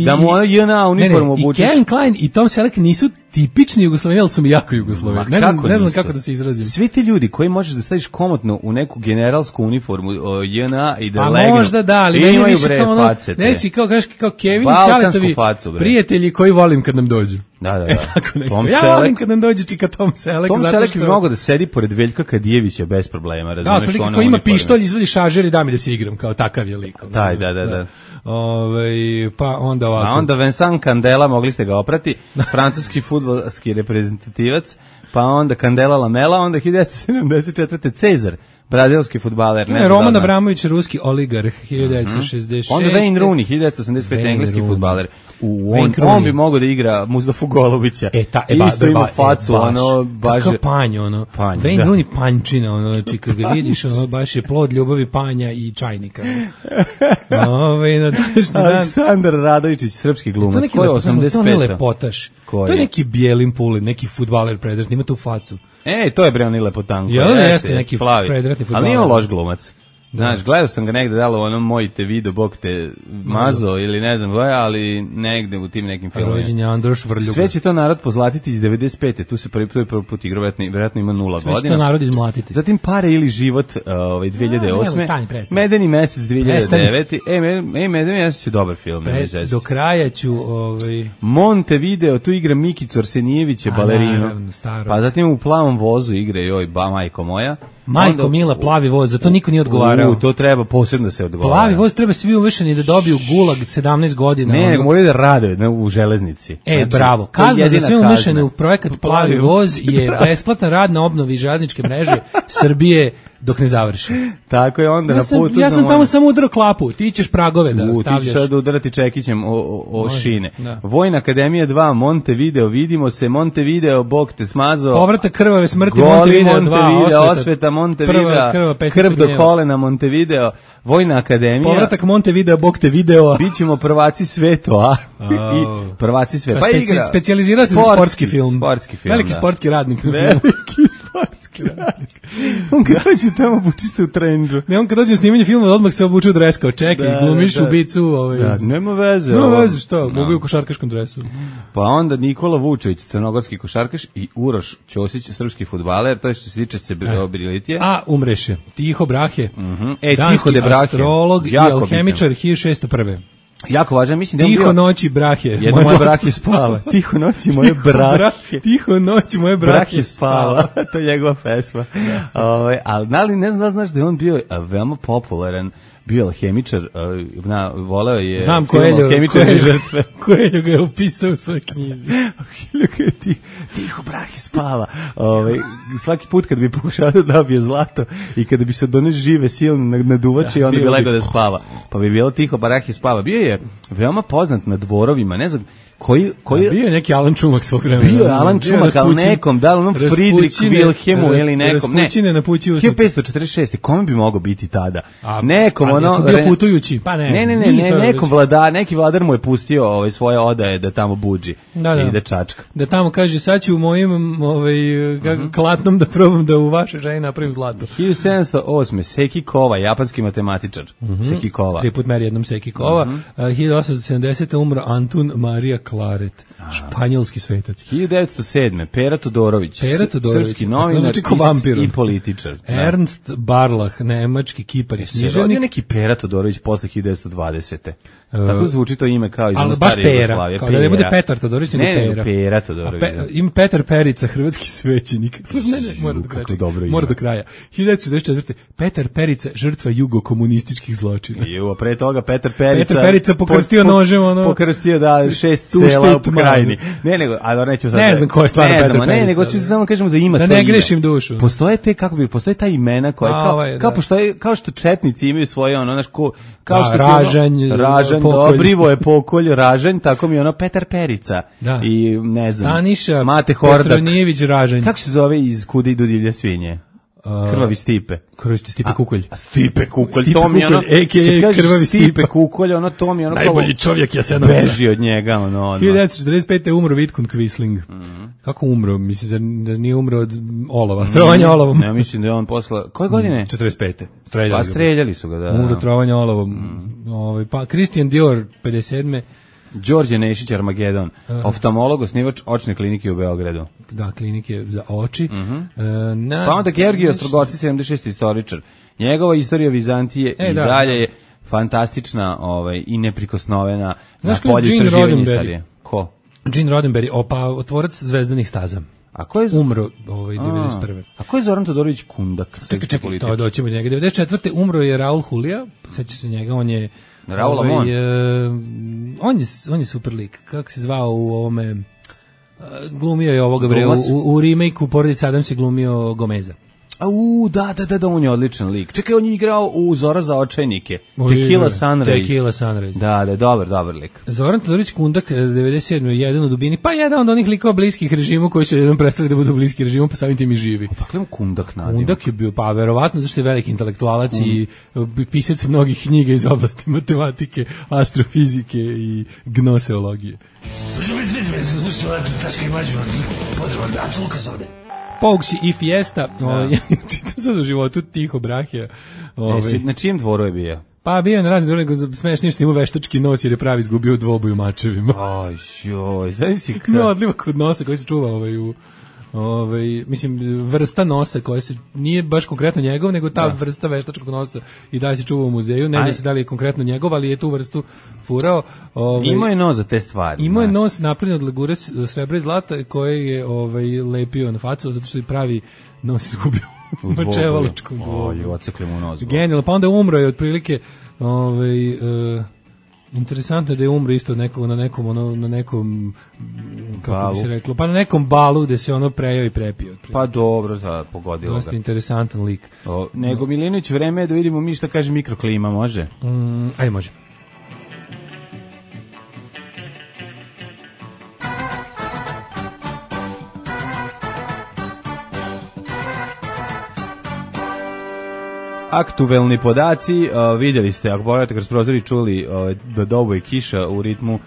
Speaker 5: da mu ono J N A uniformu obučeš.
Speaker 6: I Kevin Klein i Tom Selleck nisu tipični Jugosloveni, ali su mi jako Jugosloveni. Ne znam, ne znam kako da se izrazim.
Speaker 5: Svi ti ljudi koji možeš da staviš komotno u neku generalsku uniformu J N A i da
Speaker 6: a
Speaker 5: legnu.
Speaker 6: Možda da, ali meni više kao ono, neći kao, kažeš kao Kevin i Ćaletovi prijatelji koji volim kad nam dođu.
Speaker 5: Da, da, da.
Speaker 6: E, tako Tom ja Selleck, volim kad nam dođe čika Tom Selleck.
Speaker 5: Tom Selleck što... bi mogao da sedi pored Veljka Kadijevića bez problema, razumeš?
Speaker 6: Da, ako ima pištolj, izvadi šaržer i da mi da se igram, kao takav je lik.
Speaker 5: Da, da, da, da.
Speaker 6: Ove, pa onda ovako.
Speaker 5: A onda Vincent Candela, mogli ste ga oprati, francuski fudbalski reprezentativac, pa onda Candela Lamela, onda hiljadu devetsto sedamdeset četvrte Cezar, brazilski fudbaler.
Speaker 6: Ne, Roman Abramović, ruski oligarh, hiljadu devetsto šezdeset šeste.
Speaker 5: Onda Wayne Rooney, hiljadu devetsto osamdeset pete engleski fudbaler. U, on, on bi mogao da igra Mustafu Golubića.
Speaker 6: E, ta, e, ba,
Speaker 5: isto ima
Speaker 6: ba,
Speaker 5: facu,
Speaker 6: e, baš,
Speaker 5: ono, baš...
Speaker 6: Kakav panj, ono.
Speaker 5: Panj,
Speaker 6: Wayne
Speaker 5: da.
Speaker 6: Rooney pančina, ono, znači, kad ga vidiš, ono, baš je plod ljubavi panja i čajnika. Ove, na današnji dan...
Speaker 5: Aleksandar Radovičić, srpski glumac, ko je osamdeset pete.
Speaker 6: To je lepotaš. To je neki Bijelin Pulin, neki fudbaler predratni, ima tu facu.
Speaker 5: Ej, to je bre oni lepotanko.
Speaker 6: Ja, jeste, jeste neki predratni fudbaler.
Speaker 5: Ali nije on loš glumac. Znaš, gledao sam ga negde dalo ono moj te video, bog te mazo ili ne znam koja, ali negde u tim nekim filmima.
Speaker 6: Rođen je Androš Vrljuga.
Speaker 5: Sve će to narod pozlatiti iz devedeset pete. Tu se prvi put igra, vjerojatno ima nula godina.
Speaker 6: Sve će to narod izmlatiti.
Speaker 5: Zatim Pare ili život ovaj, dve hiljade osme. Medeni mesec dve hiljade devete. Ej, ej, Medeni mesec je dobar film.
Speaker 6: Prest, do kraja ću... Ovaj...
Speaker 5: Montevideo, tu igra Mikicu Arsenijevića, balerinu. Pa zatim u Plavom vozu igra joj, ba, majko moja.
Speaker 6: Majko onda, Mila, Plavi voz, za to niko nije odgovarao.
Speaker 5: U, to treba posebno da se odgovara.
Speaker 6: Plavi voz treba svi uvešeni da dobiju gulag sedamnaest godina.
Speaker 5: Ne, nego moraju da rade na, u železnici.
Speaker 6: E, znači, bravo. Kazna za sve umešane u projekat Plavi voz je besplatan rad na obnovi železničke mreže Srbije dok ne završi.
Speaker 5: Tako je onda
Speaker 6: ja
Speaker 5: na
Speaker 6: sam,
Speaker 5: putu.
Speaker 6: Ja sam tamo samo udarao klapu, ti ćeš pragove da
Speaker 5: u,
Speaker 6: stavljaš.
Speaker 5: Ti ćeš sad udarati čekićem o, o, o
Speaker 6: Može,
Speaker 5: šine.
Speaker 6: Da.
Speaker 5: Vojna akademija dva, Montevideo, vidimo se, Montevideo, Bog te smazao.
Speaker 6: Povratak krvave smrti,
Speaker 5: Goli
Speaker 6: Montevideo dva,
Speaker 5: Montevideo,
Speaker 6: osveta,
Speaker 5: osveta Montevideo, krv do kolena Montevideo, Vojna akademija.
Speaker 6: Povratak Montevideo, Bog te video.
Speaker 5: Bićemo prvaci sveta, a? I prvaci sveta.
Speaker 6: Pa, pa igra. Specijalizirao se za sportski film.
Speaker 5: Sportski film,
Speaker 6: Veliki
Speaker 5: da.
Speaker 6: sportski radnik.
Speaker 5: Veliki sportski radnik. On kad dođe tamo buči se u trendžu.
Speaker 6: Ne, on kad dođe snimanje filma odmah se obuče u dres kao čekaj, da, glumiš da, da. ubicu. Ovaj.
Speaker 5: Da, nema veze.
Speaker 6: Nema veze, što? Mogu no. u košarkaškom dresu.
Speaker 5: Pa onda Nikola Vučević, crnogorski košarkaš i Uroš Ćosić, srpski fudbaler, to je što se tiče se Brilitije.
Speaker 6: A, umreše. Tiho Brahe,
Speaker 5: mm-hmm. e,
Speaker 6: danski
Speaker 5: Tiho Brahe.
Speaker 6: Astrolog i alhemičar hiljadu šeststo prve.
Speaker 5: Jako važan, mislim da je
Speaker 6: Tiho
Speaker 5: bio...
Speaker 6: noći Brahe.
Speaker 5: Jedno moje Brahe spava. Tiho noći moje Brahe.
Speaker 6: Tiho noći moje Brahe spava.
Speaker 5: To je njegova pesma. Ove, ali ali ne znam da znaš da je on bio veoma popularan, bio alhemičar, na, voleo je
Speaker 6: Znam
Speaker 5: film Alhemičar i žrtve.
Speaker 6: Koeljo ga je upisao u svojoj knjizi.
Speaker 5: Ti, tiho Brahe spava. Ove, svaki put kad bi pokušao da dobije zlato i kada bi se doneš žive silne naduvače, ja, onda bi legao da spava. Pa bi bilo Tiho Brahe spava. Bio je veoma poznat na dvorovima, ne znam, koji koji
Speaker 6: ja, bio je neki Alan Čumak svog vremena.
Speaker 5: Bio je Alan Čumak, al nekom, da li onom Friedrich Wilhelmu ili nekom, ne.
Speaker 6: Raspućine na pući u
Speaker 5: hiljadu petsto četrdeset šeste kome bi mogao biti tada?
Speaker 6: A,
Speaker 5: nekom
Speaker 6: a,
Speaker 5: ono
Speaker 6: bio putujući, pa ne.
Speaker 5: Ne, ne, ne, ne nekom vladar, neki vladar mu je pustio ovaj svoje odaje da tamo budži
Speaker 6: da, da.
Speaker 5: i da čačka.
Speaker 6: Da tamo kaže sad ću u mojim ovaj uh-huh. klatnom da probam da u vašoj ženi napravim zlato.
Speaker 5: hiljadu sedamsto osme Seki Kova, japanski matematičar. Uh-huh. Seki Kova.
Speaker 6: Tri put meri jednom Seki Kova. Uh-huh. Uh, hiljadu osamsto sedamdesete umro Antun Marija Klaret. Španjolski svetac.
Speaker 5: hiljadu devetsto sedme Pera Todorović,
Speaker 6: Pera Todorović,
Speaker 5: srpski novinar i političar.
Speaker 6: Ernst Barlach, nemački kipar i književnik.
Speaker 5: On je neki Pera Todorović posle hiljadu devetsto dvadesete. Uh, Tako zvuči to ime kao iz
Speaker 6: stare Jugoslavije. Kao da ne bude Petar Todorović, nego
Speaker 5: ne,
Speaker 6: Pera.
Speaker 5: Pera Todorović.
Speaker 6: Pe, ima Petar Perica, hrvatski svećenik. Ne, ne, mora do kraja. Mora do kraja. hiljadu devetsto šezdeset četvrte Petar Perica, žrtva jugokomunističkih zločina.
Speaker 5: Ju, a pre toga Petar Perica.
Speaker 6: Petar Perica pokrstio po, nožem, ono.
Speaker 5: Pokrstio da šest sela u pokrajini. Ne, nego, a nećemo sad.
Speaker 6: Ne znam ko je stvarno Petar Perica.
Speaker 5: Ne, nego ću samo kažemo da ima
Speaker 6: da
Speaker 5: to ime.
Speaker 6: Da ne grešim dušu.
Speaker 5: Postoje te, kako bi, postoje ta imena koja kao, ovaj, kao, postoje, kao što četnici imaju svoje, ono, znaš, ko, kao što
Speaker 6: Ražanj,
Speaker 5: Ražanj, Dobrivo je Pokolj, Ražanj, tako mi ono Petar Perica.
Speaker 6: Da.
Speaker 5: I ne znam.
Speaker 6: Staniša
Speaker 5: Mate Hordak.
Speaker 6: Petronijević Ražanj.
Speaker 5: Kako se zove iz Kuda idu divlje svinje? Krvavi Stipe.
Speaker 6: Krvavi Stipe Kukolj.
Speaker 5: A Stipe Kukolj, Stipe to mi ono...
Speaker 6: a ka a Krvavi
Speaker 5: Stipe Kukolj, ono to mi ono...
Speaker 6: Najbolji čovjek Jasenovca.
Speaker 5: Beži od njega, ono, ono.
Speaker 6: hiljadu devetsto četrdeset pete. umro Vidkun Quisling. Mm-hmm. Kako umro? Mislim da nije umro od olova. Mm-hmm. Trovanja olovom.
Speaker 5: Ne, mislim da je on posla... Koje godine?
Speaker 6: četrdeset pete. Streljali,
Speaker 5: pa streljali su ga, da.
Speaker 6: Umro trovanja olovom. Mm. Ovaj, pa Christian Dior, pedeset sedme.
Speaker 5: Đorđe Nešić Armagedon, uh, oftalmolog, osnivač očne klinike u Beogradu.
Speaker 6: Da, klinike za oči.
Speaker 5: Uh-huh.
Speaker 6: Uh, na,
Speaker 5: pa onda Georgij Ostrogosti, sedamdeset šesti istoričar. Njegova istorija Vizantije e, i da, dalje je fantastična ovaj, i neprikosnovena na polju istraživanja istorije. Ko?
Speaker 6: Gene Roddenberry, opa, otvorac Zvezdanih staza.
Speaker 5: A ko je
Speaker 6: umro ovaj devedeset prve.
Speaker 5: A ko je Zoran Todorović Kundak?
Speaker 6: Čekaj, čekaj, to doćemo do njega. devedeset četvrte. umro je Raul Julia, sećaš se njega, on je
Speaker 5: Raul ovaj, Amon.
Speaker 6: Uh, on je on je super lik. Kako se zvao u ovome uh, glumio je ovoga bre u, u remake-u Porodica Adams je glumio Gomeza.
Speaker 5: Au, da, da, da, da, on je odličan lik. Čekaj, on je igrao u Zora za očajnike. Tequila Sunrise.
Speaker 6: Tequila Sunrise.
Speaker 5: Da, da, dobar, dobar lik.
Speaker 6: Zoran Todorović Kundak, devedeset sedme. jedan u dubini, pa jedan od onih likova bliskih režimu koji su jednom prestali da budu bliski režimu, pa samim tim i živi.
Speaker 5: Dakle, Kundak nadimak.
Speaker 6: Kundak je bio, pa verovatno, zašto je veliki intelektualac mm. i pisac mnogih knjiga iz oblasti matematike, astrofizike i gnoseologije. Pogusi i Fiesta, ovaj, čitam sad u životu Tiho Brahija.
Speaker 5: Ovaj. E, na čijem dvoru je bio?
Speaker 6: Pa bio na razne dvore, smešnije što ima veštački nos jer je pravi izgubio u dvoboju mačevima.
Speaker 5: Aj, joj, znaš si kada?
Speaker 6: No, odliva kod nosa koji se čuva ovaj, u, ovaj, mislim, vrsta nosa koja se, nije baš konkretno njegov, nego ta da. vrsta veštačkog nosa i dalje se čuva u muzeju, ne zna se da li je konkretno njegov, ali je tu vrstu furao. Ovaj,
Speaker 5: imao je nos za te stvari.
Speaker 6: Imao je nos napravljen od legure srebra i zlata koje je ovaj, lepio na facu, zato što je pravi nos izgubio u mačevaličkom dvoboju.
Speaker 5: Oj, ocekli mu nos.
Speaker 6: Genijalno, pa onda umro je otprilike, ovaj, uh, interesantno je da je umro isto nekog, na nekom, ono, na nekom, kako balu. Bi se reklo, pa na nekom balu gde se ono prejao i prepio. Otprilike.
Speaker 5: Pa dobro, da, pogodilo ga.
Speaker 6: Dosta interesantan lik.
Speaker 5: O, nego, no. Milinović, vreme je da vidimo mi šta kaže mikroklima, može?
Speaker 6: Mm, aj, može.
Speaker 5: Aktuelni podaci, uh, vidjeli ste, ako pogledate kroz prozor i čuli uh, da dobo je kiša u ritmu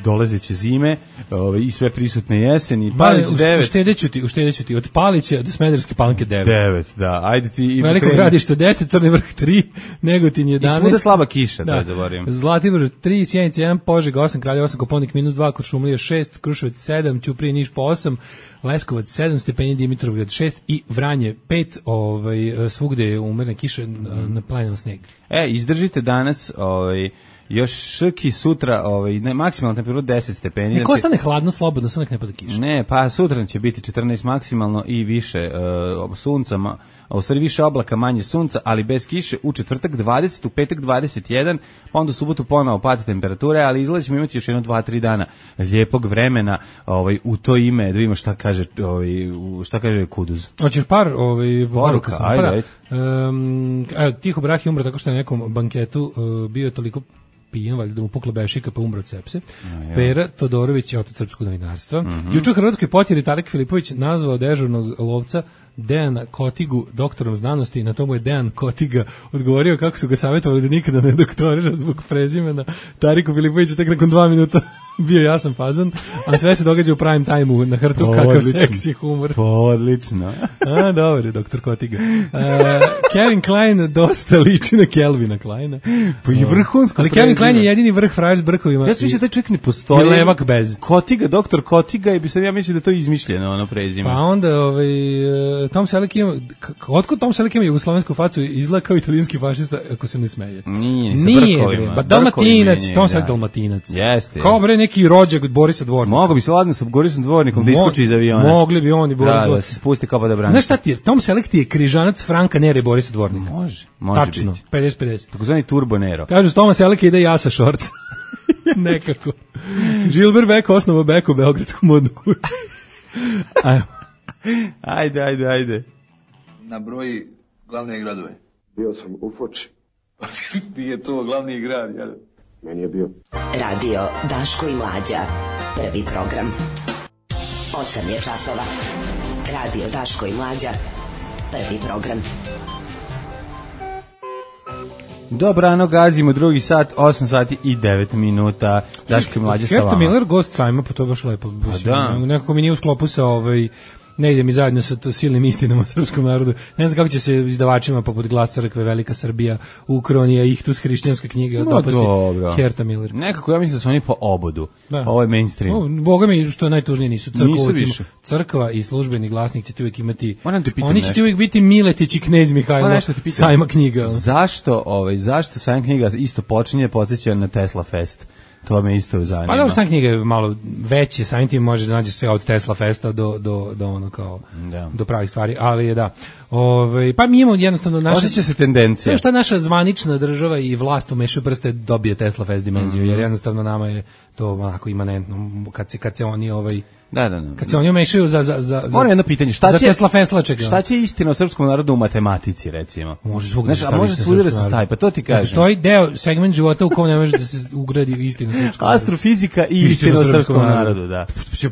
Speaker 5: dolazeće zime uh, i sve prisutne jeseni. Palić devet.
Speaker 6: Uštedeću ti, uštedeću ti, od Palića do Smederevske Palanke devet.
Speaker 5: devet, da, ajde ti.
Speaker 6: Veliko Gradište deset, Crni Vrh tri, Negotin jedanaest. I
Speaker 5: svuda slaba kiša, da, da
Speaker 6: zaboravim. Zlatibor tri, Sjenica jedan, Požega osam, Kraljevo osam, Koponik minus dva, Kuršumlija šest, Kruševac sedam, Ćuprija Niš po osam, Leskovac sedam stepeni, Dimitrovgrad šest i Vranje pet, ovaj, svugde je umerena kiša, na planinu sneg.
Speaker 5: E, izdržite danas, ovaj, još ški sutra, ovaj, ne, maksimalna temperatura deset stepeni.
Speaker 6: Neko ostane hladno, slobodno, samo nek ne pada kiša.
Speaker 5: Ne, pa sutra će biti četrnaest maksimalno i više uh, sunca, a u stvari više oblaka, manje sunca, ali bez kiše. U četvrtak dvadeset, u petak dvadeset jedan, pa onda u subotu ponovo pada temperature, ali izgleda ćemo imati još jedno dva tri dana lijepog vremena, ovaj, u to ime, da vidimo šta kaže, ovaj, šta kaže Kuduz.
Speaker 6: Hoćeš par ovaj,
Speaker 5: poruka, sam, ajde, ajde.
Speaker 6: Um, Tiho Brah je umro tako što je na nekom banketu uh, bio toliko pijen, valjda da mu pukla bešika pa umro od sepse. Ja. Pera Todorović je otac srpskog novinarstva. Mm-hmm. Juče u Hrvatskoj potjeri Tarek Filipović nazvao dežurnog lovca Dejana Kotigu doktorom znanosti, na tomu je Dejan Kotiga odgovorio kako su ga savjetovali da nikada ne doktorira zbog prezimena. Tariku Filipoviću tek nakon dva minuta bio jasan fazon, a sve se događa u prime time-u na hrtu, po, kakav odlično. Seksi humor.
Speaker 5: Po, odlično.
Speaker 6: A, dobro je, doktor Kotiga. Uh, Kevin Klein dosta liči na Kelvina Kleina.
Speaker 5: Pa i vrhunsko.
Speaker 6: Ali Kevin Klein je jedini vrh frajer s brkovima.
Speaker 5: Ja sam mislio da taj čovjek ne postoji.
Speaker 6: Je levak bez.
Speaker 5: Kotiga, doktor Kotiga, i bi sam ja mislio da to je izmišljeno, ono prezime.
Speaker 6: Pa onda, ovaj, Tom Selleck ima, otkud Tom Selleck ima jugoslovensku facu, izgleda kao italijanski fašista, ako se ne smeje.
Speaker 5: Nije, sa
Speaker 6: Nije,
Speaker 5: brkovima.
Speaker 6: Ba, Dalmatinac, Tom Selleck Dalmatinac.
Speaker 5: Jeste.
Speaker 6: Kao bre neki rođak od Borisa Dvornika.
Speaker 5: Mogu bi se ladno sa Borisom Dvornikom da iskoči iz aviona.
Speaker 6: Mogli bi on i Boris Dvornik.
Speaker 5: Da, da se spusti kao da brani.
Speaker 6: Znaš šta ti je? Tom Selleck ti je križanac Franka Nere i Borisa Dvornika.
Speaker 5: Može, može
Speaker 6: tačno,
Speaker 5: biti.
Speaker 6: pedeset pedeset.
Speaker 5: Takozvani Turbo Nero.
Speaker 6: Kažu s Toma Sellecka ide ja sa šorca. Nekako. Gilbert Beck osnovao Beck u beogradsku modnu kuću. Ajmo.
Speaker 5: Ajde, ajde, ajde.
Speaker 8: Na broji glavne gradove.
Speaker 7: Bio sam u Foči.
Speaker 8: Nije to glavni grad, jel?
Speaker 7: Meni je bio.
Speaker 2: Radio Daško i Mlađa. Prvi program. Osam je časova. Radio Daško i Mlađa. Prvi program.
Speaker 5: Dobrano, gazimo drugi sat, osam sati i devet minuta. Daško i Mlađe sa vama.
Speaker 6: Herta Miller, gost sajma, pa to je baš lepo.
Speaker 5: Pa da.
Speaker 6: Nekako mi nije u sklopu sa ovaj... ne ide mi zajedno sa to silnim istinama srpskom narodu. Ne znam kako će se izdavačima poput Glas crkve, Velika Srbija, Ukronija, Ihtus, hrišćanska knjiga,
Speaker 5: no,
Speaker 6: dopasti Herta Miller.
Speaker 5: Nekako ja mislim da su oni po obodu. Da. Ovo je mainstream.
Speaker 6: O, Boga mi, što je najtužnije, nisu crkva. Nisu više. Crkva i službeni glasnik će ti uvijek imati... Oni će ti uvijek biti Miletić i Knez Mihajlo sajma knjiga.
Speaker 5: Zašto, ovaj, zašto sajma knjiga isto počinje podsjeća na Tesla Fest? To me isto zanima.
Speaker 6: Pa dobro, sam knjiga je malo veće, samim tim može da nađe sve od Tesla Festa do, do, do ono kao, da. do pravih stvari, ali je da. Ove, pa mi imamo jednostavno naša...
Speaker 5: Osjeća se tendencija.
Speaker 6: Sve što naša zvanična država i vlast umešaju prste dobije Tesla Fest dimenziju, mm-hmm. jer jednostavno nama je to onako imanentno, kad se, kad se oni ovaj...
Speaker 5: Da, da, da.
Speaker 6: Kad se oni umešaju za za za za
Speaker 5: jedno pitanje, šta
Speaker 6: za
Speaker 5: će
Speaker 6: Tesla Feslaček?
Speaker 5: Šta će istina o srpskom narodu u matematici, recimo?
Speaker 6: Može svugde,
Speaker 5: znači, a može svugde da se stavi, pa to ti kažem.
Speaker 6: Postoji deo segment života u kom ne može da se ugradi istina o srpskom narodu.
Speaker 5: Astrofizika i istina o srpskom narodu, da.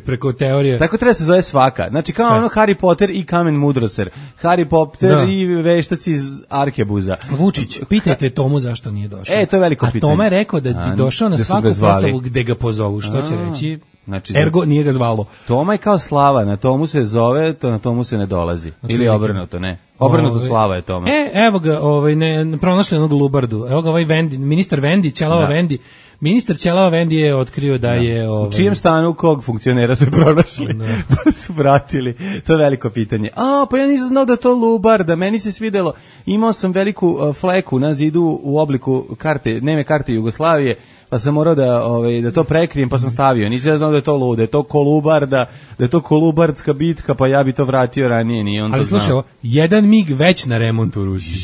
Speaker 6: Preko teorije.
Speaker 5: Tako treba se zove svaka. Znači kao sve. Ono Harry Potter i Kamen Mudroser, Harry Potter da. I veštaci iz Arkebuza.
Speaker 6: Vučić, pitajte Tomu zašto nije došao.
Speaker 5: E, to je veliko pitanje.
Speaker 6: A Toma je rekao da bi došao na svaku proslavu gde ga pozovu, što će reći? Znači, ergo nije ga zvalo.
Speaker 5: Toma je kao Slava, na tomu se zove, to na tomu se ne dolazi. Okay. Ili obrnuto, ne. Obrnuto ove, Slava je Toma.
Speaker 6: E, evo ga, ovaj, ne, pronašli onog Lubardu. Evo ga ovaj Vendi, ministar Vendi, Ćelava da. Vendi. Ministar Ćelava Vendi je otkrio da, da. je... Ovaj,
Speaker 5: u čijem stanu kog funkcionera su pronašli? Da. Pa su vratili. To je veliko pitanje. A, pa ja nisam znao da to Lubarda. Meni se svidelo. Imao sam veliku uh, fleku na zidu u obliku karte, neme karte Jugoslavije, pa sam morao da, ovaj, da to prekrijem, pa sam stavio. Nisam znao da je to Lu, da je to Kolubarda, da je to Kolubardska bitka, pa ja bi to vratio ranije, nije on
Speaker 6: ali
Speaker 5: to znao.
Speaker 6: Ali slušaj, jedan mig već na remontu u Rusiji.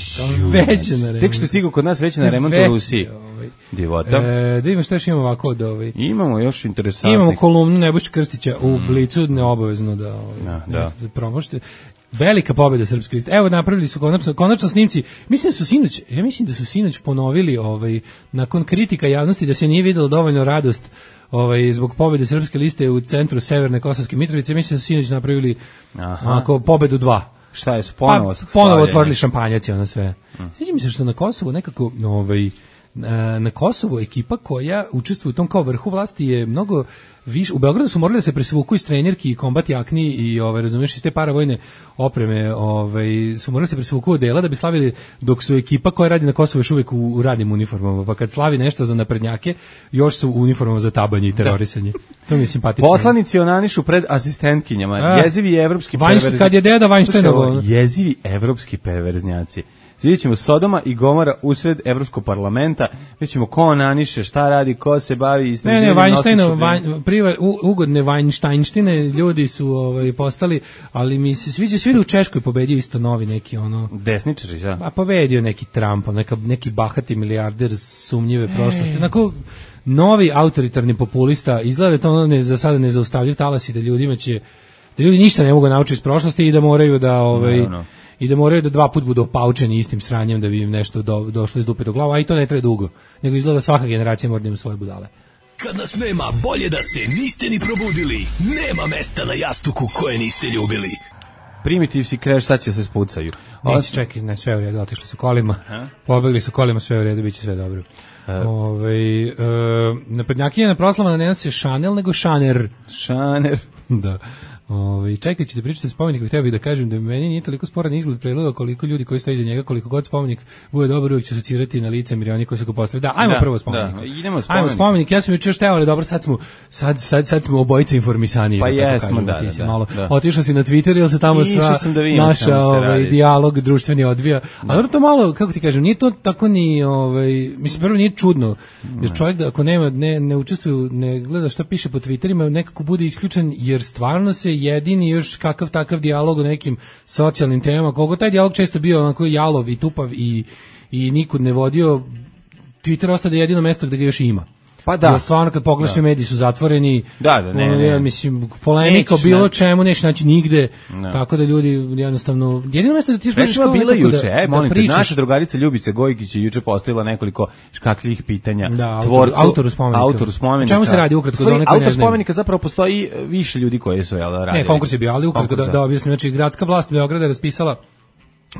Speaker 6: Već na remontu.
Speaker 5: Tek što je stigao kod nas već na remontu u Rusiji. Divota.
Speaker 6: E, da imamo što još imamo ovako od ovaj.
Speaker 5: Imamo još interesantnih.
Speaker 6: Imamo kolumnu Nebojše Krstića u mm. Blicu, neobavezno da ovaj,
Speaker 5: ja, da.
Speaker 6: da promošte. Velika pobjeda srpske liste. Evo napravili su konačno, konačno snimci. Mislim da su sinoć, ja mislim da su sinoć ponovili ovaj nakon kritika javnosti da se nije videlo dovoljno radost ovaj zbog pobjede srpske liste u centru Severne Kosovske Mitrovice. Mislim da su sinoć napravili onako pobedu dva.
Speaker 5: Šta je su ponovo
Speaker 6: pa, ponovo otvorili šampanjac i ono sve. Mm. Sviđa mi se što na Kosovu nekako ovaj na Kosovu ekipa koja učestvuje u tom kao vrhu vlasti je mnogo više. U Beogradu su morali da se presvuku iz trenerki i kombat jakni i ove razumeš iz te paravojne opreme, ovaj su morali da se presvuku od dela da bi slavili, dok su ekipa koja radi na Kosovu još uvek u, u radnim uniformama, pa kad slavi nešto za naprednjake još su u uniformama za tabanje i terorisanje. Da. To mi je simpatično.
Speaker 5: Poslanici onanišu pred asistentkinjama. A, jezivi evropski perverznjaci.
Speaker 6: Kad je deda Weinsteinovo.
Speaker 5: Jezivi evropski perverznjaci. Vidjet ćemo Sodoma i Gomora usred Evropskog parlamenta, vidjet ćemo ko onaniše, šta radi, ko se bavi istraživanjem.
Speaker 6: Ne, ne, Weinstein, priva, ugodne Weinsteinštine, ljudi su ovaj, postali, ali mi se sviđa, svi da u Češkoj pobedio isto novi neki ono...
Speaker 5: Desničari, da?
Speaker 6: Pa pobedio neki Trump, neka, neki bahati milijarder sumnjive prošlosti, onako novi autoritarni populista, izgleda da to ono ne, za sada ne zaustavljiv talas i da ljudima će, da ljudi ništa ne mogu naučiti iz prošlosti i da moraju da... Ovaj, no, no. I da moraju da dva put budu opaučeni istim sranjem da bi im nešto do, došlo iz dupe do glava, a i to ne treba dugo. Nego izgleda svaka generacija mora da ima svoje budale.
Speaker 9: Kad nas nema, bolje da se niste ni probudili. Nema mesta na jastuku koje niste ljubili.
Speaker 5: Primitiv si kreš, sad će se spucaju.
Speaker 6: Neći, čekaj, ne, sve u redu, otišli su kolima. Ha? Pobegli su kolima, sve u redu, bit će sve dobro. Ove, e, naprednjakinja na proslava ne nosi Chanel, nego Šaner.
Speaker 5: Šaner.
Speaker 6: Da. Ovaj čekajući da pričate o spomeniku, htio bih da kažem da meni nije toliko sporan izgled predloga koliko ljudi koji stoje iza njega, koliko god spomenik bude dobar, uvijek će asocirati na lice milioni koji su ga postavili. Da, ajmo da, prvo spomenik. Da,
Speaker 5: idemo spomenik.
Speaker 6: Ajmo spomenik. Ja sam juče šteo, ali dobro, sad smo sad sad sad smo obojice informisani.
Speaker 5: Pa jesmo, da, da,
Speaker 6: malo.
Speaker 5: Da.
Speaker 6: Otišao si na Twitter ili se tamo sva
Speaker 5: da
Speaker 6: naša ovaj dijalog društveni odvija. Da. Ali to malo, kako ti kažem, nije to tako ni ovaj, mislim prvo nije čudno. Jer čovjek da ako nema ne ne učestvuje, ne gleda šta piše po Twitterima, nekako bude isključen jer stvarno se jedini još kakav takav dijalog o nekim socijalnim temama, koliko taj dijalog često bio onako jalov i tupav i, i nikud ne vodio, Twitter ostade jedino mesto gde ga još ima.
Speaker 5: Pa da.
Speaker 6: Jer stvarno kad pogledaš da. Mediji su zatvoreni.
Speaker 5: Da, da, ne, ne.
Speaker 6: Ja, mislim, polemika o bilo čemu neće naći nigde. Ne. Tako da ljudi jednostavno jedino mesto da ti
Speaker 5: možeš kao bilo juče, da, e, molim da te, naša drugarica Ljubica Gojkić je juče postavila nekoliko škakljih pitanja
Speaker 6: da,
Speaker 5: tvorcu,
Speaker 6: autoru spomenika.
Speaker 5: Autoru spomenika.
Speaker 6: Čemu se radi ukratko za one koji ne znaju?
Speaker 5: Autor spomenika zapravo postoji više ljudi koji su jel radili.
Speaker 6: Ne, konkurs je bio, ali ukratko da, da objasnim, znači gradska vlast Beograda je raspisala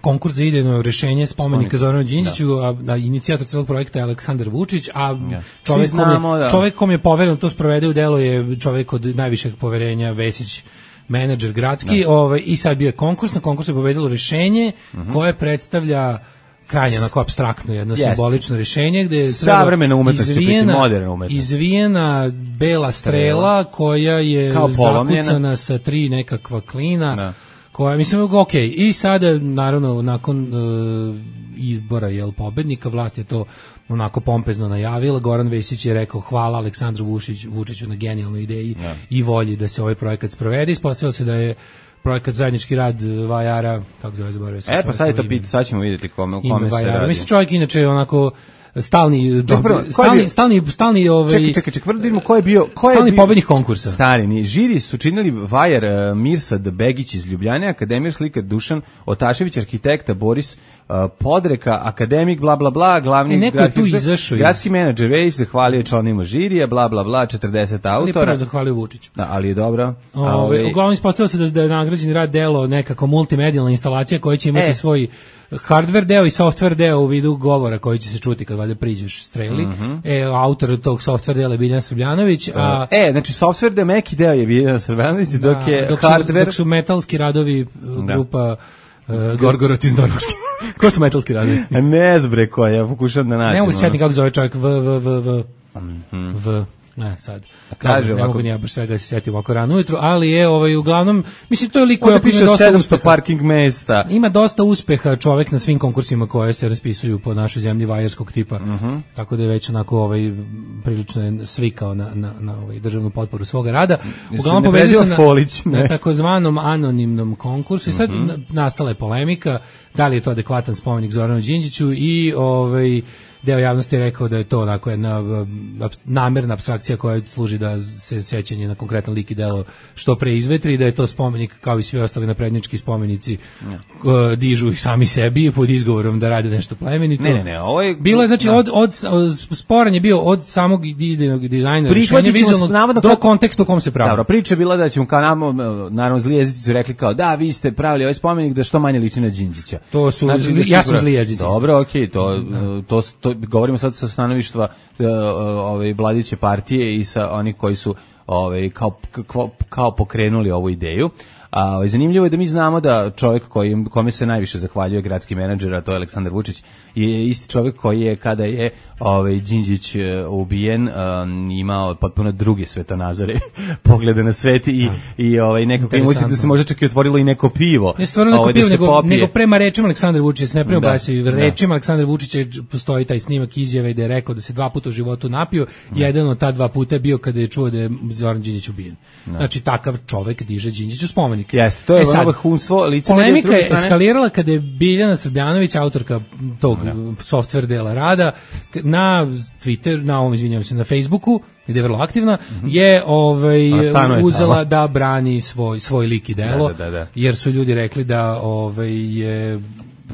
Speaker 6: konkurs za idejno rješenje spomenika Zoranu Đinđiću, da. a, a inicijator celog projekta je Aleksandar Vučić, a ja. čovjek, znamo, kom je, da. čovjek kom je povereno to sprovede u delo je čovjek od najvišeg poverenja, Vesić, menadžer gradski, ovaj, i sad bio je konkurs, na konkursu je pobedilo rješenje uh-huh. koje predstavlja krajnje onako apstraktno jedno yes. simbolično rješenje gde je
Speaker 5: savremena umetnost će biti moderna umetnost.
Speaker 6: Izvijena bela strela koja je zakucana sa tri nekakva klina. Da. Koja, mislim, ok, i sada, naravno, nakon uh, izbora jel, pobednika, vlast je to onako pompezno najavila, Goran Vesić je rekao hvala Aleksandru Vučić, Vučiću na genijalnoj ideji ja. i volji da se ovaj projekat sprovede, ispostavilo se da je projekat zajednički rad Vajara, kako zove, zaboravio sam.
Speaker 5: E, pa sad je to pit, sad ćemo vidjeti kome, u kome se radi.
Speaker 6: Mislim, čovjek inače onako stalni ček, prvo, stalni, stalni stalni ovaj
Speaker 5: čekaj čekaj čekaj prvo vidimo ko je bio ko
Speaker 6: stalni
Speaker 5: je
Speaker 6: pobednik konkursa.
Speaker 5: Stari ni žiri su činili Vajar, uh, Mirsad Begić iz Ljubljane, akademik slika Dušan Otašević, arhitekta Boris uh, Podreka, akademik bla bla bla, glavni
Speaker 6: e, gradski,
Speaker 5: gradski menadžer Vejs zahvalio članima žirija bla bla bla, četrdeset autora.
Speaker 6: Ali zahvalio Vučiću.
Speaker 5: Da, ali je dobro.
Speaker 6: Ove, ove, uglavnom ispostavilo se da, da je nagrađeni rad delo nekako multimedijalna instalacija koja će imati e. svoj hardware deo i software deo u vidu govora koji će se čuti kad valjda priđeš streli. Mm-hmm. E, autor tog software dela je Biljana Srbljanović. A,
Speaker 5: e, znači software deo, meki deo je Biljana Srbljanović, da, dok je
Speaker 6: dok
Speaker 5: hardware...
Speaker 6: Su, dok su metalski radovi grupa uh, Gorgorot iz Norveške. Ko su metalski radovi?
Speaker 5: Ne zbre ko, ja pokušam da nađem.
Speaker 6: Ne mogu se sjetiti kako zove čovjek v, v, v, v,
Speaker 5: mm-hmm.
Speaker 6: v. Ne, sad.
Speaker 5: Kaže,
Speaker 6: ne
Speaker 5: ovako,
Speaker 6: mogu ni ja baš svega da se sjetim ovako rano ujutru, ali je ovaj, uglavnom, mislim, to je lik koja
Speaker 5: piše sedamsto parking mesta.
Speaker 6: Ima dosta uspeha čovjek na svim konkursima koje se raspisuju po našoj zemlji vajarskog tipa,
Speaker 5: uh-huh.
Speaker 6: tako da je već onako ovaj, prilično je svikao na, na, na ovaj, državnu potporu svoga rada.
Speaker 5: Uglavnom pobedio se na, Folić,
Speaker 6: na takozvanom anonimnom konkursu i sad uh-huh. nastala je polemika da li je to adekvatan spomenik Zoranu Đinđiću i ovaj deo javnosti je rekao da je to onako jedna namerna apstrakcija koja služi da se sećanje na konkretan lik i delo što pre izvetri i da je to spomenik kao i svi ostali naprednjački spomenici ja. dižu ih sami sebi pod izgovorom da rade nešto plemenito.
Speaker 5: Ne, ne, ne, ovo je...
Speaker 6: Bilo je, znači, od, od, sporan je bio od samog idejnog dizajna, rješenja vizualnog do konteksta u kom se pravi.
Speaker 5: Dobro, priča je bila da ćemo kao nam, naravno zli jezici su rekli kao da, vi ste pravili ovaj spomenik da što manje liči na Đinđića.
Speaker 6: To su,
Speaker 5: znači,
Speaker 6: zli, ja sam zli jezici.
Speaker 5: Dobro, okej, okay, to, to, to, to govorimo sad sa stanovištva uh, ove vladajuće partije i sa onih koji su ovaj kao kao, kao pokrenuli ovu ideju. A zanimljivo je da mi znamo da čovjek koji kome se najviše zahvaljuje gradski menadžer, a to je Aleksandar Vučić, je isti čovjek koji je kada je ovaj Đinđić ubijen um, imao potpuno druge svetonazore, poglede na svet i i ovaj nekako emocije da se možda čak i otvorilo i neko pivo.
Speaker 6: Ne stvarno neko ovaj, pivo, nego, nego prema rečima Aleksandra Vučića, ne prema glasi, da, rečima da. Aleksandra Vučića postoji taj snimak izjave da je rekao da se dva puta u životu napio, da. Jedan od ta dva puta je bio kada je čuo da je Zoran Đinđić ubijen. Da. Znači takav čovjek diže Đinđiću spomenik.
Speaker 5: Jeste, to je e vrhunstvo lice.
Speaker 6: Polemika je eskalirala kada je Biljana Srbljanović, autorka tog ja. software dela rada, na Twitter, na ovom, izvinjavam se, na Facebooku, gde je vrlo aktivna, mm-hmm. je ovaj, je uzela tamo. Da brani svoj, svoj lik i delo, da, da, da. jer su ljudi rekli da ovaj, je...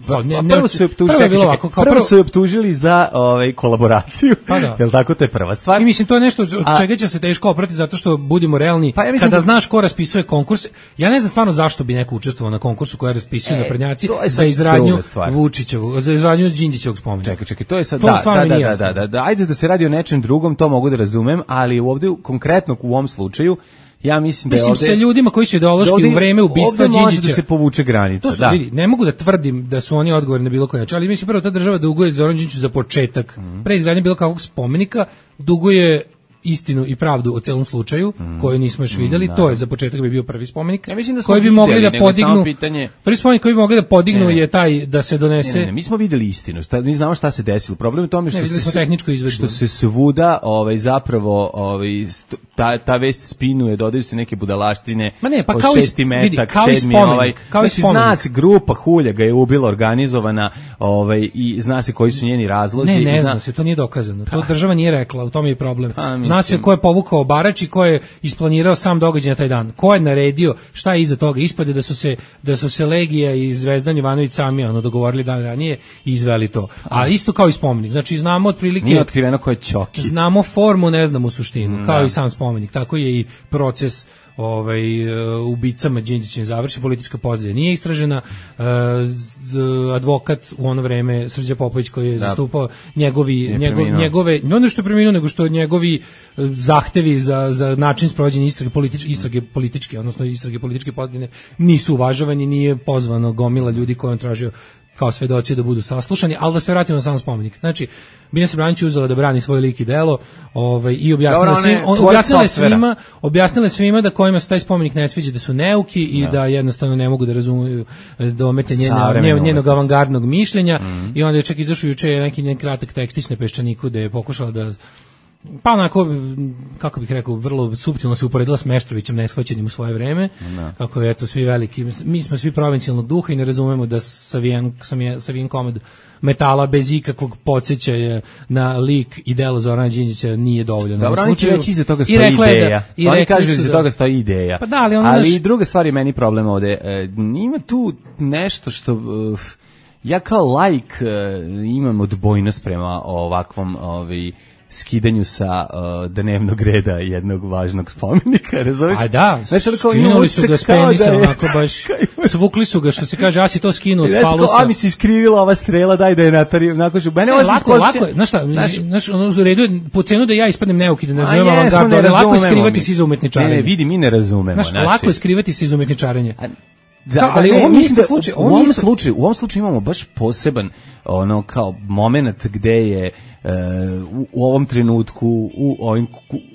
Speaker 5: Pa, ne, ne, prvo su optužili, čekaj, čekaj, ovako, prvo, prvo su optužili za ovaj kolaboraciju. Pa da. Jel tako, to je prva stvar.
Speaker 6: I mislim to je nešto od A, čega će se teško oprati zato što budimo realni. Pa ja mislim, kada da, znaš ko raspisuje konkurs, ja ne znam stvarno zašto bi neko učestvovao na konkursu koji raspisuju e, naprednjaci za izradnju Vučićevog, za izradnju Đinđićevog spomenika.
Speaker 5: Čekaj, čekaj, to je sad to da, da, da, da, da, da, ajde da se radi o nečem drugom, to mogu da razumem, ali ovdje konkretno u ovom slučaju ja mislim da je
Speaker 6: mislim
Speaker 5: ovde,
Speaker 6: sa ljudima koji su ideološki da u vreme ubistva Đinđića.
Speaker 5: Ovde može da se povuče granica,
Speaker 6: su,
Speaker 5: da.
Speaker 6: Vidi, ne mogu da tvrdim da su oni odgovorni na bilo koji način, ali mislim prvo ta država duguje Zoran Đinđiću za početak. Mm. Pre izgradnje bilo kakvog spomenika duguje istinu i pravdu o celom slučaju, mm. koju nismo još vidjeli, mm, to je za početak bi bio prvi spomenik,
Speaker 5: ja mislim da
Speaker 6: koji bi
Speaker 5: vidjeli,
Speaker 6: mogli da podignu,
Speaker 5: pitanje...
Speaker 6: prvi spomenik koji bi mogli da podignu ne, ne. je taj da se donese...
Speaker 5: Ne, ne, ne, mi smo vidjeli istinu, mi znamo šta se desilo, problem je tome što,
Speaker 6: ne,
Speaker 5: se,
Speaker 6: tehničko
Speaker 5: što se svuda ovaj, zapravo ovaj, ta, ta vest spinuje, dodaju se neke budalaštine,
Speaker 6: Ma ne, pa
Speaker 5: kao
Speaker 6: šesti
Speaker 5: metak,
Speaker 6: vidi, kao
Speaker 5: sedmi,
Speaker 6: spomenik,
Speaker 5: ovaj,
Speaker 6: kao
Speaker 5: znači zna se grupa hulja ga je ubila, organizovana, ovaj, i zna se koji su njeni razlozi.
Speaker 6: Ne, ne
Speaker 5: zna,
Speaker 6: zna se, to nije dokazano, to država nije rekla, u tome je problem. Pa, zna se ko je povukao Barač i ko je isplanirao sam događaj na taj dan. Ko je naredio, šta je iza toga? Ispade da su se da su se Legija i Zvezdan Jovanović sami ono dogovorili dan ranije i izveli to. A isto kao i spomenik. Znači znamo otprilike
Speaker 5: nije otkriveno ko je Ćoki.
Speaker 6: Znamo formu, ne znamo suštinu, kao da. I sam spomenik. Tako je i proces ovaj, ubicama Đinđića završi, politička pozadina nije istražena, uh, advokat u ono vreme Srđa Popović koji je da. zastupao njegovi, njegov, njegove, ne ono što je preminuo, nego što njegovi zahtevi za, za način sprovođenja istrage, politič, istrage političke, odnosno istrage političke pozadine nisu uvažavani, nije pozvano gomila ljudi koji on tražio kao svedoci da budu saslušani, ali da se vratimo na sam spomenik. Znači, Biljana Srbljanić uzela da brani svoj lik i delo, ovaj, i objasnila svima, objasnila svima, objasnila svima da kojima se taj spomenik ne sviđa da su neuki i da, da jednostavno ne mogu da razumeju domete njene, njenog avangardnog mišljenja. Mm-hmm. I onda je čak izašao juče neki njen kratak tekstić na Peščaniku da je pokušala da pa onako, kako bih rekao, vrlo suptilno se uporedila s Meštrovićem neshvaćenim u svoje vreme, no. Kako je eto svi veliki, mi smo svi provincijalnog duha i ne razumemo da savijen, savijen komad metala bez ikakvog podsjećaja na lik i delo Zorana Đinđića nije dovoljno.
Speaker 5: Dobro, oni će reći iza toga stoji ideja. Da, oni kažu da iza toga stoji ideja.
Speaker 6: Pa da, ali ono
Speaker 5: ali
Speaker 6: naš...
Speaker 5: druga stvar je meni problem ovde. E, ima tu nešto što... Uh, ja kao laik uh, imam odbojnost prema ovakvom... Ovaj, skidanju sa uh, dnevnog reda jednog važnog spomenika, razumiješ?
Speaker 6: A da, znači, skinuli su ga s penisa, je... onako baš, svukli su ga, što se kaže, ja si to skinuo s falusa.
Speaker 5: A mi se iskrivila ova strela, daj da je natari, onako što, mene
Speaker 6: ne, lako, lako, znaš šta, znaš, ono, u redu je, po cenu da ja ispadnem neuki, da ne razumem avangardu, ali lako je skrivati se iza umetničarenja.
Speaker 5: Ne, ne, vidi, mi ne razumemo.
Speaker 6: Znaš, znači, lako je skrivati se iza umetničarenja.
Speaker 5: Da, da, ali ne, u ovom slučaju, u ovom slučaju, u ovom slučaju imamo baš poseban ono kao momenat gde je uh, u, u ovom trenutku u ovim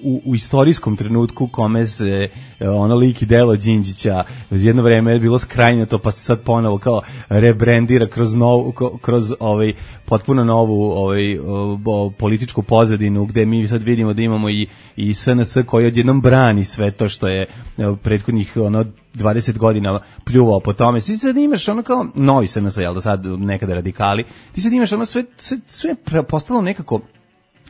Speaker 5: u, u istorijskom trenutku kome se uh, ono lik i delo Đinđića jedno vreme je bilo skrajnuto pa se sad ponovo kao rebrandira kroz novu kroz ovaj potpuno novu ovaj o, političku pozadinu gde mi sad vidimo da imamo i i S N S koji odjednom brani sve to što je uh, prethodnih ono dvadeset godina pljuvao po tome. Ti sad imaš ono kao novi S N S, jel da sad nekada radikali, ti sad imaš ono sve, sve, sve postalo nekako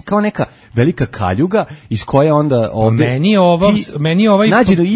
Speaker 5: kao neka velika kaljuga iz koje onda ovde
Speaker 6: meni je ova meni je ovaj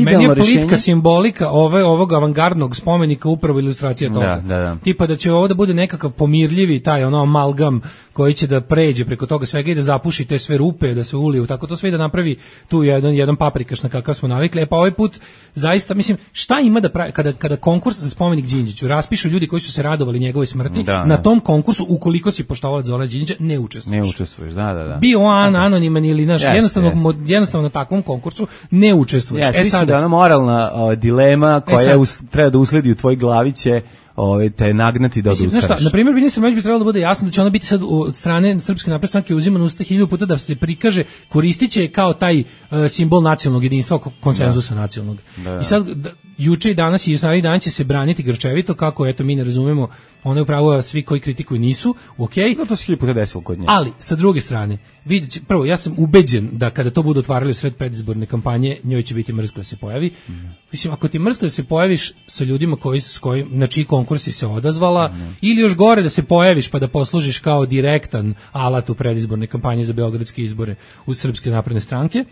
Speaker 6: meni je politika simbolika ove ovog avangardnog spomenika upravo ilustracija toga.
Speaker 5: Da, da, da.
Speaker 6: Tipa da će ovo da bude nekakav pomirljivi taj ono amalgam koji će da pređe preko toga svega i da zapuši te sve rupe, da se uliju, tako to sve da napravi tu jedan jedan paprikaš na kakav smo navikli. E pa ovaj put zaista mislim šta ima da pravi, kada kada konkurs za spomenik Đinđiću raspišu ljudi koji su se radovali njegovoj smrti, da, na da. tom konkursu ukoliko si poštovalac Zorana Đinđića ne učestvuješ.
Speaker 5: Ne učestvuješ, da, da, da.
Speaker 6: Bio on anoniman ili naš yes, jednostavno yes. jednostavno na takvom konkursu ne učestvuješ.
Speaker 5: Yes, e sad da ona moralna o, dilema koja e us, treba da usledi u tvoj glavi će ovaj te nagnati da odustaneš.
Speaker 6: Znaš šta, na primjer, Biljana Srbljanić bi trebalo da bude jasno da će ona biti sad od strane Srpske napredne stranke uzimana usta hiljadu puta da se prikaže, koristiće kao taj uh, simbol nacionalnog jedinstva, konsenzusa da. nacionalnog. Da, da. I sad da, juče i danas i naredni dan će se braniti grčevito kako eto mi ne razumemo, ona je upravo svi koji kritikuju nisu, okej. Okay.
Speaker 5: No to se hiljadu puta desilo kod nje.
Speaker 6: Ali sa druge strane, vidite, prvo ja sam ubeđen da kada to budu otvarali u sred predizborne kampanje, njoj će biti mrsko da se pojavi. Mm. Mislim, ako ti mrsko da se pojaviš sa ljudima koji s kojim na čiji konkursi se odazvala mm. ili još gore da se pojaviš pa da poslužiš kao direktan alat u predizborne kampanje za beogradske izbore u Srpske napredne stranke,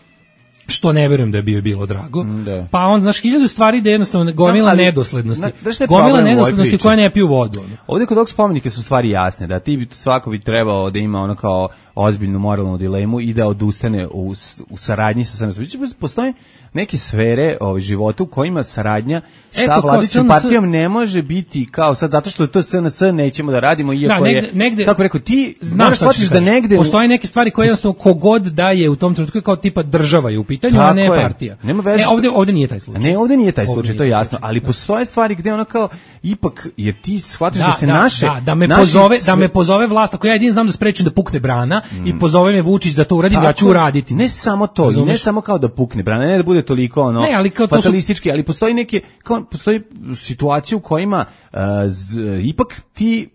Speaker 6: što ne verujem da je bio bilo drago. Da. Pa on, znaš, hiljadu stvari da jednostavno gomila no, nedoslednosti. Na, gomila nedoslednosti koja ne piju vodu. Ono.
Speaker 5: Ovdje kod ovog spomenika su stvari jasne, da ti svako bi trebao da ima ono kao ozbiljnu moralnu dilemu i da odustane u, u saradnji sa S N S. Postoje neke sfere ovaj, života u kojima saradnja sa Eto, vladajućom partijom ne može biti kao sad, zato što je to S N S nećemo da radimo, iako da, negde, je, negde, kako rekao, ti moraš shvatiš da negde...
Speaker 6: Postoje neke stvari koje jednostavno kogod da je u tom trenutku kao tipa država je u pitanju, a ne je partija.
Speaker 5: Nema veze.
Speaker 6: E, ovde, ovde nije taj slučaj.
Speaker 5: Ne, ovde nije taj ovde slučaj, nije to je jasno, ali da. Postoje stvari gde ono kao, ipak, jer ti shvatiš da, da se
Speaker 6: da,
Speaker 5: naše...
Speaker 6: Da, da me, pozove, sve... da me pozove vlast, ako ja jedin znam da sprečim da pukne brana mm. i pozove me Vučić da to uradim, tako, ja ću uraditi.
Speaker 5: Ne samo to, Razumeš? ne samo kao da pukne brana, ne da bude toliko ono
Speaker 6: ne, ali kao
Speaker 5: fatalistički,
Speaker 6: su...
Speaker 5: ali postoji neke, kao, postoji situacije u kojima uh, z, ipak ti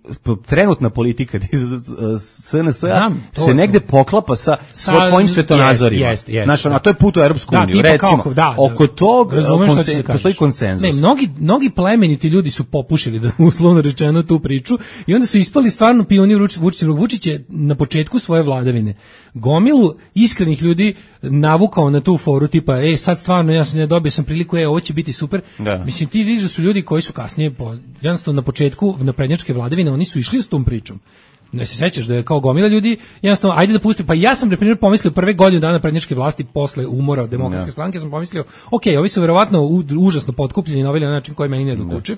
Speaker 5: trenutna politika S N S-a se negde poklapa sa, sa tvojim svetonazorima.
Speaker 6: Jest, jest,
Speaker 5: Znaš, ono, to je put u Europsku
Speaker 6: da,
Speaker 5: uniju, recimo.
Speaker 6: Kako, da,
Speaker 5: oko tog konsen, da postoji konsenzus.
Speaker 6: Ne, mnogi, mnogi plemeniti ljudi su popušili, da uslovno rečeno, tu priču i onda su ispali stvarno pionir Vučića. Vučić je na početku svoje vladavine gomilu iskrenih ljudi navukao na tu foru tipa, ej, sad stvarno ja sam ne dobio sam priliku, ej, ovo će biti super. Da. Mislim, ti vidiš da su ljudi koji su kasnije, po, jednostavno na početku naprednjačke vladavine, oni su išli s tom pričom. Ne se sećaš da je kao gomila ljudi, jednostavno, ajde da pusti, pa ja sam, na primjer, pomislio prve godine dana prednjačke vlasti posle umora od demokratske stranke, sam pomislio, ok, ovi su verovatno u, užasno potkupljeni na ovaj način koji meni ne dokučiv,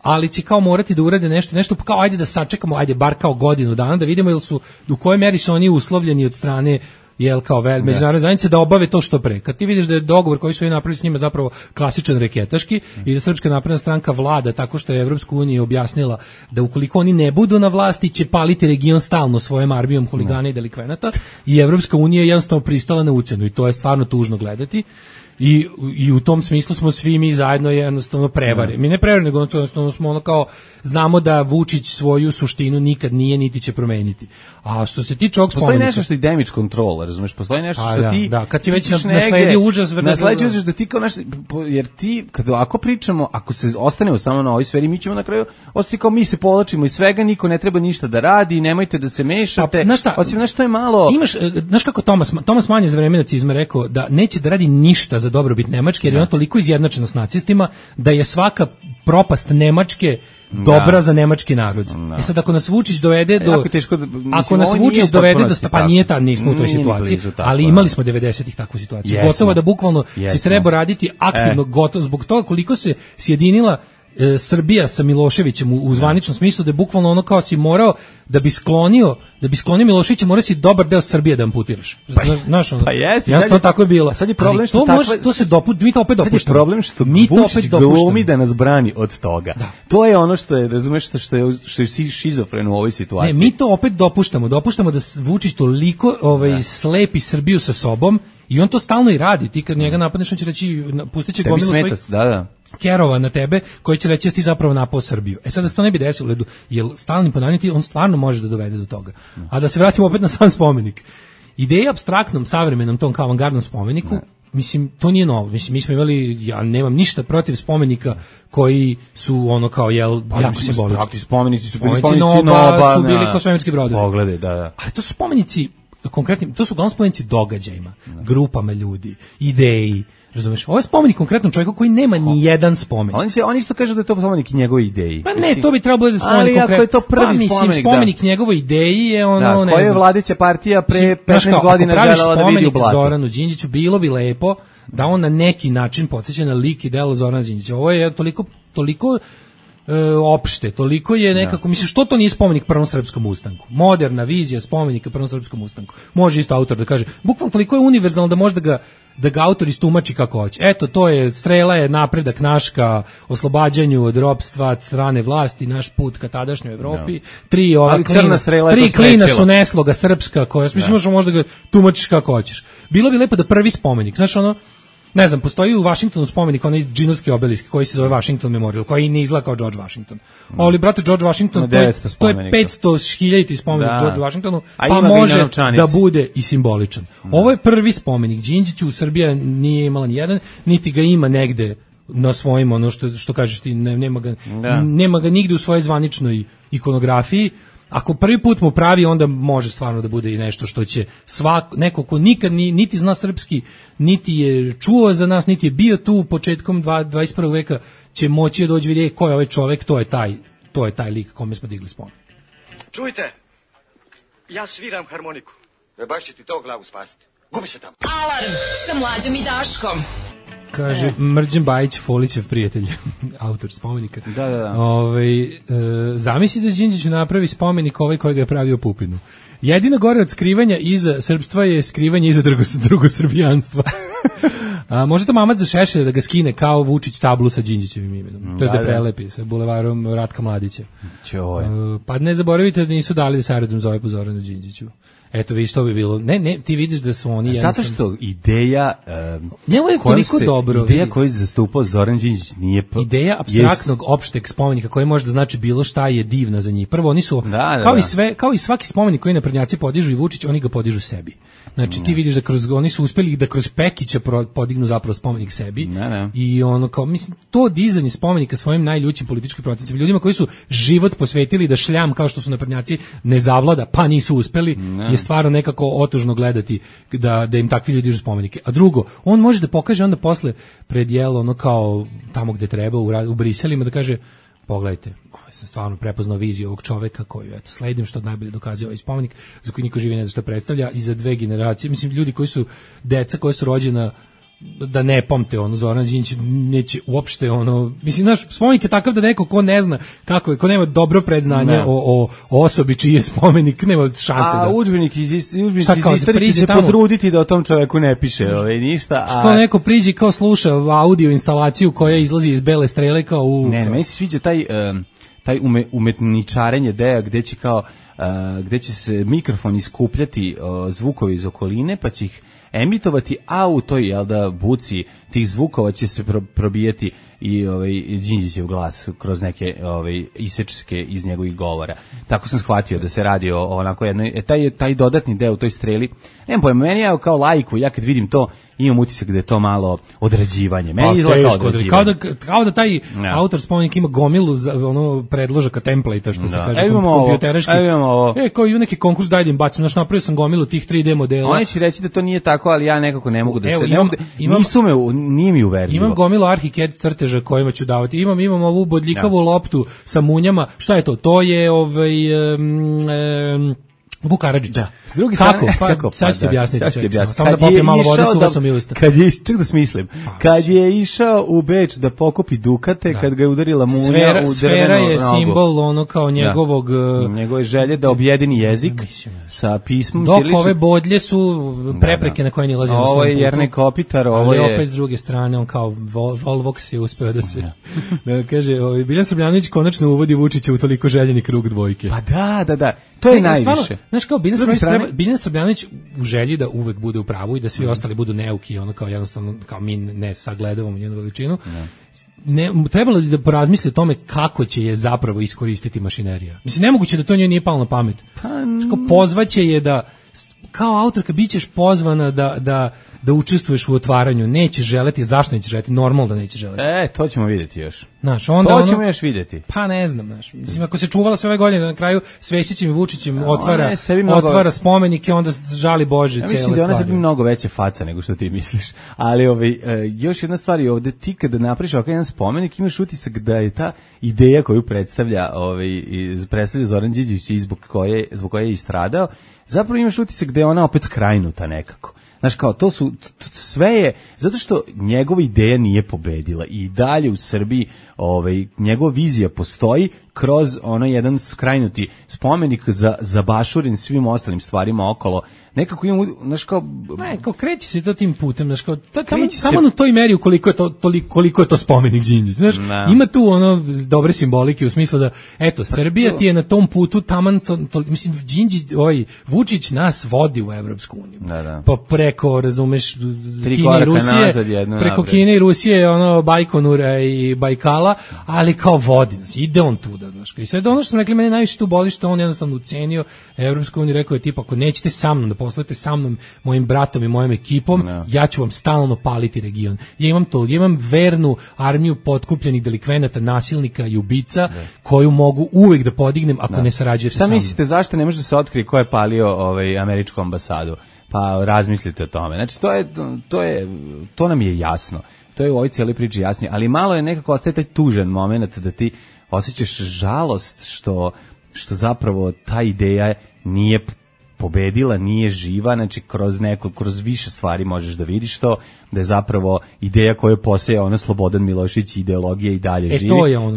Speaker 6: ali će kao morati da urade nešto, nešto kao ajde da sačekamo, ajde bar kao godinu dana da vidimo jel su, u kojoj meri su oni uslovljeni od strane jel kao vel, međunarodne zajednice da obave to što pre. Kad ti vidiš da je dogovor koji su oni napravili s njima zapravo klasičan reketaški mm. i da Srpska napredna stranka vlada tako što je Evropsku uniju objasnila da ukoliko oni ne budu na vlasti će paliti region stalno svojom armijom huligana i delikvenata i Evropska unija je jednostavno pristala na ucenu i to je stvarno tužno gledati. I, i u tom smislu smo svi mi zajedno jednostavno prevari. Mi ne prevari, nego jednostavno smo ono kao znamo da Vučić svoju suštinu nikad nije niti će promeniti. A što se tiče ovog spomenika...
Speaker 5: Postoji nešto što je damage control, razumeš? Postoji nešto što
Speaker 6: da,
Speaker 5: ti...
Speaker 6: Da, kad ti već nasledi užas...
Speaker 5: Nasledi užas da ti kao naš... Jer ti, kada ako pričamo, ako se ostanemo samo na ovoj sferi, mi ćemo na kraju ostati kao mi se povlačimo iz svega, niko ne treba ništa da radi, nemojte da se mešate.
Speaker 6: Znaš šta?
Speaker 5: Osim nešto je malo...
Speaker 6: Imaš, znaš kako Tomas, Tomas Mann je za vreme nacizma rekao da neće da radi ništa za dobrobit Nemačke, jer je ona toliko izjednačena s nacistima da je svaka propast Nemačke dobra da. Za nemački narod. Da. E sad ako nas Vučić dovede do
Speaker 5: teško da, mislim,
Speaker 6: ako nas Vučić dovede do pa nije ta nismo u toj situaciji, ali imali smo devedesetih takvu situaciju. Jesmo. Gotovo da bukvalno Jesmo. Se treba raditi aktivno e. gotovo zbog toga koliko se sjedinila e, Srbija sa Miloševićem u, u zvaničnom smislu da je bukvalno ono kao si morao da bi sklonio da bi sklonio Miloševića mora si dobar deo Srbije da amputiraš.
Speaker 5: Pa,
Speaker 6: znaš ono.
Speaker 5: Pa jeste,
Speaker 6: ja to tako je bilo.
Speaker 5: Sad je problem što
Speaker 6: to
Speaker 5: takva,
Speaker 6: može, to se dopušta, mi to opet dopuštamo.
Speaker 5: Sad je problem što
Speaker 6: mi to
Speaker 5: Vučić
Speaker 6: opet dopuštamo.
Speaker 5: Glumi da nas brani od toga. Da. To je ono što je, razumeš, što, što je što je šizofren u ovoj situaciji.
Speaker 6: Ne, mi to opet dopuštamo. Dopuštamo da Vučić toliko ovaj da. Slepi Srbiju sa sobom i on to stalno i radi. Ti kad njega napadneš, on će reći pustiće gomilu svojih
Speaker 5: da, da.
Speaker 6: kerova na tebe koji će reći da ti zapravo napao Srbiju. E sad da se to ne bi desilo, ledu, jer stalnim ponavljanjem on stvarno može da dovede do toga. A da se vratimo opet na sam spomenik. Ideja apstraktnom, savremenom tom kao avangardnom spomeniku, ne. Mislim, to nije novo. Mislim, mi smo imali, ja nemam ništa protiv spomenika koji su ono kao, jel,
Speaker 5: pa,
Speaker 6: jako simbolički.
Speaker 5: Spomenici su bili
Speaker 6: spomenici
Speaker 5: spomenici
Speaker 6: Noba, Noba su bili kao svemirski brodovi.
Speaker 5: Poglede, da, da.
Speaker 6: Ali to su spomenici, konkretni, to su uglavnom spomenici događajima, ne. Grupama ljudi, ideji. Razumeš? Ovo je spomenik konkretnom čovjeku koji nema ni jedan spomenik.
Speaker 5: Oni se oni isto kažu da je to spomenik njegove ideji.
Speaker 6: Pa ne, to bi trebalo da spomenik konkretno. Ali ako je
Speaker 5: to prvi
Speaker 6: pa, mislim,
Speaker 5: spomenik,
Speaker 6: spomenik
Speaker 5: da.
Speaker 6: njegove ideji je ono,
Speaker 5: da,
Speaker 6: ne
Speaker 5: koja
Speaker 6: znam.
Speaker 5: je vladajuća partija pre petnaest godina želela da vidi u blatu.
Speaker 6: Zoranu Đinđiću bilo bi lepo da on na neki način podsjeća na lik i delo Zorana Đinđića. Ovo je toliko toliko e, opšte, toliko je nekako, mislim, što to nije spomenik prvom srpskom ustanku? Moderna vizija spomenika prvom srpskom ustanku. Može isto autor da kaže, bukvalno toliko je univerzalno da može da ga da ga autor istumači kako hoće. Eto, to je, strela je napredak naš ka oslobađanju od ropstva, strane vlasti, naš put ka tadašnjoj Evropi. No. Tri ova
Speaker 5: ali
Speaker 6: klina, tri klina su nesloga srpska, koja,
Speaker 5: no.
Speaker 6: mislim, možda, možda ga tumačiš kako hoćeš. Bilo bi lepo da prvi spomenik, znaš ono, ne znam, postoji u Vašingtonu spomenik, onaj džinovski obelisk koji se zove Washington Memorial, koji ne izgleda kao George Washington. Mm. Ali, brate, George Washington, to je, to je petsto hiljaditi spomenik da. George Washingtonu, pa može da bude i simboličan. Mm. Ovo je prvi spomenik Đinđiću, Srbija nije imala ni jedan, niti ga ima negde na svojim, ono što, što kažeš ti, ne, nema, ga, da. nema ga nigde u svojoj zvaničnoj ikonografiji. Ako prvi put mu pravi, onda može stvarno da bude i nešto što će svak, neko ko nikad ni, niti zna srpski, niti je čuo za nas, niti je bio tu početkom dvadeset prvog veka, će moći da dođe vidjeti ko je ovaj čovek, to je taj, to je taj lik kome smo digli spomenik.
Speaker 10: Čujte, ja sviram harmoniku. E baš će ti to glavu spasiti. Gubi se tamo.
Speaker 2: Alarm sa Mlađom i Daškom.
Speaker 6: Kaže Mrđan Bajić, Folićev prijatelj, autor spomenika.
Speaker 5: Da, da, da.
Speaker 6: Ove, e, zamisli da Đinđiću napravi spomenik ovaj koji ga je pravio Pupinu. Jedino gore od skrivanja iza srpstva je skrivanje iza drugosrbijanstva. A, može to mamac za Šešelja da ga skine kao Vučić tablu sa Đinđićevim imenom. To je da, da prelepi sa bulevarom Ratka Mladića.
Speaker 5: Čoj.
Speaker 6: Pa ne zaboravite da nisu dali da se aerodrom zove po Zoranu Đinđiću. Eto, vidiš, to bi bilo. Ne, ne, ti vidiš da su oni...
Speaker 5: Zato što ideja... Um,
Speaker 6: Njemu je toliko se, dobro.
Speaker 5: Ideja koju je zastupao Zoran Đinđić nije... Pa,
Speaker 6: ideja apstraktnog yes. opšteg spomenika koji može da znači bilo šta je divna za njih. Prvo, oni su, da, da, kao, da. I sve, kao i svaki spomenik koji naprednjaci podižu i Vučić, oni ga podižu sebi. Znači, ti vidiš da kroz, oni su uspeli da kroz Pekića podignu zapravo spomenik sebi.
Speaker 5: Ne, ne.
Speaker 6: I ono, kao, mislim, to dizanje spomenika svojim najljućim političkim protivnicima, ljudima koji su život posvetili da šljam, kao što su naprednjaci, ne zavlada, pa nisu uspeli, ne. Je stvarno nekako otužno gledati da, da im takvi ljudi dižu spomenike. A drugo, on može da pokaže onda posle pred jelo, ono kao tamo gde treba, u, u Briselima, da kaže, pogledajte, ovaj, sam stvarno prepoznao viziju ovog čoveka koju eto, sledim, što najbolje dokazuje ovaj spomenik, za koji niko živi ne zna što predstavlja, i za dve generacije, mislim, ljudi koji su, deca koja su rođena da ne pamte ono, Zoran Đinđić neće uopšte ono, mislim, naš spomenik je takav da neko ko ne zna kako je, ko nema dobro predznanje o, o, o osobi čiji je spomenik, nema šanse da...
Speaker 5: A udžbenik iz, udžbenik iz istorije će se tamo potruditi da o tom čoveku ne piše ovaj, ništa. A...
Speaker 6: Kao neko priđi, kao sluša audio instalaciju koja izlazi iz Bele strele kao u...
Speaker 5: Ne, ne, meni se sviđa taj, um, taj ume, umetničarenje deja gde će kao, uh, gde će se mikrofon iskupljati uh, zvukovi iz okoline, pa će ih emitovati, a u toj, jel da, buci tih zvukova će se pro, probijeti i ovaj Đinđićev glas kroz neke ovaj isečke iz njegovih govora. Tako sam shvatio da se radi o onako jednoj, taj taj dodatni deo u toj streli. Nemam pojma, meni je kao laiku, ja kad vidim to imam utisak da je to malo odrađivanje. Meni izgleda kao odrađivanje.
Speaker 6: Kao da, kao da taj no. autor spomenik ima gomilu za ono predložaka template, što no. se kaže, kom, kompjutereški. E, kao i neki konkurs, daj da im bacim, znaš, napravio sam gomilu tih tri D modela.
Speaker 5: Oni će reći da to nije tako, ali ja nekako ne mogu da
Speaker 6: Evo,
Speaker 5: se...
Speaker 6: Imam,
Speaker 5: ne mogu da,
Speaker 6: imam,
Speaker 5: nisu me, nije mi uverljivo.
Speaker 6: Imam gomilu ArchiCAD crteža kojima ću davati. Imam, imam ovu bodljikavu ja. loptu sa munjama. Šta je to? To je ovaj... Um, um, Vuk Karadžić. Da.
Speaker 5: S druge strane, kako?
Speaker 6: Pa,
Speaker 5: kako?
Speaker 6: Sad ću ti objasniti.
Speaker 5: Sad ću ti objasniti.
Speaker 6: Samo da popijem malo vode, suva sam i usta.
Speaker 5: Kad je, ček da smislim, kad je išao u Beč da pokupi dukate, da. kad ga je udarila munja
Speaker 6: sfera,
Speaker 5: u drvenu
Speaker 6: sfera je
Speaker 5: nogu.
Speaker 6: simbol ono kao njegovog...
Speaker 5: Da. Njegove želje da objedini jezik sa pismom.
Speaker 6: Dok ove bodlje su prepreke da, da. na koje nilazi na svom putu.
Speaker 5: Ovo je Jernej Kopitar, ovo je...
Speaker 6: Ali opet s druge strane, on kao Vol, Volvox je uspeo da se... da kaže, ovaj, Biljan Srbljanović konačno uvodi Vučića u toliko željeni krug dvojke.
Speaker 5: Pa da, da, da. To je najviše.
Speaker 6: Znaš kao, Biljan Srbljanović treba, Biljan Srbljanović u želji da uvek bude u pravu i da svi mm. ostali budu neuki, ono kao jednostavno, kao mi ne sagledavamo njenu veličinu, ne. Ne, trebalo li da porazmisli o tome kako će je zapravo iskoristiti mašinerija. Mislim, nemoguće da to njoj nije palo na pamet. Pa, Ško, pozvaće je da, kao autorka, bit ćeš pozvana da, da, da učestvuješ u otvaranju, nećeš želeti, zašto nećeš želeti, normalno da nećeš želeti.
Speaker 5: E, to ćemo vidjeti još.
Speaker 6: Znaš, onda
Speaker 5: to
Speaker 6: ono,
Speaker 5: ćemo još vidjeti.
Speaker 6: Pa ne znam, znaš. Mislim, ako se čuvala sve ove godine, na kraju s Vesićem i Vučićem otvara, mnogo, otvara spomenike, onda žali Bože. Ja
Speaker 5: mislim da ona sebi mnogo veće faca nego što ti misliš. Ali ovaj, još jedna stvar je ovde, ti kada napraviš ovakav jedan spomenik, imaš utisak da je ta ideja koju predstavlja, ovaj, predstavlja Zoran Đinđić i zbog koje, zbog koje je istradao, zapravo imaš utisak da je ona opet skrajnuta nekako. Znaš, kao, to su, to, sve je, zato što njegova ideja nije pobedila i dalje u Srbiji ovaj, njegova vizija postoji kroz ono jedan skrajnuti spomenik za, zabašuren svim ostalim stvarima okolo. Nekako imamo, znaš kao...
Speaker 6: Ne, kao kreće se to tim putem, znaš kao, ta, tamo, tamo u toj meri koliko je to, toliko, koliko je to spomenik Đinđić, znaš, no. ima tu ono dobre simbolike u smislu da, eto, Srbija ti je na tom putu, taman, to, to, mislim, Đinđić, ovaj, Vučić nas vodi u Evropsku uniju,
Speaker 5: da, da.
Speaker 6: pa preko, razumeš, Kine i Rusije, nazad, preko Kine i Rusije, ono, Bajkonura i Bajkala, ali kao vodi nas, ide on tu, da, znaš, i sve ono što sam rekli, mene najviše tu boli što on jednostavno ucenio Evropsku uniju, rekao je tipa, ako nećete sa mnom da poslujete sa mnom, mojim bratom i mojom ekipom, no. ja ću vam stalno paliti region. Ja imam to, ja imam vernu armiju potkupljenih delikvenata, nasilnika i ubica, no. koju mogu uvek da podignem ako no. ne sarađujete sa mnom.
Speaker 5: Šta mislite, zašto ne može da se otkrije ko je palio ovaj, američku ambasadu? Pa razmislite o tome. Znači, to je, to je, to nam je jasno. To je u ovoj cijeli priči jasnije, ali malo je nekako ostaje taj tužan moment da ti osjećaš žalost što, što zapravo ta ideja nije pobedila, nije živa, znači kroz neko, kroz više stvari možeš da vidiš to, da je zapravo ideja koju poseje ono Slobodan Milošević, ideologija i dalje
Speaker 6: e,
Speaker 5: živi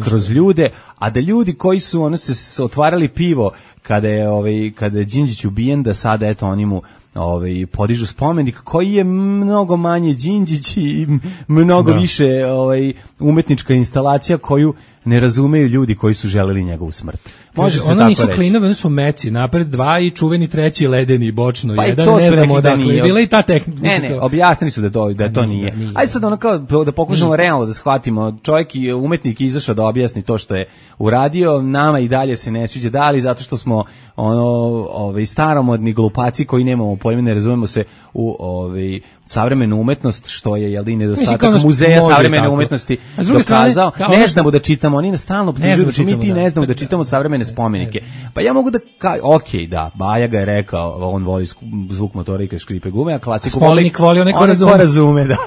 Speaker 5: kroz ljude, a da ljudi koji su ono se otvarali pivo kada je ovaj kada je Đinđić ubijen, da sada eto oni mu ovaj podižu spomenik koji je mnogo manje Đinđić i mnogo da. više ovaj umetnička instalacija koju ne razumeju ljudi koji su želeli njegovu smrt. Može se
Speaker 6: tako nisu klinovi, oni su meci, napred dva i čuveni treći ledeni bočno,
Speaker 5: pa
Speaker 6: jedan ne znamo odakle. Bila i ta tehnika.
Speaker 5: Ne, ne, objasnili su da to da to nije. nije. Ajde sad ono kao da pokušamo realno da shvatimo. Čovjek i umetnik izašao da objasni to što je uradio, nama i dalje se ne sviđa, da li zato što smo ono ovaj staromodni glupaci koji nemamo pojma, ne razumemo se u ovaj savremenu umetnost, što je jel da i nedostatak muzeja savremene tako. umetnosti dokazao. Ne znamo da čitamo, oni nas stalno optužuju da mi ti da. ne znamo da čitamo savremene spomenike. Pa ja mogu da ka, okej, da, Baja ga je rekao, on voli zvuk motora i kad škripe gume, a klasiku
Speaker 6: voli, voli onaj ko razume.
Speaker 5: razume, da.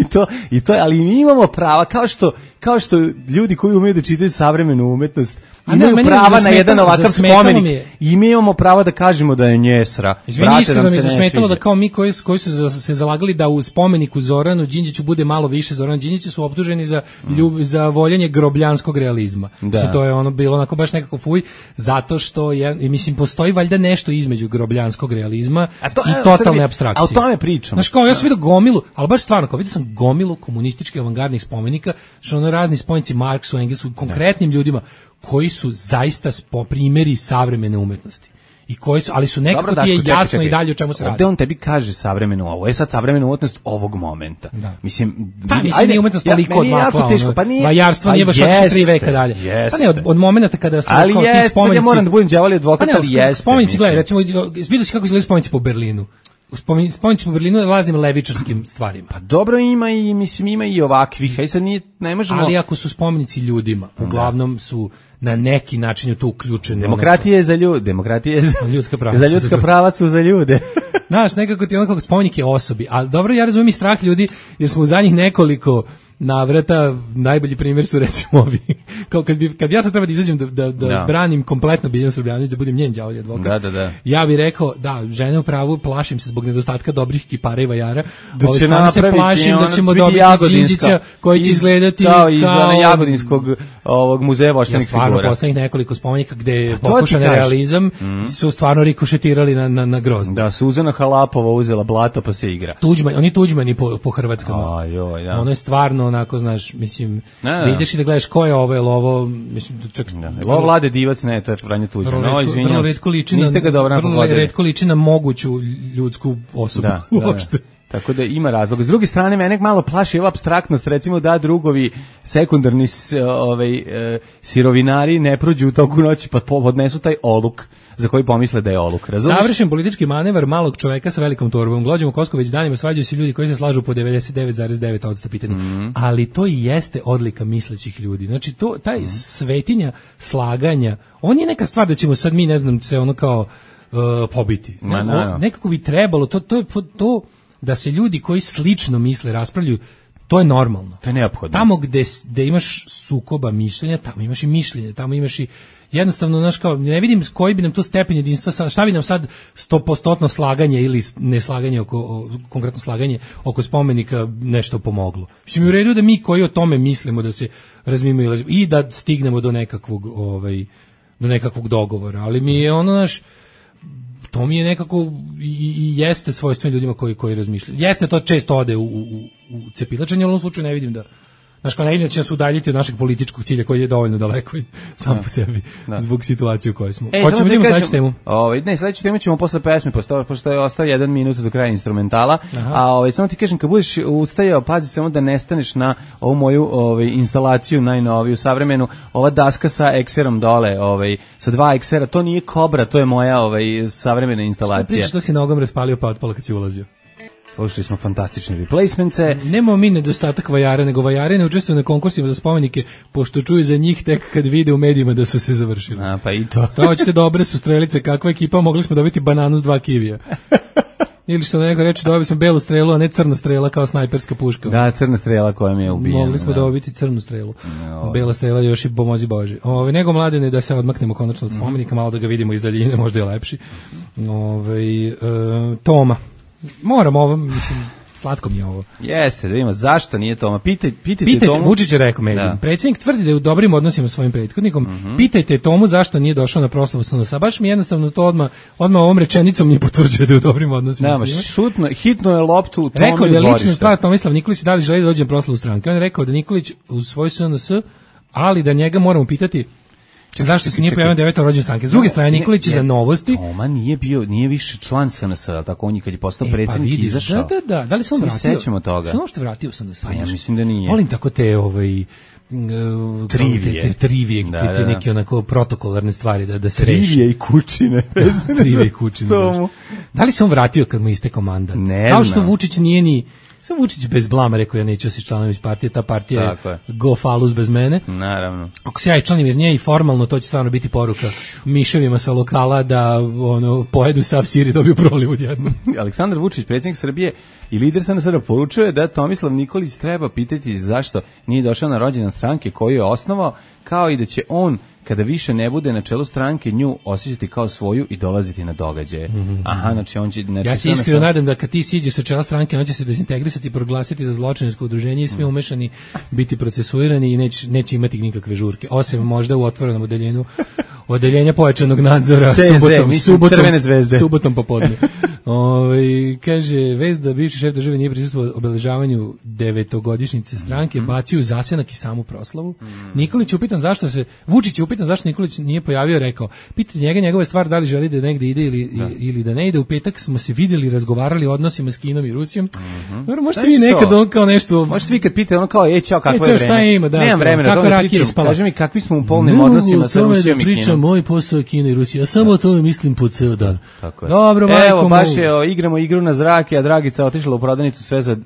Speaker 5: I to, i to, ali mi imamo prava, kao što kao što ljudi koji umeju da čitaju savremenu umetnost imaju prava na jedan ovakav spomenik i mi imamo pravo da kažemo da je njesra.
Speaker 6: Izvini, iskreno mi je zasmetalo da kao mi koji, koji su se zalagali da u spomeniku Zoranu Đinđiću bude malo više Zorana Đinđića su optuženi za, ljub, za voljenje grobljanskog realizma. Da. Znači, to je ono bilo onako baš nekako fuj, zato što je, mislim, postoji valjda nešto između grobljanskog realizma to, i totalne apstrakcije.
Speaker 5: A o tome pričam.
Speaker 6: Znaš, kao ja sam vidio gomilu, ali baš stvarno, kao vidio sam gomilu komunističkih avangardnih spomenika, što ono razni spomenici Marksu, Engelsu, konkretnim ljudima, koji su zaista spo primjeri savremene umetnosti. I koji su, ali su nekako Dobro, ti je jasno čekaj, čekaj. I dalje o čemu se radi.
Speaker 5: Ovde on tebi kaže savremenu, ovo je sad savremena umetnost ovog momenta.
Speaker 6: Da.
Speaker 5: Mislim,
Speaker 6: pa mislim ajde, nije umetnost toliko ja, odmakla. Teško, pa nije. Vajarstvo nije baš otišlo tri veka dalje. Jeste. Pa ne, od, od momenta kada su
Speaker 5: ali
Speaker 6: kao
Speaker 5: jeste,
Speaker 6: ti spomenici.
Speaker 5: Ja moram da budem đavolji advokat, pa ali jeste.
Speaker 6: Spomenici, gledaj, recimo, vidio si kako izgledaju spomenici po Berlinu. Spomenici po Berlinu je raznim levičarskim stvarima.
Speaker 5: Pa dobro ima i, mislim, ima i ovakvih, aj sad nije, ne možemo...
Speaker 6: Ali ako su spomenici ljudima, uglavnom su na neki način je to uključeno.
Speaker 5: Demokratija je za ljude, demokratija je za
Speaker 6: ljudska prava.
Speaker 5: Za ljudska prava su za ljude.
Speaker 6: Znaš, nekako ti onako spomenik je osobi, ali dobro, ja razumijem i strah ljudi, jer smo u zadnjih nekoliko navrata, najbolji primjer su recimo ovi, kao kad, bi, kad ja sad treba da izađem da, da, da no. branim kompletno Biljanu Srbljanović, da budem njen đavolji advokat,
Speaker 5: da, da, da.
Speaker 6: ja bih rekao, da, žene u pravu, plašim se zbog nedostatka dobrih kipara i vajara,
Speaker 5: da
Speaker 6: ovaj,
Speaker 5: će
Speaker 6: se plašim da ćemo dobiti Đinđića koji će izgledati
Speaker 5: kao iz kao, Jagodinskog ovog muzeja voštenih figura. Ja stvarno
Speaker 6: poslednjih nekoliko spomenika gde je pokušan realizam, mm. su stvarno rikošetirali na, na, na grozno.
Speaker 5: Da, Suzana Halapova uzela blato pa se igra.
Speaker 6: Tuđman, oni Tuđmani po, po hrvatskama.
Speaker 5: Ajoj, da.
Speaker 6: Ono je stvarno onako, znaš, mislim, da, da. Ideš i da gledaš ko je ovo, je ovo, mislim, čak...
Speaker 5: Da. Ovo Vlade Divac, ne, to je Franje Tuđman. No, izvinjam se, niste ga dobro
Speaker 6: vrlo retko liči na moguću ljudsku osobu.
Speaker 5: Da, uopšte. Da, da. Tako da ima razlog. S druge strane, mene malo plaši ova apstraktnost, recimo da drugovi sekundarni ovaj, e, sirovinari ne prođu u toku noći pa podnesu taj oluk za koji pomisle da je oluk. Razumiješ?
Speaker 6: Savršen politički manevar malog čoveka sa velikom torbom. Glođemo Kosko već danima, svađaju se ljudi koji se slažu po devedeset devet zarez devet posto pitanja. Mm-hmm. Ali to i jeste odlika mislećih ljudi. Znači, to, taj mm-hmm. svetinja slaganja, on je neka stvar da ćemo sad mi, ne znam, se ono kao uh, pobiti.
Speaker 5: Ma, no, no.
Speaker 6: Nekako bi trebalo, to, to je to da se ljudi koji slično misle raspravljaju, to je normalno.
Speaker 5: To je neophodno.
Speaker 6: Tamo gde, gde imaš sukoba mišljenja, tamo imaš i mišljenje, tamo imaš i jednostavno, znaš, kao, ne vidim koji bi nam to stepen jedinstva, šta bi nam sad stopostotno slaganje ili neslaganje oko, konkretno slaganje oko spomenika nešto pomoglo. Mislim, u redu da mi koji o tome mislimo da se razmimo i da stignemo do nekakvog, ovaj, do nekakvog dogovora, ali mi je ono, naš, to mi je nekako i, i jeste svojstveno ljudima koji koji razmišljaju. Jeste to često ode u, u, u cepilačenje, ali u ovom slučaju ne vidim da znaš, kao ne vidim da će nas udaljiti od našeg političkog cilja koji je dovoljno daleko i sam po sebi da. Zbog situacije u kojoj smo.
Speaker 5: E, hoćemo da imamo sledeću temu? Ovaj, ne, sledeću temu ćemo posle pesme, pošto, pošto je ostao jedan minut do kraja instrumentala. Aha. A ovaj, samo ti kažem, kad budeš ustajao, pazi samo da ne staneš na ovu moju ovaj, instalaciju najnoviju, savremenu, ova daska sa ekserom dole, ovaj, sa dva eksera, to nije Kobra, to je moja ovaj, savremena instalacija.
Speaker 6: Što, što si nogom raspalio pa otpala kad si ulazio?
Speaker 5: Slušali smo fantastične replacementce.
Speaker 6: Nemamo mi nedostatak vajara, nego vajare ne učestvuju na konkursima za spomenike, pošto čuju za njih tek kad vide u medijima da su se završili.
Speaker 5: A, pa i to.
Speaker 6: To hoćete dobre su strelice, kakva ekipa, mogli smo dobiti bananu s dva kivija. Ili što neko reče, dobili smo belu strelu, a ne crna strela kao snajperska puška.
Speaker 5: Da, crna strela koja mi je ubijena.
Speaker 6: Mogli smo da. dobiti crnu strelu. No, Bela strela još i pomozi Bože. Ove, nego mladene da se odmaknemo konačno od spomenika, malo da ga vidimo iz daljine, možda je lepši. Ove, e, Toma. Moram ovo, mislim, slatko mi je ovo.
Speaker 5: Jeste, da vidimo zašto nije Toma. Pitaj, pitajte,
Speaker 6: pitajte
Speaker 5: Tomu.
Speaker 6: Vučić je rekao meni. Predsjednik tvrdi da je u dobrim odnosima sa svojim prethodnikom. Mm-hmm. Pitajte Tomu zašto nije došao na proslavu S N S. Baš mi jednostavno to odmah, odmah ovom rečenicom nije potvrđuje da je u dobrim odnosima
Speaker 5: Nema, s njima. Šutno, hitno je loptu u Tomu.
Speaker 6: Rekao da je lična stvar Tomislav Nikolić da li želi da dođe na proslavu stranke. On je rekao da Nikolić u svoj S N S, ali da njega moramo pitati Čekaj, zašto se nije pojavio devetom rođendan stranke? S druge strane, Nikolić je za Novosti.
Speaker 5: Toma nije bio, nije više član S N S, tako on je kad je postao e, predsjednik pa izašao.
Speaker 6: Da, da, da. Da li se on vratio?
Speaker 5: Sećamo toga.
Speaker 6: Se on što vratio S N S?
Speaker 5: Pa ja mislim da nije.
Speaker 6: Volim tako te ovaj Uh,
Speaker 5: trivije,
Speaker 6: te, te trivije, da, te, te
Speaker 5: da, da.
Speaker 6: neke onako protokolarne stvari da da se reši.
Speaker 5: Trivije i kućine.
Speaker 6: Trivije i kućine. Da li se on vratio kad mu istekao mandat?
Speaker 5: Ne
Speaker 6: Kao što Vučić nije ni Sam Vučić bez blama rekao ja neću se članom iz partije, ta partija je go falus bez mene.
Speaker 5: Naravno.
Speaker 6: Ako se ja članim iz nje i formalno, to će stvarno biti poruka miševima sa lokala da ono pojedu sav sir i dobiju proliv odjednom.
Speaker 5: Aleksandar Vučić, predsjednik Srbije i lider S N S poručuje da Tomislav Nikolić treba pitati zašto nije došao na rođendan stranke koju je osnovao, kao i da će on kada više ne bude na čelu stranke nju osjećati kao svoju i dolaziti na događaje. Mm-hmm. Aha, znači on će... Znači,
Speaker 6: ja se iskreno nadam da kad ti siđeš sa čela stranke, on će se dezintegrisati, proglasiti za zločinačko udruženje i svi mm. umešani biti procesuirani i neće, neće imati nikakve žurke. Osim možda u otvorenom odeljenju odeljenja pojačanog nadzora
Speaker 5: C Z,
Speaker 6: subotom, subotom,
Speaker 5: Crvene zvezde.
Speaker 6: Subotom popodne. Ove, kaže, vez da bivši šef države nije prisustvovao obeležavanju devetogodišnjice stranke, mm-hmm. bacio u zasenak i samu proslavu. Mm. Nikolić je upitan zašto se, Vučić je upitan zašto Nikolić nije pojavio, rekao, pitanje njega, njegove stvar, da li želi da negde ide ili, da. ili da ne ide. U petak smo se vidjeli, razgovarali o odnosima s Kinom i Rusijom. Mm-hmm. Dobro, možete vi nekad ono kao nešto...
Speaker 5: Možete vi kad pite ono kao, ej, čao, kakvo je vreme?
Speaker 6: Ima, da,
Speaker 5: nemam vremena,
Speaker 6: kako
Speaker 5: da pričam. Kaži mi, kakvi smo u polnim odnosima sa Rusijom i Kinom.
Speaker 6: Moj posao je Kina i Rusija, ja samo o tome mislim po ceo dan.
Speaker 5: Tako je.
Speaker 6: Dobro, majko,
Speaker 5: evo, baš je, o, igramo igru na zrake, a Dragica otišla u prodavnicu sve za uh,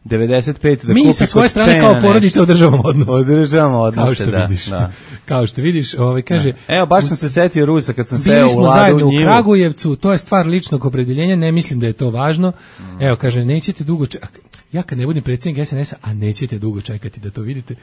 Speaker 5: devedeset pet da
Speaker 6: mi
Speaker 5: kupi.
Speaker 6: Mi sa svoje strane kao porodica održavamo odnos.
Speaker 5: Održavamo odnose, kao što
Speaker 6: da, vidiš. Da. Kao što vidiš, ovaj kaže,
Speaker 5: da. Evo, baš sam se setio Rusa kad sam seo u Ladu.
Speaker 6: Bili smo zajedno u Kragujevcu, to je stvar ličnog opredeljenja, ne mislim da je to važno. Mm. Evo, kaže, nećete dugo čekati. Ja kad ne budem predsjednik S N S-a, a nećete dugo čekati da to vidite.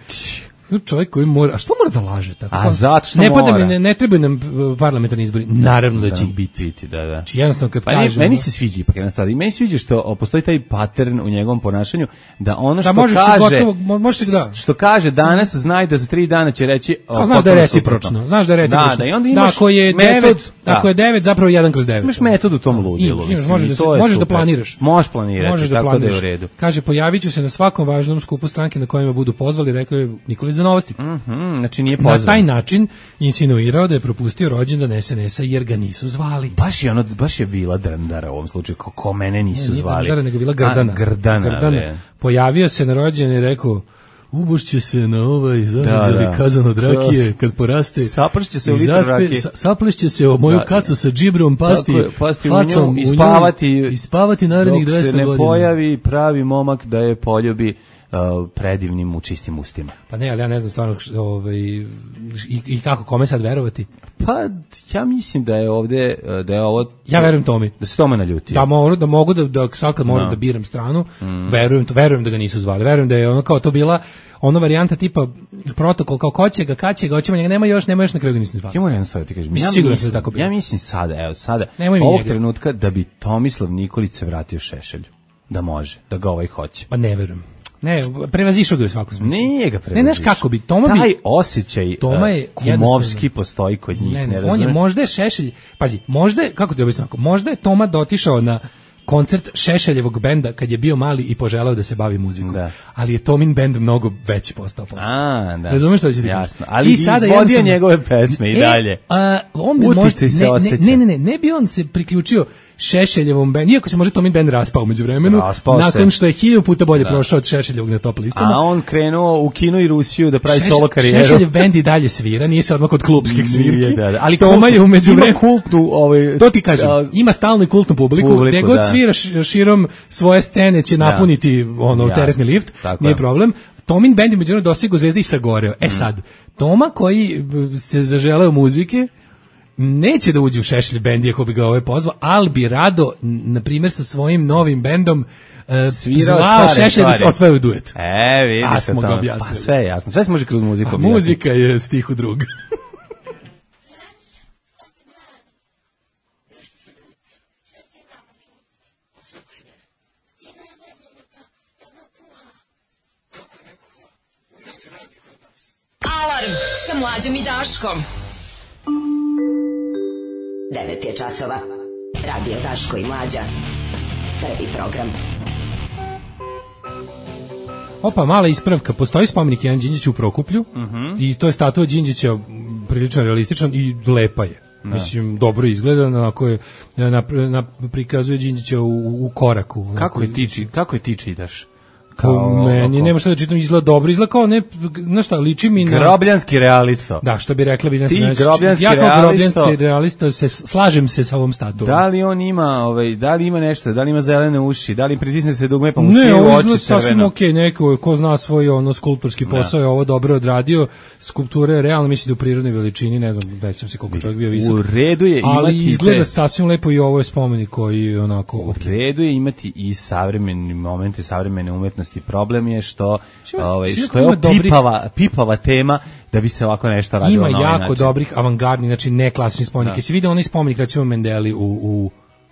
Speaker 6: Čovjek koji mora, a što mora da laže tako?
Speaker 5: A zato što
Speaker 6: ne
Speaker 5: mora.
Speaker 6: Ne, ne, ne trebaju nam parlamentarni izbori. Naravno da, da će ih biti.
Speaker 5: biti da, da.
Speaker 6: Či jednostavno kad
Speaker 5: pa
Speaker 6: kaže,
Speaker 5: meni se sviđa ipak jednostavno. I meni sviđa što postoji taj pattern u njegovom ponašanju da ono što
Speaker 6: da
Speaker 5: kaže
Speaker 6: gotovo, možete da.
Speaker 5: što kaže danas znaj da za tri dana će reći
Speaker 6: o, znaš da je recipročno. Znaš da je recipročno.
Speaker 5: Da, da, i onda imaš
Speaker 6: da, ako je devet, da. Ako je devet zapravo jedan kroz devet.
Speaker 5: Imaš metod u tom ludilu.
Speaker 6: Možeš da se, možeš da planiraš.
Speaker 5: Možeš planirati, tako da je u redu.
Speaker 6: Kaže, pojaviću se na svakom važnom skupu stranke na kojima budu pozvali, rekao je Nikolić za Novosti.
Speaker 5: Mm, znači nije pozvan.
Speaker 6: Na taj način insinuirao da je propustio rođendan S N S-a jer ga nisu zvali.
Speaker 5: Baš je ono, baš je Vila Drndara u ovom slučaju, ko, ko mene nisu
Speaker 6: ne,
Speaker 5: zvali.
Speaker 6: Drndara, nego Vila Grdana.
Speaker 5: A, Grdana,
Speaker 6: Grdana. Pojavio se na rođendan i rekao, ubošće se na ovaj zarađali da, da. kazan od rakije kad poraste.
Speaker 5: Saplešće se u litru rakije.
Speaker 6: Saplešće se o moju da, kacu sa džibrom pasti,
Speaker 5: je, pasti facom, u nju, i spavati,
Speaker 6: i spavati narednih dvesta godina.
Speaker 5: Dok se ne pojavi pravi momak da je poljubi Uh, predivnim u čistim ustima.
Speaker 6: Pa ne, ali ja ne znam stvarno ovaj, i, i kako, kome sad verovati?
Speaker 5: Pa ja mislim da je ovde, da je ovo...
Speaker 6: Ja verujem Tomi.
Speaker 5: Da se Toma naljutio.
Speaker 6: Da mogu da, mogu da, da sad kad moram no. da biram stranu, mm. verujem, verujem da ga nisu zvali. Verujem da je ono kao to bila ona varijanta tipa protokol kao ko će ga, kad će ga, hoćemo njega, nema još, nema još, na kraju ga nisam zvali.
Speaker 5: Ja moram jedno sad ti kažem.
Speaker 6: Ja sigurno mislim, da tako bilo.
Speaker 5: Ja mislim sada, evo sada, ovog njega. trenutka da bi Tomislav Nikolić se vratio Šešelju. Da može, da ga ovaj hoće.
Speaker 6: Pa ne verujem. Ne, prevazišao ga u svakom smislu.
Speaker 5: Nije ga prevazišao.
Speaker 6: Ne, znaš kako bi, Toma bi...
Speaker 5: Taj osjećaj Toma je kumovski postoji kod njih, ne, ne, ne
Speaker 6: on je možda je Šešelj, pazi, možda je, kako ti objasnim, možda je Toma dotišao na koncert Šešeljevog benda kad je bio mali i poželeo da se bavi muzikom. Da. Ali je Tomin bend mnogo veći postao posle.
Speaker 5: A, da.
Speaker 6: Razumeš što će ti?
Speaker 5: Jasno. Ali i sada izvodio njegove pesme i
Speaker 6: e,
Speaker 5: dalje.
Speaker 6: A, on bi možda, ne, ne, ne, ne, ne bi on se priključio Šešeljevom bendu, iako se može Tomin bend raspao među vremenu, nakon što je hilju puta bolje da. prošao od Šešeljevog na top listama.
Speaker 5: A on krenuo u Kinu i Rusiju da pravi Šeš, solo karijeru.
Speaker 6: Šešeljev bend i dalje svira, nije se odmah kod klubskih svirki.
Speaker 5: Da, da. Ali
Speaker 6: Toma je umeđu vremenu.
Speaker 5: Ima kultnu, ovaj,
Speaker 6: to ti kažem, a, ima stalnu i kultnu publiku, publiku gde god da. svira širom svoje scene će napuniti da. ono Jasne. teretni lift, Tako nije je. problem. Tomin bend je međunarodno dostigao zvezde i sagoreo. E sad, Toma koji se zaželeo muzike, neće da uđe u Šešelj bend ako bi ga ovaj pozvao, ali bi rado, na primjer, sa svojim novim bendom uh, zvao Šešelj da ospevaju duet.
Speaker 5: E, vidiš
Speaker 6: A smo ga objasnili.
Speaker 5: Pa sve je jasno, sve se može kroz muziku objasniti.
Speaker 6: Muzika je stih u drug.
Speaker 2: Alarm sa Mlađom i Daškom. devet je časova. Radio Daško i Mlađa. Prvi program.
Speaker 6: Opa, mala ispravka. Postoji spomenik Ivan Đinđiću u Prokuplju uh -huh. i to je statua Đinđića prilično realističan i lepa je. Da. Mislim, dobro izgleda, onako je, na, na, prikazuje Đinđića u, u koraku.
Speaker 5: Kako je ti, kako je ti čitaš? kao...
Speaker 6: Meni oko... nema šta da čitam, izgleda dobro, izgleda kao ne, znaš šta, liči mi na...
Speaker 5: Grobljanski realisto.
Speaker 6: Da, što bi rekla bi... Ne,
Speaker 5: Ti
Speaker 6: ne,
Speaker 5: grobljanski
Speaker 6: ja
Speaker 5: realisto...
Speaker 6: Ja kao grobljanski realista se, slažem se sa ovom statuom.
Speaker 5: Da li on ima, ovaj, da li ima nešto, da li ima zelene uši, da li pritisne se dugme pa mu
Speaker 6: ne,
Speaker 5: sije u oči crveno?
Speaker 6: Ne, ovo izgleda sasvim okej, neko ko zna svoj ono skulptorski posao je ovo dobro odradio, skulptura je realno, mislim da u prirodnoj veličini, ne znam, nećem se koliko čovjek bio visok.
Speaker 5: U redu je imati...
Speaker 6: Ali izgleda te... sasvim lepo i ovo je spomenik koji onako...
Speaker 5: U redu je imati i savremeni momenti, savremene umetnosti. Problem je što, Šima, ovaj, što je ovo dobrih... pipava, pipava tema da bi se ovako nešto radilo
Speaker 6: na
Speaker 5: ovaj
Speaker 6: jako
Speaker 5: način.
Speaker 6: Dobrih avangardnih, znači ne klasičnih spomenika. Da. Si vidio onaj spomenik, recimo Mendeli u, u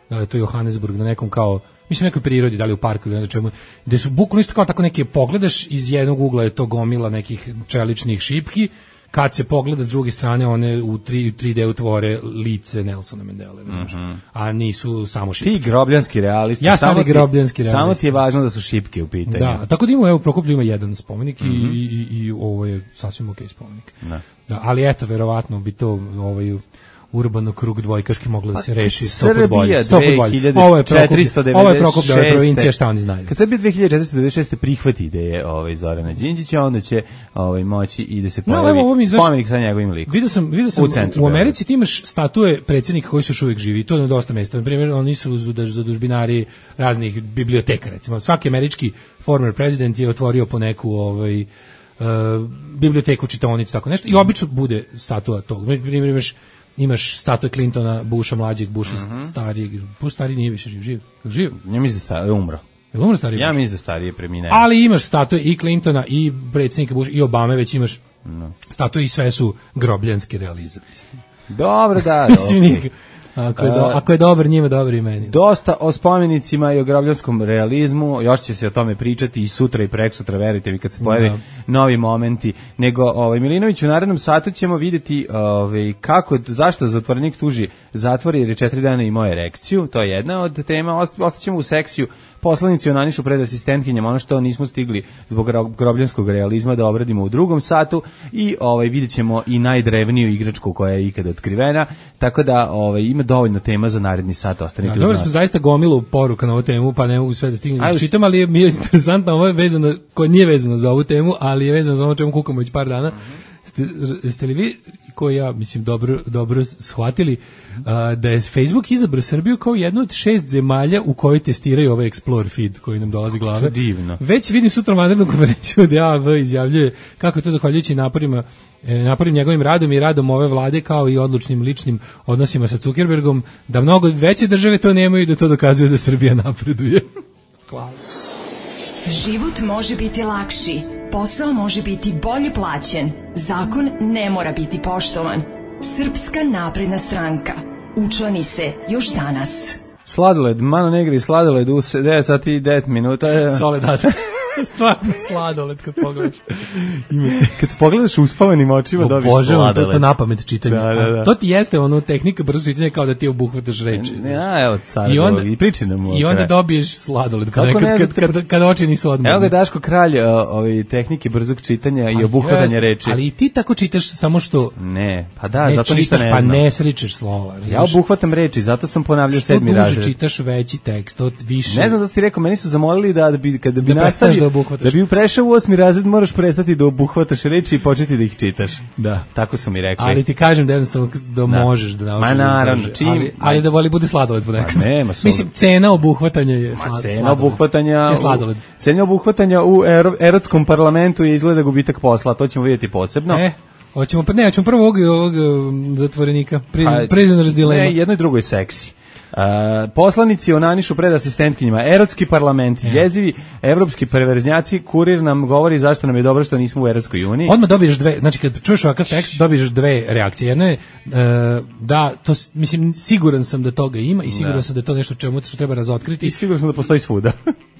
Speaker 6: da to je Johannesburg, na nekom kao, mislim nekoj prirodi, da li u parku ili ne znam čemu, gde su bukvalno isto kao tako neke, pogledaš iz jednog ugla je to gomila nekih čeličnih šipki, kad se pogleda s druge strane one u tri D utvore lice Nelsona Mandele, mm -hmm. a nisu samo šipke.
Speaker 5: Ti grobljanski realisti.
Speaker 6: Ja sam grobljanski realisti.
Speaker 5: Samo ti je važno da su šipke u pitanju.
Speaker 6: Da, tako da ima, evo, Prokoplju ima jedan spomenik mm -hmm. i, i, i ovo je sasvim okej spomenik.
Speaker 5: Da.
Speaker 6: Da, ali eto, verovatno bi to ovaj urbano krug dvojkaški moglo da se reši sto put bolje. Ovo je Prokoplje provincija, šta oni znaju.
Speaker 5: Kad Srbija dve hiljade četiristo devedeset šeste prihvati ideje ovaj Zorana Đinđića, onda će ovaj moći i da se pojavi no, spomenik sa njegovim likom.
Speaker 6: Vidio sam, vidio sam u, centru, u Americi ti imaš statue predsjednika koji su još uvijek živi. To je na dosta mesta. Na primjer, oni su zadužbinari raznih biblioteka, recimo. Svaki američki former president je otvorio po neku ovaj uh, biblioteku, čitaonicu, tako nešto. I obično bude statua tog. Na primjer, imaš imaš statue Clintona, Busha mlađeg, Busha mm -hmm. starijeg. Bush stariji nije više živ. Živ? Živ?
Speaker 5: Ja mislim da stari, je umro.
Speaker 6: Je umro stariji?
Speaker 5: Ja mislim da stariji je preminuo.
Speaker 6: Ali imaš statue i Clintona, i predsjednika Busha, i Obame, već imaš no. statue i sve su grobljanski realizam.
Speaker 5: Dobro, da.
Speaker 6: okay. Ako je, do, ako je dobar njima, dobar i meni.
Speaker 5: Dosta o spomenicima i o grobljanskom realizmu, još će se o tome pričati i sutra i preksutra, verite mi, kad se pojave da. novi momenti. Nego, ovaj, Milinović, u narednom satu ćemo vidjeti ovaj, kako, zašto zatvorenik tuži zatvor jer je četiri dana imao erekciju, to je jedna od tema, ostaćemo u seksiju. Poslanici onanišu pred asistentkinjama, ono što nismo stigli zbog grobljanskog realizma da obradimo u drugom satu i ovaj vidjet ćemo i najdrevniju igračku koja je ikada otkrivena, tako da ovaj, ima dovoljno tema za naredni sat, ostanite uz nas.
Speaker 6: Dobro smo zaista gomilu poruka na ovu temu, pa ne mogu sve da stignem da čitam, ali je, mi je interesantno, ovo je vezano, koje nije vezano za ovu temu, ali je vezano za ono čemu kukamo već par dana. Ste, ste li vi, koji ja mislim dobro, dobro shvatili, a, da je Facebook izabrao Srbiju kao jednu od šest zemalja u kojoj testiraju ovaj Explore feed koji nam dolazi glave.
Speaker 5: Divno.
Speaker 6: Već vidim sutra vanrednu konferenciju da A V izjavljuje kako je to zahvaljujući naporima, e, naporim njegovim radom i radom ove vlade kao i odlučnim ličnim odnosima sa Zuckerbergom, da mnogo veće države to nemaju i da to dokazuje da Srbija napreduje. Hvala.
Speaker 11: Život može biti lakši, posao može biti bolje plaćen, zakon ne mora biti poštovan. Srpska napredna stranka. Učlani se još danas.
Speaker 5: Sladoled, Mano Negri, sladoled u devet sati i devet minuta.
Speaker 6: Soledad. Stvarno sladoled kad pogledaš.
Speaker 5: Kad pogledaš uspavanim očima o, dobiš Bože, sladoled.
Speaker 6: To, to napamet čitanje. Da, da, da. To ti jeste ono tehnika brzo čitanja kao da ti obuhvataš reči.
Speaker 5: Ja, evo, car, I, onda, i priči nam
Speaker 6: I onda dobiješ sladoled kad, kad, kad, kad, kad, kad oči nisu odmorne.
Speaker 5: Evo ga Daško kralj ove tehnike brzog čitanja i obuhvatanja reči.
Speaker 6: Ali i ti tako čitaš samo što...
Speaker 5: Ne, pa da,
Speaker 6: ne
Speaker 5: zato ništa ne znam.
Speaker 6: Pa ne sričeš slova.
Speaker 5: Ja obuhvatam reči, zato sam ponavljao sedmi razred.
Speaker 6: Što duže čitaš veći tekst, to više...
Speaker 5: Ne znam da si ti rekao, meni su zamolili da, da bi, kada bi nastavio... Da bi prešao u osmi razred, moraš prestati da obuhvataš reči i početi da ih čitaš.
Speaker 6: Da.
Speaker 5: Tako su mi rekli.
Speaker 6: Ali ti kažem da jednostavno da, da. možeš da naučiš.
Speaker 5: Ma naravno.
Speaker 6: Da čim, ali, ali da voli bude sladoled ponekad.
Speaker 5: Ma nema su.
Speaker 6: Mislim, cena obuhvatanja je sladoled.
Speaker 5: Cena obuhvatanja
Speaker 6: je sladoled.
Speaker 5: U, cena obuhvatanja u ero, erotskom parlamentu je izgleda gubitak posla. To ćemo vidjeti posebno.
Speaker 6: E, hoćemo, pa ne, hoćemo prvo ovog, ovog zatvorenika. Prisoner's dilemma.
Speaker 5: Ne, jedno i drugo je seksi. Uh, poslanici onanišu pred asistentkinjima, erotski parlament, yeah. jezivi evropski perverznjaci, kurir nam govori zašto nam je dobro što nismo u Evropskoj uniji.
Speaker 6: Odmah dobiješ dve, znači kad čuješ ovakav tekst, dobiješ dve reakcije. Jedna je uh, da, to, mislim, siguran sam da toga ima i siguran da. sam da je to nešto čemu što treba razotkriti.
Speaker 5: I siguran sam da postoji svuda.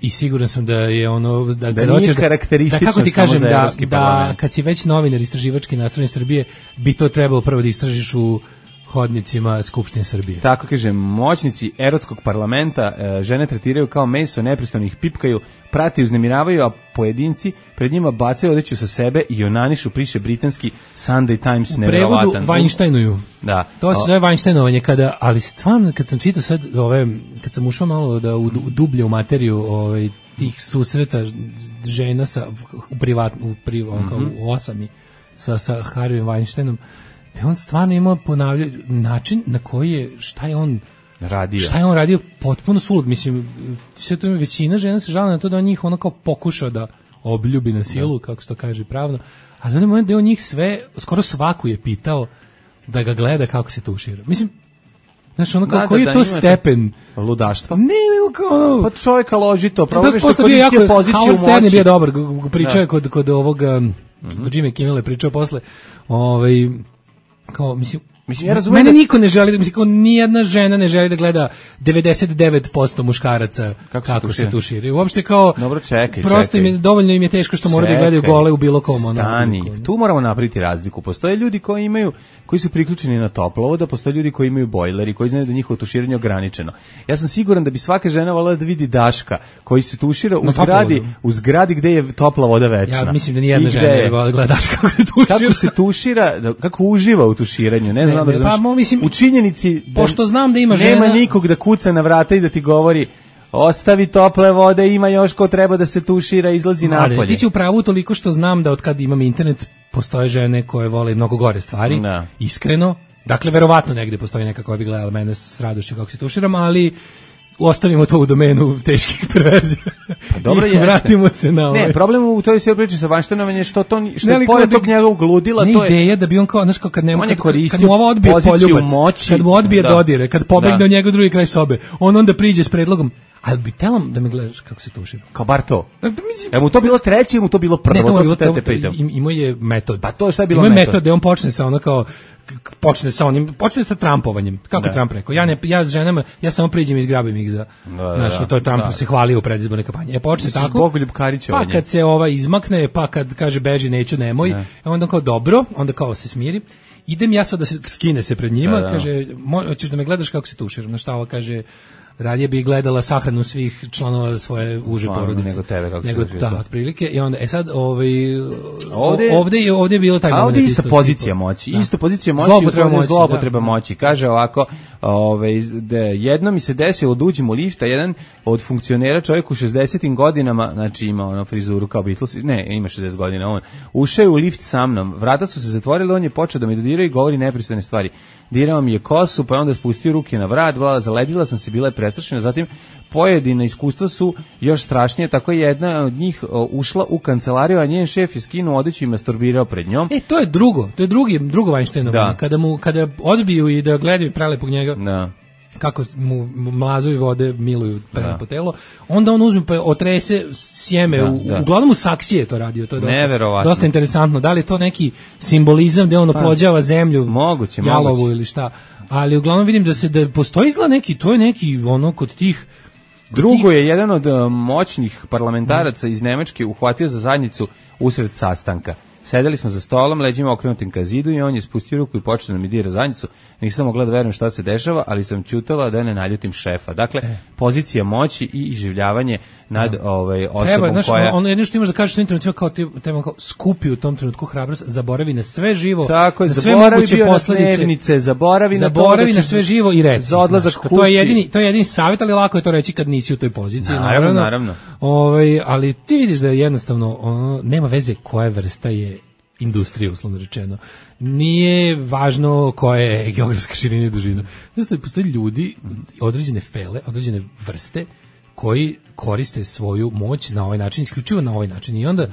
Speaker 6: I siguran sam da je ono da,
Speaker 5: da nije karakteristično
Speaker 6: da, kako ti kažem,
Speaker 5: samo za Evropski
Speaker 6: da,
Speaker 5: parlament.
Speaker 6: Da kad si već novinar istraživački nastrojen Srbije, bi to trebalo prvo da istražiš u hodnicima Skupštine Srbije.
Speaker 5: Tako kažem, moćnici erotskog parlamenta e, žene tretiraju kao meso, neprestano ih pipkaju, prate i uznemiravaju, a pojedinci pred njima bacaju odeću sa sebe i onanišu, piše britanski Sunday Times, nevjerovatan.
Speaker 6: U prevodu Weinsteinuju.
Speaker 5: Da.
Speaker 6: To se zove Weinsteinovanje, kada, ali stvarno, kad sam čitao sad, ove, kad sam ušao malo da u, u dublje u materiju ovaj, tih susreta žena sa u privatnu u privatnom mm-hmm. u osami sa sa Harvey Weinsteinom, da on stvarno ima ponavljaju način na koji je, šta je on
Speaker 5: radio.
Speaker 6: Šta je on radio potpuno sulud, mislim, sve to ima većina žena se žali na to da on njih ono kao pokušao da obljubi na silu, da. kako se to kaže pravno, ali on je on njih sve, skoro svaku je pitao da ga gleda kako se tušira. Mislim, znaš, ono kao, da, koji da, je to stepen
Speaker 5: ludaštva?
Speaker 6: Ne, nego kao ono...
Speaker 5: Pa čovjeka loži to,
Speaker 6: problem
Speaker 5: je što koristio poziciju moći. Howard
Speaker 6: Stern je bio dobar, pričao je kod, kod ovoga, mm-hmm. kod Jimmy Kimmel je pričao posle, ovaj, kao, mislim,
Speaker 5: Mislim, ja razumijem
Speaker 6: mene
Speaker 5: da...
Speaker 6: niko ne želi, mislim, kao nijedna žena ne želi da gleda devedeset devet posto muškaraca kako, kako se tuširaju. Uopšte kao,
Speaker 5: dobro, čekaj,
Speaker 6: prosto
Speaker 5: čekaj.
Speaker 6: Im je, dovoljno im je teško što moraju da gledaju gole u bilo kom.
Speaker 5: Stani, ono, tu moramo napraviti razliku. Postoje ljudi koji imaju, koji su priključeni na toplovod, a postoje ljudi koji imaju bojleri, koji znaju da njihovo tuširanje ograničeno. Ja sam siguran da bi svaka žena voljela da vidi Daška koji se tušira u zgradi, u zgradi gde je topla voda večna.
Speaker 6: Ja mislim da nijedna žena ne bi voljela da gleda Daška kako se tušira.
Speaker 5: Kako se tušira, kako uživa u tuširanju, ne znam.
Speaker 6: Ne, pa, mislim,
Speaker 5: u činjenici da
Speaker 6: pošto znam da ima
Speaker 5: nema
Speaker 6: žena,
Speaker 5: nikog da kuca na vrata i da ti govori ostavi tople vode, ima još ko treba da se tušira, izlazi napolje.
Speaker 6: Ti si u pravu toliko što znam da od kad imam internet postoje žene koje vole mnogo gore stvari,
Speaker 5: da.
Speaker 6: Iskreno. Dakle, verovatno negde postoji neka koja bi gledala mene s radošću kako se tuširam, ali ostavimo to u domenu teških perverzija.
Speaker 5: Pa dobro
Speaker 6: i vratimo se na ovaj.
Speaker 5: Ne, problem u toj sve priči sa Weinsteinom je što to što je pored tog njegovog ludila, to je
Speaker 6: ideja da bi on kao, znaš, kao kad nema
Speaker 5: kad,
Speaker 6: kad mu ova odbije poljubac,
Speaker 5: moći,
Speaker 6: kad mu odbije
Speaker 5: da.
Speaker 6: dodire, kad pobegne od njega drugi kraj sobe, on onda priđe s predlogom, ali bi telam da me gledaš kako se tušira.
Speaker 5: Kao bar to. Je mu to bilo treće ili mu to bilo prvo?
Speaker 6: Ne, to,
Speaker 5: to,
Speaker 6: to, to imao je metod.
Speaker 5: Pa to šta je bilo
Speaker 6: metod?
Speaker 5: Imao
Speaker 6: metod da on počne sa ono kao počne sa onim, počne sa Trumpovanjem. Kako da. Trump rekao? Ja ne ja s ženama, ja samo priđem i izgrabim ih za. Znaš, da, to je Trump da. se hvalio u predizbornoj kampanji. E počne
Speaker 5: Misliš
Speaker 6: tako.
Speaker 5: Bogoljub Karićevanje.
Speaker 6: Pa kad se ova izmakne, pa kad kaže beži, neću, nemoj, ne. onda kao dobro, onda kao se smiri. Idem ja sad da se skine se pred njima, da, da. kaže, hoćeš da me gledaš kako se tuširam. Na šta ova kaže, radije bi gledala sahranu svih članova svoje uže
Speaker 5: Člano,
Speaker 6: porodice.
Speaker 5: Nego tebe, kako
Speaker 6: nego,
Speaker 5: se
Speaker 6: da, otprilike. I onda, e sad, ovaj, ovde, ovde, je, ovde je bilo taj moment.
Speaker 5: A ovde je ista pozicija tipu, moći. Da. Isto pozicija moći, zlopotreba moći. Zlopotreba da. moći. Kaže ovako, ovaj, da jedno mi se desilo da uđem u lift, a jedan od funkcionera, čovjek u šezdesetim godinama, znači ima ono frizuru kao Beatles, ne, ima šezdeset godina on, ušao je u lift sa mnom, vrata su se zatvorile, on je počeo da me dodira i govori nepristojne stvari. Dirao mi je kosu, pa onda spustio ruke na vrat, bila, zaledila sam se, bila je prestrašena, zatim pojedina iskustva su još strašnije, tako je jedna od njih o, ušla u kancelariju, a njen šef je skinuo odeću i masturbirao pred njom.
Speaker 6: E, to je drugo, to je drugi, drugo Weinsteinovo, kada mu, kada odbiju i da gledaju prelepog njega, da. kako mu mlazovi vode miluju prema po telo, onda on uzme pa otrese sjeme, da, u, da. uglavnom u saksije to radio, to je dosta, dosta interesantno, da li je to neki simbolizam gde on oplođava zemlju,
Speaker 5: moguće,
Speaker 6: jalovu
Speaker 5: moguće.
Speaker 6: ili šta, ali uglavnom vidim da se da postoji izgleda neki, to je neki ono kod tih.
Speaker 5: Drugo je jedan od uh, moćnih parlamentaraca iz Nemačke uhvatio za zadnjicu usred sastanka. Sedeli smo za stolom, leđima okrenutim ka zidu i on je spustio ruku i počeo da mi dira zadnjicu. Nisam mogla da verujem šta se dešava, ali sam ćutala da ne naljutim šefa. Dakle, e. pozicija moći i iživljavanje nad da. ovaj, osobom Treba, znaš, koja...
Speaker 6: Ono jedno što imaš da kažeš u internetu kao ti tema kao skupi u tom trenutku hrabrost, zaboravi na sve živo,
Speaker 5: tako je,
Speaker 6: na sve moguće posledice,
Speaker 5: zaboravi,
Speaker 6: zaboravi na,
Speaker 5: na
Speaker 6: sve živo i reci.
Speaker 5: Za odlazak kući.
Speaker 6: To je jedini, to je jedini savjet, ali lako je to reći kad nisi u toj poziciji.
Speaker 5: Naravno, naravno. naravno.
Speaker 6: Ovaj, ali ti vidiš da je jednostavno ono, nema veze koja vrsta je industrija, uslovno rečeno. Nije važno koja je geografska širina i dužina. Znači, postoje ljudi, određene fele, određene vrste koji koriste svoju moć na ovaj način, isključivo na ovaj način. I onda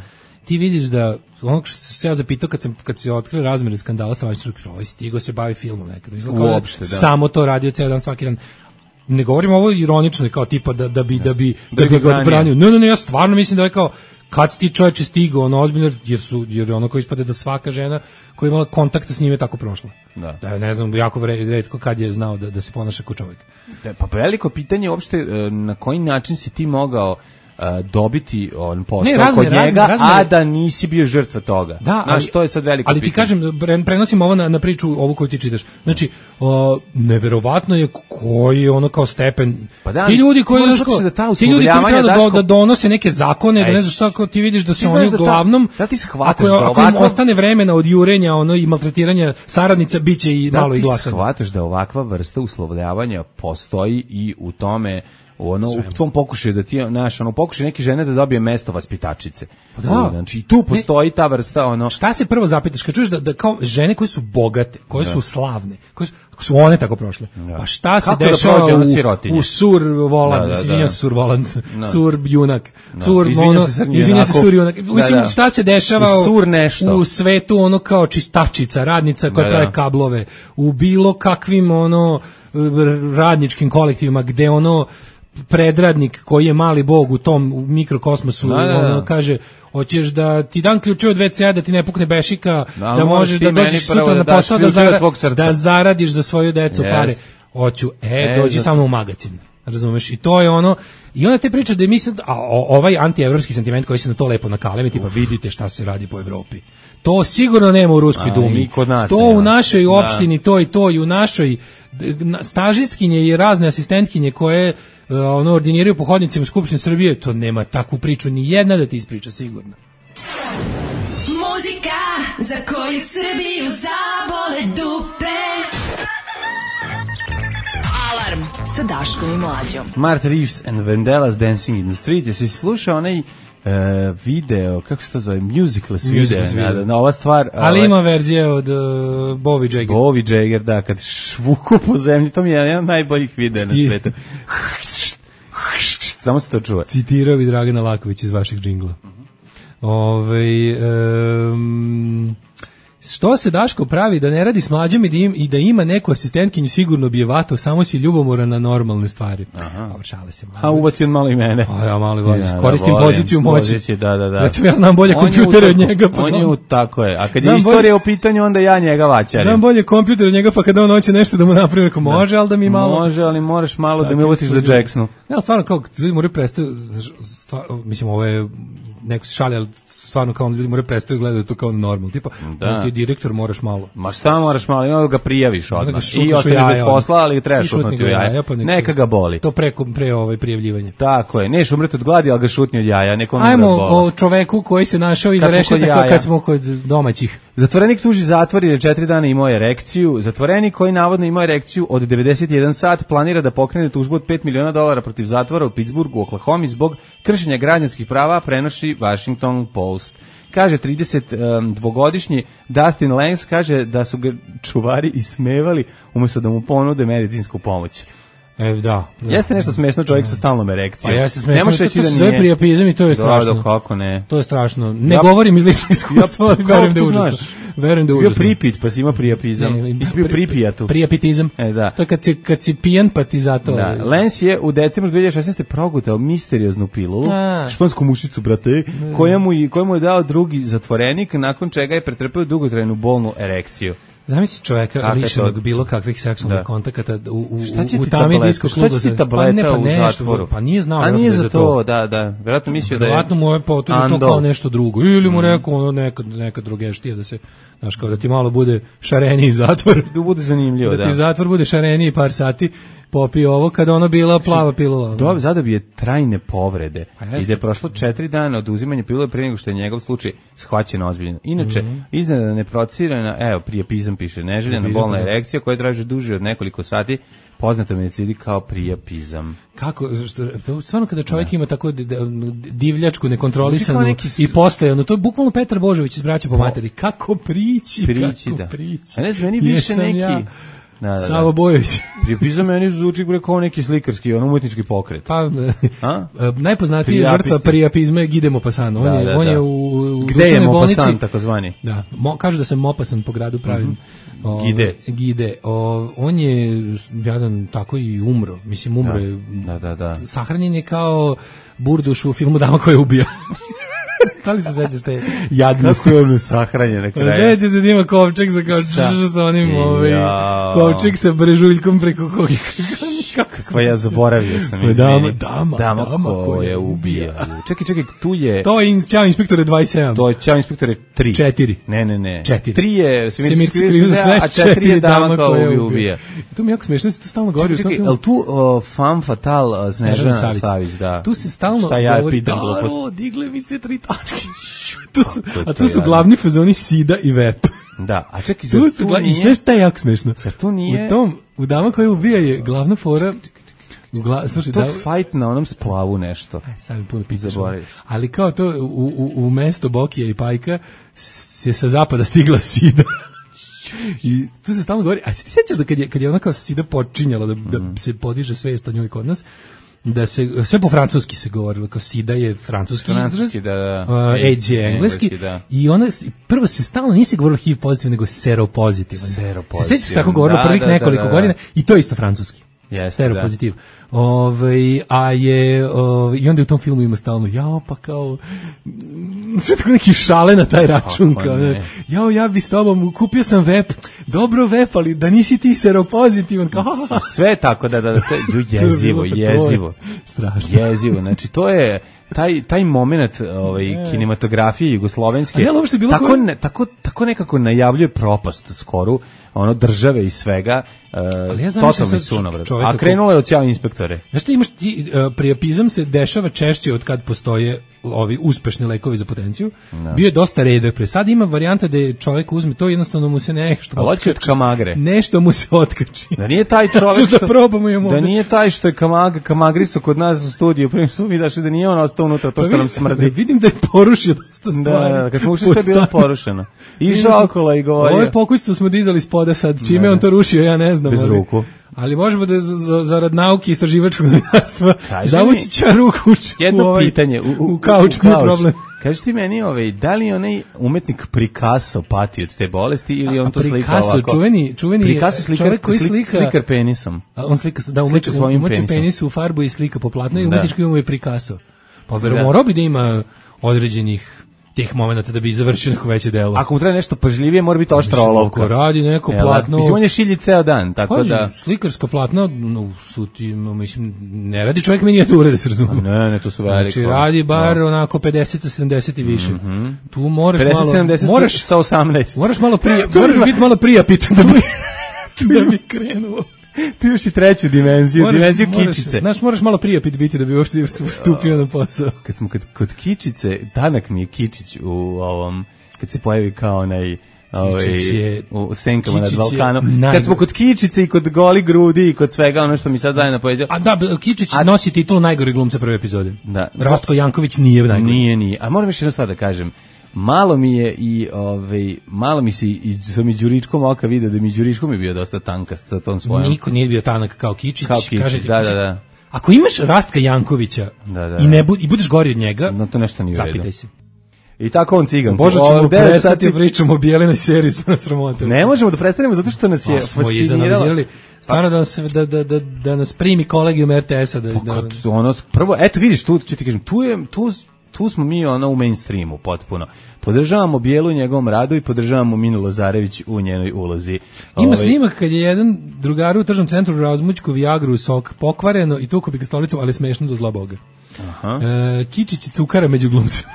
Speaker 6: ti vidiš da, ono što se ja zapitao kad, sam, kad se otkrio razmere skandala sa Weinsteinom, ovaj stigo se bavi filmom nekada.
Speaker 5: Uopšte, da.
Speaker 6: Samo to radio ceo dan, svaki dan. Ne govorim ovo ironično, kao tipa da, da bi, da bi, da, da bi ga odbranio. Ne, ne, ne, ja stvarno mislim da je kao, kad si ti čovječe stigao, ono ozbiljno, jer su, jer ono koji ispade da svaka žena koja je imala kontakta s njim je tako prošla. Da. Da, ne znam, jako retko kad je znao da, da se ponaša kao čovjek.
Speaker 5: Da, pa veliko pitanje je uopšte na koji način si ti mogao Uh, dobiti on posao ne, razne, kod njega, razne, razne, a da nisi bio žrtva toga.
Speaker 6: Da,
Speaker 5: znaš, ali, to je sad veliko
Speaker 6: ali
Speaker 5: pitanje.
Speaker 6: Ali ti kažem, prenosim ovo na, na priču, ovu koju ti čitaš. Znači, uh, neverovatno je koji je ono kao stepen. Pa da, ti ljudi koji, znaš,
Speaker 5: da ta
Speaker 6: ti ljudi koji treba da, da donose neke zakone, Eš, da ne znaš šta, kao ti vidiš da su oni uglavnom,
Speaker 5: da ti shvataš
Speaker 6: ako,
Speaker 5: da
Speaker 6: ako im ostane vremena od jurenja ono, i maltretiranja saradnica, bit će i
Speaker 5: da
Speaker 6: malo i glasanja.
Speaker 5: Da ti shvataš da ovakva vrsta uslovljavanja postoji i u tome ono, u tom pokušaju da ti, znaš, ono, pokušaju neke žene da dobije mesto vaspitačice.
Speaker 6: Da.
Speaker 5: Znači, i tu postoji ta vrsta, ono...
Speaker 6: Šta se prvo zapitaš, kad čuješ da, da kao žene koje su bogate, koje da. su slavne, koje su, su one tako prošle, da. pa šta se kako dešava da u, u sur volan, da, da, izvinjam se sur volan, da. sur junak, da. sur mono, izvinjam se sur junak, mislim, da, da. šta se dešava u, u svetu ono kao čistačica, radnica koja da, pravi kablove, u bilo kakvim ono radničkim kolektivima gde ono predradnik koji je mali bog u tom u mikrokosmosu da, da, da. ono kaže hoćeš da ti dan ključe od ve ce a da ti ne pukne bešika da, da možeš da dođeš sutra na posao da, zara, da zaradiš za svoju decu yes. pare hoću e, e dođi samo u magazin razumeš i to je ono i onda te priča da je mislim a ovaj antievropski sentiment koji se na to lepo nakalemi tipa vidite šta se radi po Evropi. To sigurno nema u Ruskoj a, dumi. To nema. U našoj opštini, da. to i to i u našoj stažistkinje i razne asistentkinje koje uh, ono ordiniraju po hodnicima Skupštine Srbije, to nema takvu priču ni jedna da ti ispriča sigurno.
Speaker 11: Muzika za koju Srbiju zabole dupe. Alarm sa Daškom i Mlađom.
Speaker 5: Martha Reeves and Vandellas Dancing in the Street. Jesi slušao onaj Uh, video, kako se to zove, musicless video, na, na ova stvar.
Speaker 6: Ali ove, ima verzije od uh, Bobby Jagger.
Speaker 5: Bobby Jagger, da, kad švuku po zemlji, to mi je jedan od najboljih videa na svetu. Samo se to čuje.
Speaker 6: Citirao bi Dragana Laković iz vašeg džingla. Uh-huh. Ove, um, što se Daško pravi da ne radi s Mlađom i da, im, i da ima neku asistentkinju, sigurno bi je vatao, samo si ljubomoran na normalne stvari.
Speaker 5: Aha.
Speaker 6: Šale se malo.
Speaker 5: A uvati on malo i mene.
Speaker 6: A ja malo volim. Ja, koristim da, poziciju moći.
Speaker 5: Poziciju, da, da, da.
Speaker 6: Recimo, ja znam bolje kompjutere od njega. Pa
Speaker 5: on je u, tako je. A kad je istorija bolje, u pitanju, onda ja njega vaćarim.
Speaker 6: Znam bolje kompjuter od njega, pa kada on hoće nešto da mu napravi, neko može, ali da mi malo...
Speaker 5: Može, ali moraš malo da, da mi uvatiš za Jacksonu.
Speaker 6: Ja, stvarno, kao, ljudi moraju prestati, mislim, ovo je... neko se šalje, ali stvarno kao ljudi moraju prestati gledati to kao normalno. Tipa, da. Ti direktor moraš malo.
Speaker 5: Ma šta moraš malo? Ima da ga prijaviš odmah. I ostane bez posla, ali trebaš šutnuti u jaja. Pa neka, neka ga boli.
Speaker 6: To preko pre ovaj prijavljivanje.
Speaker 5: Tako je. Neš umreti od gladi, ali ga šutni od jaja. Nekom
Speaker 6: ajmo o čoveku koji se našao iza rešetaka kad smo kod domaćih.
Speaker 5: Zatvorenik tuži zatvor jer četiri dana imao erekciju. Zatvorenik koji navodno imao erekciju od devedeset jedan sat planira da pokrene tužbu od pet miliona dolara protiv zatvora u Pittsburghu, Oklahomi zbog kršenja građanskih prava, prenosi Washington Post. Kaže tridesetdvogodišnji Dustin Lenz, kaže da su ga čuvari ismevali umjesto da mu ponude medicinsku pomoć.
Speaker 6: E, da, da.
Speaker 5: Jeste nešto smešno čovjek sa stalnom erekcijom.
Speaker 6: Pa jeste smešno, to, to, to se zove priapizam i to je strašno.
Speaker 5: Da, kako ne.
Speaker 6: To je strašno. Ne ja, govorim iz ličnog iskustva, ali verujem da je užasno. Verujem da je užasno.
Speaker 5: Bio pripit, pa si ima priapizam. I si bio pripijatu.
Speaker 6: Priapitizam.
Speaker 5: E, da.
Speaker 6: To je kad si, kad si pijan, pa ti zato...
Speaker 5: Da. Lenz je u decembru dve hiljade šesnaeste. progutao misterioznu pilulu, a. špansku mušicu, brate, koja mu, koja mu je dao drugi zatvorenik, nakon čega je pretrpeo dugotrajnu bolnu erekciju.
Speaker 6: Zamisli čoveka lišenog bilo kakvih seksualnih da. kontakata u, u, u tami disko klubu.
Speaker 5: Šta će ti tableta pa ne, pa
Speaker 6: u
Speaker 5: nešto, zatvoru?
Speaker 6: Pa nije znao.
Speaker 5: A nije za to, da, da. Vjerojatno mislio da je...
Speaker 6: Vjerojatno mu je potrebno to kao nešto drugo. Ili mu rekao ono neka, neka drugeštija da se, znaš, kao da ti malo bude šareniji zatvor.
Speaker 5: Da bude zanimljivo, da.
Speaker 6: Da ti zatvor bude šareniji par sati. Popi ovo kada ono bila plava pilula.
Speaker 5: Dobro, zadobije trajne povrede. I da je prošlo četiri dana od uzimanja pilule prije nego što je njegov slučaj shvaćen ozbiljno. Inače, mm-hmm. iznenada neprocirana, evo, priapizam piše, neželjena bolna erekcija koja traže duže od nekoliko sati, poznata medicini kao priapizam.
Speaker 6: Kako, što, stvarno kada čovjek da. ima tako divljačku, nekontrolisanu i postojanu, to je bukvalno Petar Božović iz Braća po materi. Kako prići,
Speaker 5: prići
Speaker 6: kako
Speaker 5: da.
Speaker 6: prići.
Speaker 5: A ne znam, meni više neki... Ja. Da, da,
Speaker 6: Savo Bojović.
Speaker 5: Priapizam meni zvuči kao neki slikarski, on umetnički pokret.
Speaker 6: Pa, najpoznatiji je žrtva priapizma je Gide Maupassant. On, da, je, da, on je u, u
Speaker 5: Gde je Maupassant, takozvani?
Speaker 6: Da, mo, kažu da se Maupassant po gradu pravim. Mm-hmm. O,
Speaker 5: Gide.
Speaker 6: Gide. O, on je jadan tako i umro. Mislim, umro
Speaker 5: da,
Speaker 6: je.
Speaker 5: Da, da, da.
Speaker 6: Sahranjen je kao Burduš u filmu Dama koja ubija. Da li se sećaš te jadnosti?
Speaker 5: Kako je ono sahranjen na kraju?
Speaker 6: Sećaš se da ima kovčeg sa, kao sa, sa onim ovaj, kovčeg sa brežuljkom preko koga.
Speaker 5: Kakva ja zaboravio sam.
Speaker 6: Dama, dama,
Speaker 5: dama, dama koja ubija. Čekaj, čekaj, tu je...
Speaker 6: To je Ćao inspektore dvadeset sedam.
Speaker 5: To je Ćao inspektore tri.
Speaker 6: četiri.
Speaker 5: Ne, ne, ne.
Speaker 6: četiri.
Speaker 5: tri je
Speaker 6: Svemirci skrivi za sve,
Speaker 5: a četiri je Dama koja ubija.
Speaker 6: To mi jako smiješno, se to stalno govori.
Speaker 5: Čekaj, čekaj, ali tu femme fatale Snežana Savić, da.
Speaker 6: Tu se stalno govori, Daro, digle mi se tri tačke. Tu su, a tu su glavni fazoni Sida i Vep.
Speaker 5: Da, a čekaj, zar
Speaker 6: tu, tu
Speaker 5: nije...
Speaker 6: I sve šta je jako smešno.
Speaker 5: Zar tu nije...
Speaker 6: U tom, u Dama koja ubija je glavna fora... Gla, slušaj,
Speaker 5: to
Speaker 6: da,
Speaker 5: fight na onom splavu nešto.
Speaker 6: Aj, sad mi puno pisaš. Ali kao to, u, u, u mesto Bokija i Pajka se sa zapada stigla Sida. I tu se stalno govori, a se ti sećaš da kad je, kad je ona kao Sida počinjala da, da mm. se podiže svest o njoj kod nas, da se, sve po francuski se govorilo, kao Sida je francuski izraz,
Speaker 5: da, da.
Speaker 6: Uh, AIDS je engleski, engleski da. I ona, prvo se stalno nisi govorilo H I V pozitivan, nego seropozitivan.
Speaker 5: Seropozitivan.
Speaker 6: Se sećaš se tako govorilo da, prvih da, nekoliko da, da, da. godina i to je isto francuski.
Speaker 5: Yes,
Speaker 6: seropozitiv. Ove, a je, ove, i onda u tom filmu ima stalno, jao, pa kao, sve tako neki šale na taj račun, kao, jao, ja bi s tobom, kupio sam vep, dobro vep, ali da nisi ti seropozitivan, kao,
Speaker 5: sve tako, da, da, da, sve, jezivo, jezivo,
Speaker 6: strašno,
Speaker 5: jezivo, znači, to je, taj taj momenat ovaj kinematografije jugoslovenske
Speaker 6: ja,
Speaker 5: tako koje... ne, tako tako nekako najavljuje propast skoru ono države i svega uh,
Speaker 6: ja
Speaker 5: totalni sunovrat. A krenulo je od Ćao inspektore.
Speaker 6: Znaš ti imaš ti uh, priopizam se dešava češće od kad postoje ovi uspešni lekovi za potenciju. No. Bio je dosta redak pre. Sad ima varijanta da čovjek uzme to, jednostavno mu se nešto
Speaker 5: otkači. Od kamagre.
Speaker 6: Nešto mu se otkači.
Speaker 5: Da nije taj čovjek
Speaker 6: što, da, probamo
Speaker 5: da
Speaker 6: ovdje.
Speaker 5: Nije taj što je kamag, kamagriso kod nas u studiju, prvi su mi dašli da nije on ostao unutra, to što pa nam smrdi.
Speaker 6: Vidim da je porušio dosta stvari.
Speaker 5: Da, da, kad smo ušli sve bilo porušeno. Išao okolo i govorio.
Speaker 6: Ovo je pokućstvo smo dizali spoda sad, čime on to rušio, ja ne znam.
Speaker 5: Bez ali, ruku.
Speaker 6: Ali možemo da za, zarad nauke i istraživačkog novinarstva zavući će ruku u,
Speaker 5: jedno
Speaker 6: u ovaj,
Speaker 5: pitanje u, u,
Speaker 6: u kauč, nije problem.
Speaker 5: Kaži ti meni, ovaj, da li onaj umetnik Picasso pati od te bolesti ili on to slika
Speaker 6: Picasso,
Speaker 5: ovako?
Speaker 6: Čuveni, čuveni
Speaker 5: Picasso slikar,
Speaker 6: čovjek koji slika,
Speaker 5: slikar penisom.
Speaker 6: A on slika, da, umeće, umeće penisu u farbu i slika po platnu i umetnički imamo je Picasso. Pa verovatno bi da ima određenih tih momenata da bi završio neko veće delo.
Speaker 5: Ako mu treba nešto pažljivije, mora biti oštra olovka.
Speaker 6: Ako radi neko Jel, platno...
Speaker 5: Mislim, on je šilji ceo dan, tako
Speaker 6: Paži,
Speaker 5: da...
Speaker 6: slikarska platna, no, su ti, no, mislim, ne radi čovjek minijature, da se razumije.
Speaker 5: Ne, ne, to su veliko.
Speaker 6: Znači, radi bar no. onako pedeset sa sedamdeset i više. Mm -hmm. Tu moraš
Speaker 5: pedeset,
Speaker 6: malo...
Speaker 5: sedamdeset
Speaker 6: moraš
Speaker 5: sa osamnaest.
Speaker 6: Moraš malo prije, moraš biti malo prijapitan da bi, da bi krenuo.
Speaker 5: Ti još i treću dimenziju, moraš, dimenziju
Speaker 6: moraš,
Speaker 5: kičice.
Speaker 6: Znaš, moraš malo prijapit biti da bi uopšte stupio na posao.
Speaker 5: Kad smo kod, kod kičice, Danak mi je Kičić u ovom, kad se pojavi kao onaj... Ovaj, je, u senkama nad Balkanom. Kad smo kod Kičice i kod goli grudi i kod svega ono što mi sad zajedno pojeđa.
Speaker 6: A da, Kičić a, nosi titulu najgori glumca prve epizode.
Speaker 5: Da.
Speaker 6: Rastko Janković nije najgori.
Speaker 5: Nije, nije. A moram još jedno stvar da kažem. Malo mi je i ovaj malo mi se i sa mi Đuričkom oka video da mi Đuričkom je bio dosta tankast sa tom svojom.
Speaker 6: Niko nije bio tanak kao Kičić,
Speaker 5: kao Kičić,
Speaker 6: kažete,
Speaker 5: da, da, da.
Speaker 6: Ako imaš Rastka Jankovića
Speaker 5: da, da,
Speaker 6: i ne bu, i budeš gori od njega,
Speaker 5: no to nešto nije u redu.
Speaker 6: Zapitaj se.
Speaker 5: I tako on cigan.
Speaker 6: Bože, ćemo prestati pričamo o Bijelinoj seriji, stvarno sramota.
Speaker 5: Ne možemo da prestanemo zato što nas je fasciniralo.
Speaker 6: Stvarno da, da, da, da, da nas primi kolegijum er te esa. Da,
Speaker 5: da... Ono, prvo, eto vidiš, tu, ću ti kažem, tu je, tu, tu smo mi ono u mainstreamu potpuno. Podržavamo Bijelu u njegovom radu i podržavamo Minu Lazarević u njenoj ulozi.
Speaker 6: Ima Ove... snimak kad je jedan drugar u tržnom centru razmućku Viagru sok pokvareno i tuko bi ga stolicom, ali smešno do zla Boga.
Speaker 5: Aha.
Speaker 6: E, Kičić i cukara među glumcima.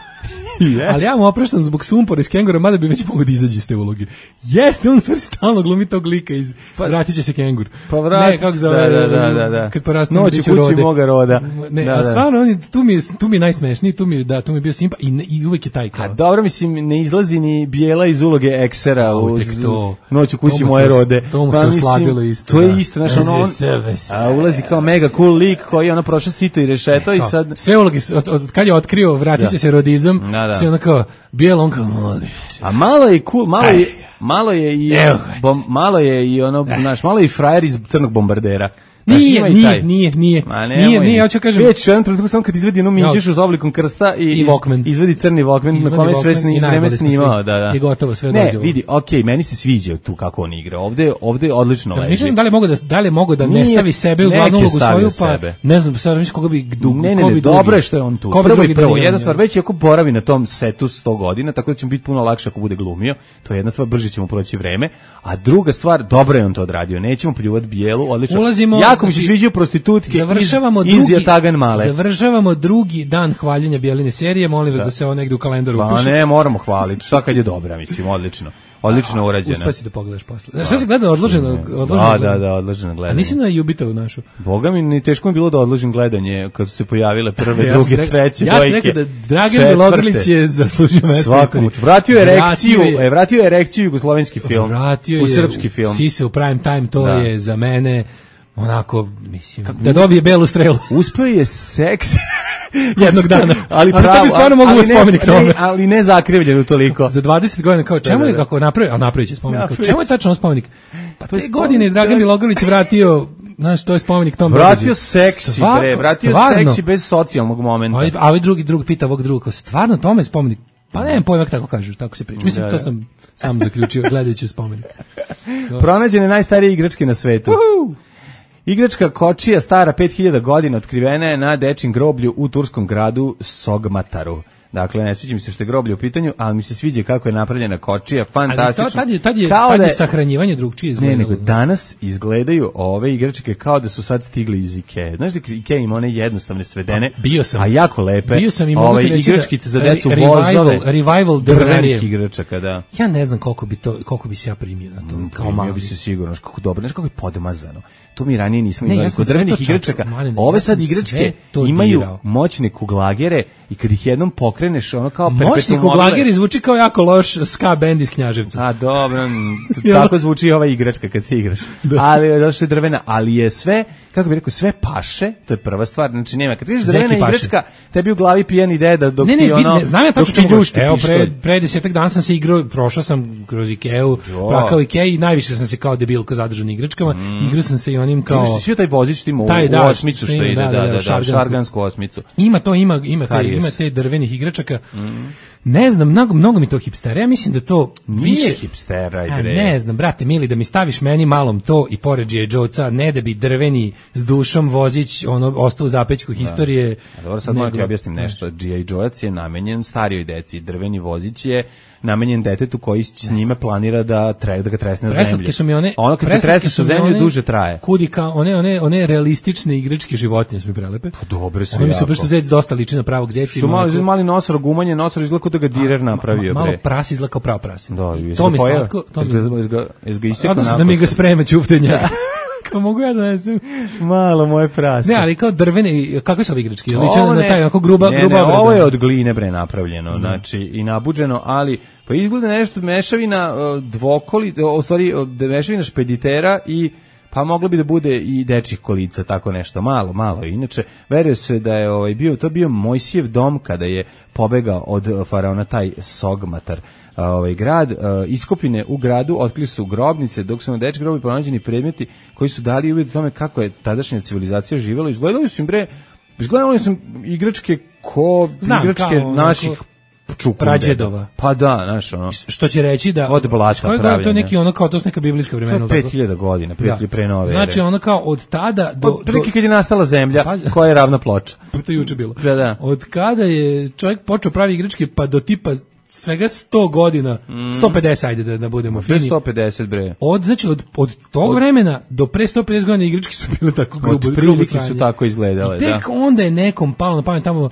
Speaker 5: Yes.
Speaker 6: Ali ja mu opraštam zbog sumpora iz Kengura, mada bi već mogo da izađe iz te uloge. Jeste, on stvari stalno glumi tog lika iz pa, Vratit će se Kengur.
Speaker 5: Pa vratit,
Speaker 6: ne, kako zove,
Speaker 5: da, da, da, da.
Speaker 6: Kad porastim
Speaker 5: Noć u kući
Speaker 6: rode.
Speaker 5: moga roda.
Speaker 6: Ne,
Speaker 5: da,
Speaker 6: a
Speaker 5: da.
Speaker 6: stvarno, on, tu, mi je, tu mi je najsmešniji, tu mi je, da, tu mi je bio simpa i, ne, i uvek je taj kao.
Speaker 5: A dobro, mislim, ne izlazi ni Bijela iz uloge eksera u
Speaker 6: to,
Speaker 5: Noć u kući moje rode.
Speaker 6: To mu se oslabilo isto.
Speaker 5: To je isto, znaš, ono, on a, ulazi kao mega cool lik koji je ono prošao sito i rešeto i sad...
Speaker 6: Sve uloge, od, od kad je otkrio Vratit će se rodizam, sve ono kao, Bijel on kao,
Speaker 5: a malo je cool, malo je, malo je i bom, malo je i ono, znaš, malo je i frajer iz Crnog bombardera.
Speaker 6: Nije, nije, nije, nije, nije, nije, nije, ja ću kažem.
Speaker 5: Već u jednom trenutku samo kad izvedi jednu minđušu s oblikom krsta i,
Speaker 6: i iz,
Speaker 5: izvedi crni Walkman na kome sve sni, vreme snimao, da, da.
Speaker 6: I gotovo sve
Speaker 5: ne,
Speaker 6: dođe. Ne,
Speaker 5: vidi, okej, okay, meni se sviđa tu kako on igra. Ovde, ovde je odlično leži.
Speaker 6: Mislim da li mogu da da li mogu da ne stavi sebe u glavnu ulogu svoju, pa sebe. Ne znam, sad mislim koga bi dugo,
Speaker 5: ne, ne, ne, dobro je što je on tu. Prvo i prvo, jedna stvar, već ako boravi na tom setu sto godina, tako da će mu biti puno lakše ako bude glumio. To je jedna stvar, brže ćemo proći vreme. A druga stvar, dobro je on to odradio. Nećemo pljuvati Bijelu, odlično. Jako mi se sviđa prostitutke
Speaker 6: završavamo
Speaker 5: iz,
Speaker 6: drugi,
Speaker 5: iz Tagan Male.
Speaker 6: Završavamo drugi dan hvaljenja Bjeline serije, molim vas da, da se ovo negde u kalendaru upiše.
Speaker 5: Pa ne, moramo hvaliti, šta kad je dobra, mislim, odlično. Odlično urađena.
Speaker 6: Uspasi da pogledaš posle. Znaš, šta se gleda odloženo?
Speaker 5: Da, da, da, odloženo gledanje.
Speaker 6: A nisi na Jubitovu našu?
Speaker 5: Boga mi, ni teško mi bilo da odložim gledanje kad su se pojavile prve, ja druge,
Speaker 6: rekao,
Speaker 5: treće,
Speaker 6: ja
Speaker 5: dojke.
Speaker 6: Ja sam rekao da Dragan Bjelogrlić je zaslužio mesto.
Speaker 5: Svakom. Vratio je erekciju, je, vratio je erekciju jugoslovenski film.
Speaker 6: Vratio
Speaker 5: u srpski film.
Speaker 6: Si se u prime time, to da. je za mene... onako, mislim, kako, da dobije belu strelu.
Speaker 5: Uspeo je seks
Speaker 6: jednog dana.
Speaker 5: Ali pravo,
Speaker 6: ali to bi stvarno mogu
Speaker 5: ali
Speaker 6: spomenik tome.
Speaker 5: Ne, ali ne zakrivljeno toliko.
Speaker 6: Za dvadeset godina, kao čemu je, kako napravio, a napravit će spomenik, ja, čemu je tačno spomenik? Pa te godine Dragan Milogorović vratio, znaš, to je spomenik tom
Speaker 5: događaju. Vratio seksi, bre, vratio stvarno, seksi bez socijalnog momenta.
Speaker 6: A, a ovaj drugi, drugi pita ovog drugog, stvarno tome je spomenik? Pa nemam pojma kako kažu, tako se priča. Mislim, da, da. To sam sam zaključio gledajući spomenik.
Speaker 5: Pronađene najstarije igračke na svetu. Uhu. Igračka kočija stara pet hiljada godina otkrivena je na dečjem groblju u turskom gradu Sogmataru. Dakle, ne sviđa mi se što je groblje u pitanju, ali mi se sviđa kako je napravljena kočija, fantastično. Ali to,
Speaker 6: tad je, tad je, tad je da, sahranjivanje drugčije izgledalo.
Speaker 5: Ne, nego danas izgledaju ove igračke kao da su sad stigli iz Ikea. Znaš da Ikea ima one jednostavne svedene,
Speaker 6: pa, bio sam,
Speaker 5: a jako lepe,
Speaker 6: bio sam i
Speaker 5: ove igračkice
Speaker 6: da,
Speaker 5: za decu,
Speaker 6: revival,
Speaker 5: vozove,
Speaker 6: revival
Speaker 5: drvenih igračaka, da.
Speaker 6: Ja ne znam koliko bi, to, koliko bi se ja primio na to, mm, kao mali.
Speaker 5: Ja bi se sigurno, kako dobro, znaš kako je podmazano. To mi ranije nismo imali ne, kod drvenih igračaka. Malene, ove ja sad igračke imaju dirao. Moćne kuglagere i kad ih jednom pokreneš, ono kao perpetuum mobile.
Speaker 6: Moćni kuglageri zvuči kao jako loš ska bend iz Knjaževca.
Speaker 5: A dobro, tako zvuči i ova igračka kad se igraš. Ali došla je drvena, ali je sve, kako bih rekao, sve paše, to je prva stvar, znači nema. Kad kažeš drvena igračka, tebi u glavi pijani deda dok
Speaker 6: ne, ne,
Speaker 5: ti ono...
Speaker 6: Ne, ne, znam ja tačno ljušti. Evo, pre, pre desetak dana sam se igrao, prošao sam kroz Ikeu, prakao Ikea i najviše sam se kao debilko zadržao na igračkama. Mm. Igrao sam se i onim kao...
Speaker 5: Igraš ti svi taj vozić tim u, taj, da, u osmicu što ide, da, da, da, da, šargansku, šargansku osmicu.
Speaker 6: Ima to, ima, ima, te, ima te drvenih igračaka. Mm. Ne znam, mnogo, mnogo mi to hipstera. Ja mislim da to
Speaker 5: nije
Speaker 6: više
Speaker 5: hipstera,
Speaker 6: a, ne znam, brate mili, da mi staviš meni malom to i pored G I. Joe-ca, ne da bi drveni s dušom vozić ono ostao u zapećku historije.
Speaker 5: A dobro, sad moram ti objasnim nešto. G I. Joe-ac je namenjen starijoj deci, drveni vozić je namenjen detetu koji s njime planira da tre, da ga tresne na zemlji.
Speaker 6: Preslatke su mi one,
Speaker 5: ono kad te tresne sa zemlje duže traje.
Speaker 6: Kudi kao one one one realistične igračke životinje su mi prelepe.
Speaker 5: Pa dobre su.
Speaker 6: One mi su baš zec dosta liči na pravog zeca.
Speaker 5: Su mali mali nosor, gumanje nosor izgleda da ga direr napravio,
Speaker 6: bre. Malo prasi izgleda kao pravo prase.
Speaker 5: Da,
Speaker 6: to mi slatko, to mi
Speaker 5: ga iz ga isekao
Speaker 6: da mi ga sprema ćuftenja. Kako mogu ja da ne znam?
Speaker 5: Malo moje prase.
Speaker 6: Ne, ali kao drvene, kakve su ove igračke? Liče na taj onako gruba,
Speaker 5: ne,
Speaker 6: gruba
Speaker 5: ne, ovo je od gline bre napravljeno, mm. znači i nabuđeno, ali pa izgleda nešto mešavina dvokoli, u stvari mešavina špeditera i pa moglo bi da bude i dečjih kolica, tako nešto, malo, malo. Inače, veruje se da je ovaj bio, to bio Mojsijev dom kada je pobegao od faraona taj Sogmatar. Ovaj grad, iskopine u gradu otkrili su grobnice, dok su na dečji grobi pronađeni predmeti koji su dali uvid o tome kako je tadašnja civilizacija živjela. Izgledali su im bre, izgledali su igračke ko
Speaker 6: Znam,
Speaker 5: igračke
Speaker 6: kao,
Speaker 5: naših
Speaker 6: prađedova.
Speaker 5: Pa da, znaš, ono.
Speaker 6: Što će reći da
Speaker 5: od blata pravljene.
Speaker 6: To je neki ono kao to su neka biblijska vremena.
Speaker 5: pet hiljada godina, prije da. pre nove ere.
Speaker 6: Znači ono kao od tada do
Speaker 5: od prilike kad je nastala zemlja, pa, koja je ravna ploča.
Speaker 6: To je juče bilo.
Speaker 5: Da, da.
Speaker 6: Od kada je čovjek počeo pravi igračke pa do tipa svega sto godina, mm. sto pedeset ajde da, da budemo fini.
Speaker 5: sto pedeset bre.
Speaker 6: Od, znači, od, od tog od, vremena do pre sto pedeset godina igračke su bile tako grubo.
Speaker 5: Od prilike su tako izgledale,
Speaker 6: i tek
Speaker 5: da.
Speaker 6: onda je nekom palo na pamet tamo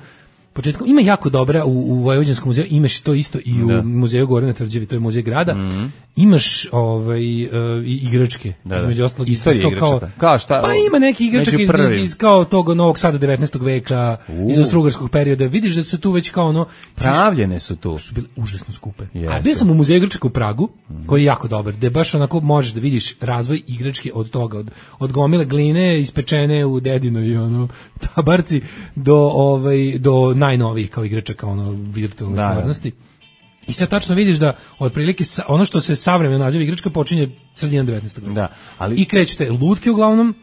Speaker 6: početkom, ima jako dobra u, u Vojvođanskom muzeju, imaš to isto i u da. muzeju Gore na Tvrđavi, to je muzej grada, mm-hmm. imaš ovaj, uh, igračke,
Speaker 5: da, da.
Speaker 6: između ostalog,
Speaker 5: isto kao, kao šta,
Speaker 6: pa ima neki igračak iz, iz, iz kao tog Novog Sada devetnaestog veka, uh. iz austrougarskog perioda, vidiš da su tu već kao ono...
Speaker 5: Pravljene su tu.
Speaker 6: Su bile užasno skupe.
Speaker 5: Yes.
Speaker 6: A bio sam u muzeju igračaka u Pragu, mm. koji je jako dobar, gde baš onako možeš da vidiš razvoj igračke od toga, od, od gomile gline ispečene u dedinoj ono, tabarci, do, ovaj, do najnovijih kao igračaka ono virtualne da, stvarnosti. Da. I sad tačno vidiš da otprilike ono što se savremeno naziva igračka počinje sredinom devetnaestog veka.
Speaker 5: Da, ali
Speaker 6: i krećete lutke uglavnom,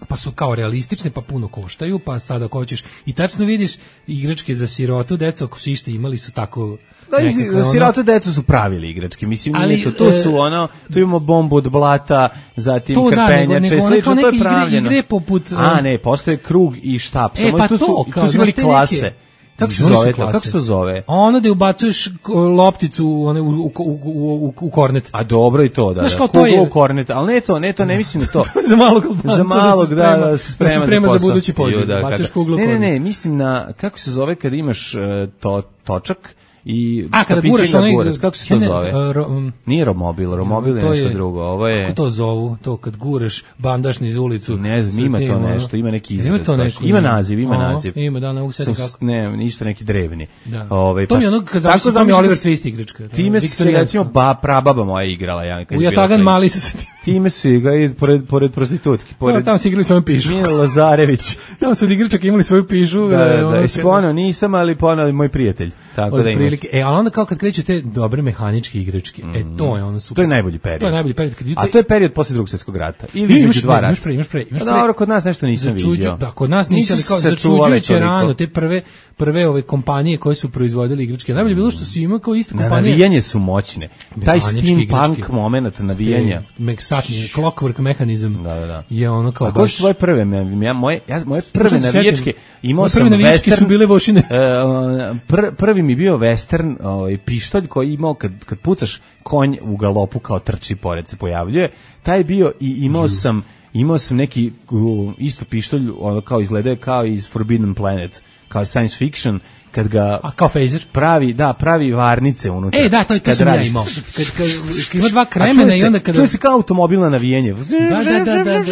Speaker 6: pa su kao realistične, pa puno koštaju, pa sada ako hoćeš i tačno vidiš igračke za sirotu, decu ako su ište imali su tako
Speaker 5: da, za sirotu ono, decu su pravili igračke, mislim, ali, to, to su ono, tu imamo bombu od blata, zatim to, krpenjače, da, slično, to je pravljeno.
Speaker 6: Igre, igre poput,
Speaker 5: a ne, postoje krug i štap,
Speaker 6: e, pa
Speaker 5: tu su,
Speaker 6: to,
Speaker 5: tu su imali klase. Neke, kako se zove to? Kako se to zove?
Speaker 6: Ono da ubacuješ lopticu one, u, u, u, u, u kornet.
Speaker 5: A dobro i to, da.
Speaker 6: Znaš,
Speaker 5: da.
Speaker 6: To je...
Speaker 5: u kornet, ali ne to, ne to, ne mislim na to.
Speaker 6: za malog Albanca.
Speaker 5: Za malog, da, da, da se sprema,
Speaker 6: da se sprema
Speaker 5: za,
Speaker 6: za budući poziv. Da, bacaš kuglu
Speaker 5: ne, ne, ne, mislim na, kako se zove kada imaš uh, to, točak i
Speaker 6: a kada guraš onaj
Speaker 5: gurac, kako se to ne, zove? Uh, ro, um, Nije romobil, romobil je nešto je, drugo. Ovo je
Speaker 6: kako to zovu? To kad guraš bandaš niz ulicu.
Speaker 5: Ne znam, ima to nešto, ima neki izraz. Ima to neko, ima naziv, ima
Speaker 6: o,
Speaker 5: naziv.
Speaker 6: Ima da ne useti kako.
Speaker 5: Ne, isto neki drevni.
Speaker 6: Da.
Speaker 5: Ovaj
Speaker 6: to mi ono kad zamislim Oliver Twist igračka.
Speaker 5: Time se recimo ba prababa moja igrala ja kad
Speaker 6: u Jatagan mali su se
Speaker 5: Time su igrali pored, pored prostitutki. Pored...
Speaker 6: No, tamo su igrali svoju pišu.
Speaker 5: Milo Lazarević.
Speaker 6: Tamo su od igračaka imali svoju pišu.
Speaker 5: Da, da, da. Spono nisam, ali ponao moj prijatelj. Tako
Speaker 6: od
Speaker 5: da
Speaker 6: prilike. E, a onda kao kad kreću te dobre mehaničke igračke, mm. e, to je ono super.
Speaker 5: To je najbolji period.
Speaker 6: To je najbolji period. Kad
Speaker 5: a to je period posle Drugog svjetskog rata. Ili između dva rata.
Speaker 6: Imaš pre, imaš pre, imaš pre.
Speaker 5: Dobro, kod nas nešto nisam vidio.
Speaker 6: Da, kod nas nisam, ali kao začuđujuće rano, te prve, prve ove kompanije koje su proizvodile igračke. Najbolje bilo što su ima kao iste kompanije.
Speaker 5: Navijanje su moćne. Taj steampunk moment navijanja.
Speaker 6: Meksatni, clockwork mehanizam
Speaker 5: da, da, da.
Speaker 6: je ono kao
Speaker 5: baš... A koje su svoje prve? Ja, moje, ja, moje prve navijačke imao sam western...
Speaker 6: su bile vošine.
Speaker 5: Uh, pr, prvi mi bio western ovaj, pištolj koji imao kad, kad pucaš konj u galopu kao trči pored se pojavljuje. Taj bio i imao sam imao sam neki uh, isto pištolj ono kao izgledao kao iz Forbidden Planet, kao science fiction. Kad ga
Speaker 6: a kao phaser
Speaker 5: pravi, da, pravi varnice unutra.
Speaker 6: Ej, da, to je to sam ja imao. Kad, kad, kad ima dva kremena i onda kada...
Speaker 5: Čuje se kao automobilno navijanje.
Speaker 6: Da, da, da, da.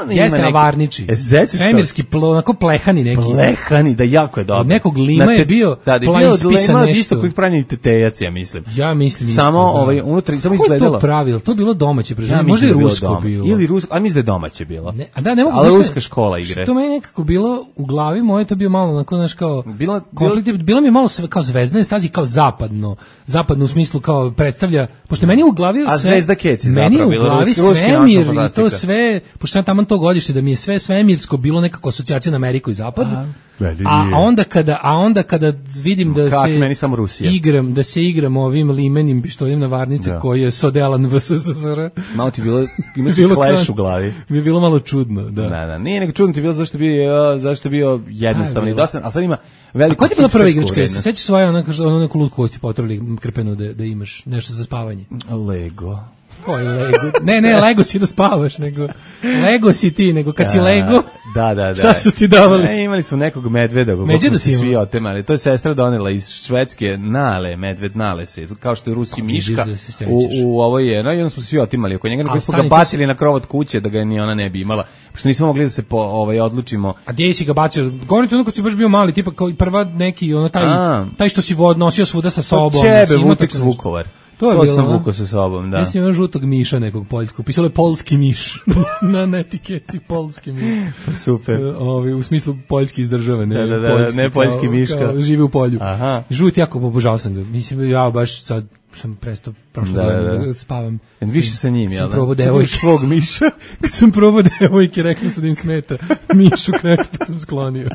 Speaker 6: da. Jeste na varniči. Svemirski, onako plehani neki.
Speaker 5: Plehani, da, jako je dobro.
Speaker 6: Nekog lima je bio plan ispisan nešto.
Speaker 5: Isto kojih pravi tetejac, ja mislim.
Speaker 6: Ja mislim isto,
Speaker 5: samo ovaj, unutra, samo izgledalo.
Speaker 6: Ko je to pravilo? To bilo domaće prezime. Možda i rusko bilo.
Speaker 5: Ili rusko, a mislim da je domaće bilo.
Speaker 6: A da, ne mogu.
Speaker 5: Ali ruska škola igre.
Speaker 6: To meni nekako bilo u glavi moje, to bio malo onako, znaš, kao
Speaker 5: Bila,
Speaker 6: konflikt, bilo mi je malo sve kao zvezdane stazi, kao zapadno, zapadno u smislu kao predstavlja, pošto meni u glavi
Speaker 5: a
Speaker 6: sve,
Speaker 5: Zvezda Keci
Speaker 6: meni
Speaker 5: zapravo,
Speaker 6: u glavi svemir i to sve, pošto sam tamo to godište da mi je sve svemirsko bilo nekako asocijacija na Ameriku i Zapad. A, a onda kada a onda kada vidim da
Speaker 5: Kak,
Speaker 6: se
Speaker 5: meni samo Rusija.
Speaker 6: igram da se igram ovim limenim pištoljem na varnice da. Koji je Sodelan V S S R.
Speaker 5: Malo ti bilo ima se clash u glavi.
Speaker 6: Mi je bilo malo čudno, da.
Speaker 5: Da, da. Nije nego čudno ti bilo zašto bio zašto bio jednostavno i dosta, al sad ima veliko.
Speaker 6: A koja je bila prva igračka? Se sećaš svoje ona kaže ona neku lutku kosti potrali krpenu da da imaš nešto za spavanje.
Speaker 5: Lego.
Speaker 6: Koji Lego? Ne, ne, Lego si da spavaš, nego Lego si ti, nego kad
Speaker 5: da,
Speaker 6: si Lego.
Speaker 5: Da, da, da.
Speaker 6: Šta su ti davali?
Speaker 5: Ne, imali smo nekog medveda,
Speaker 6: Medveda si
Speaker 5: svi otemali. To je sestra donela iz Švedske, Nale, medved Nale se, kao što je Rusi miška. Da u, u ovo je, no i onda smo svi otimali oko njega, nego smo ga bacili si... na krov od kuće da ga ni ona ne bi imala. Pošto nismo mogli da se po, ovaj odlučimo.
Speaker 6: A gdje si ga bacio? Govorite ono kad si baš bio mali, tipa kao prva neki, ono taj, A. taj što si odnosio svuda sa sobom.
Speaker 5: Od čebe, Vutex Vukovar.
Speaker 6: To, je
Speaker 5: to
Speaker 6: bilo,
Speaker 5: sam vukao sa sobom, da.
Speaker 6: Ja sam imao žutog miša nekog poljskog. Pisalo je polski miš na, na etiketi, polski miš.
Speaker 5: Super.
Speaker 6: Ovi, u smislu poljski iz države, ne,
Speaker 5: da, da, da,
Speaker 6: poljski,
Speaker 5: ne poljski
Speaker 6: kao,
Speaker 5: miška.
Speaker 6: Kao, živi u polju.
Speaker 5: Aha.
Speaker 6: Žut jako obožavao sam ga. Mislim, ja baš sad sam prestao prošle da, godine da, da spavam.
Speaker 5: Više sa njim, jel da?
Speaker 6: Probao devojke.
Speaker 5: Svog miša.
Speaker 6: Kad sam probao devojke, rekli su da im smeta. Mišu kretu, pa sam sklonio.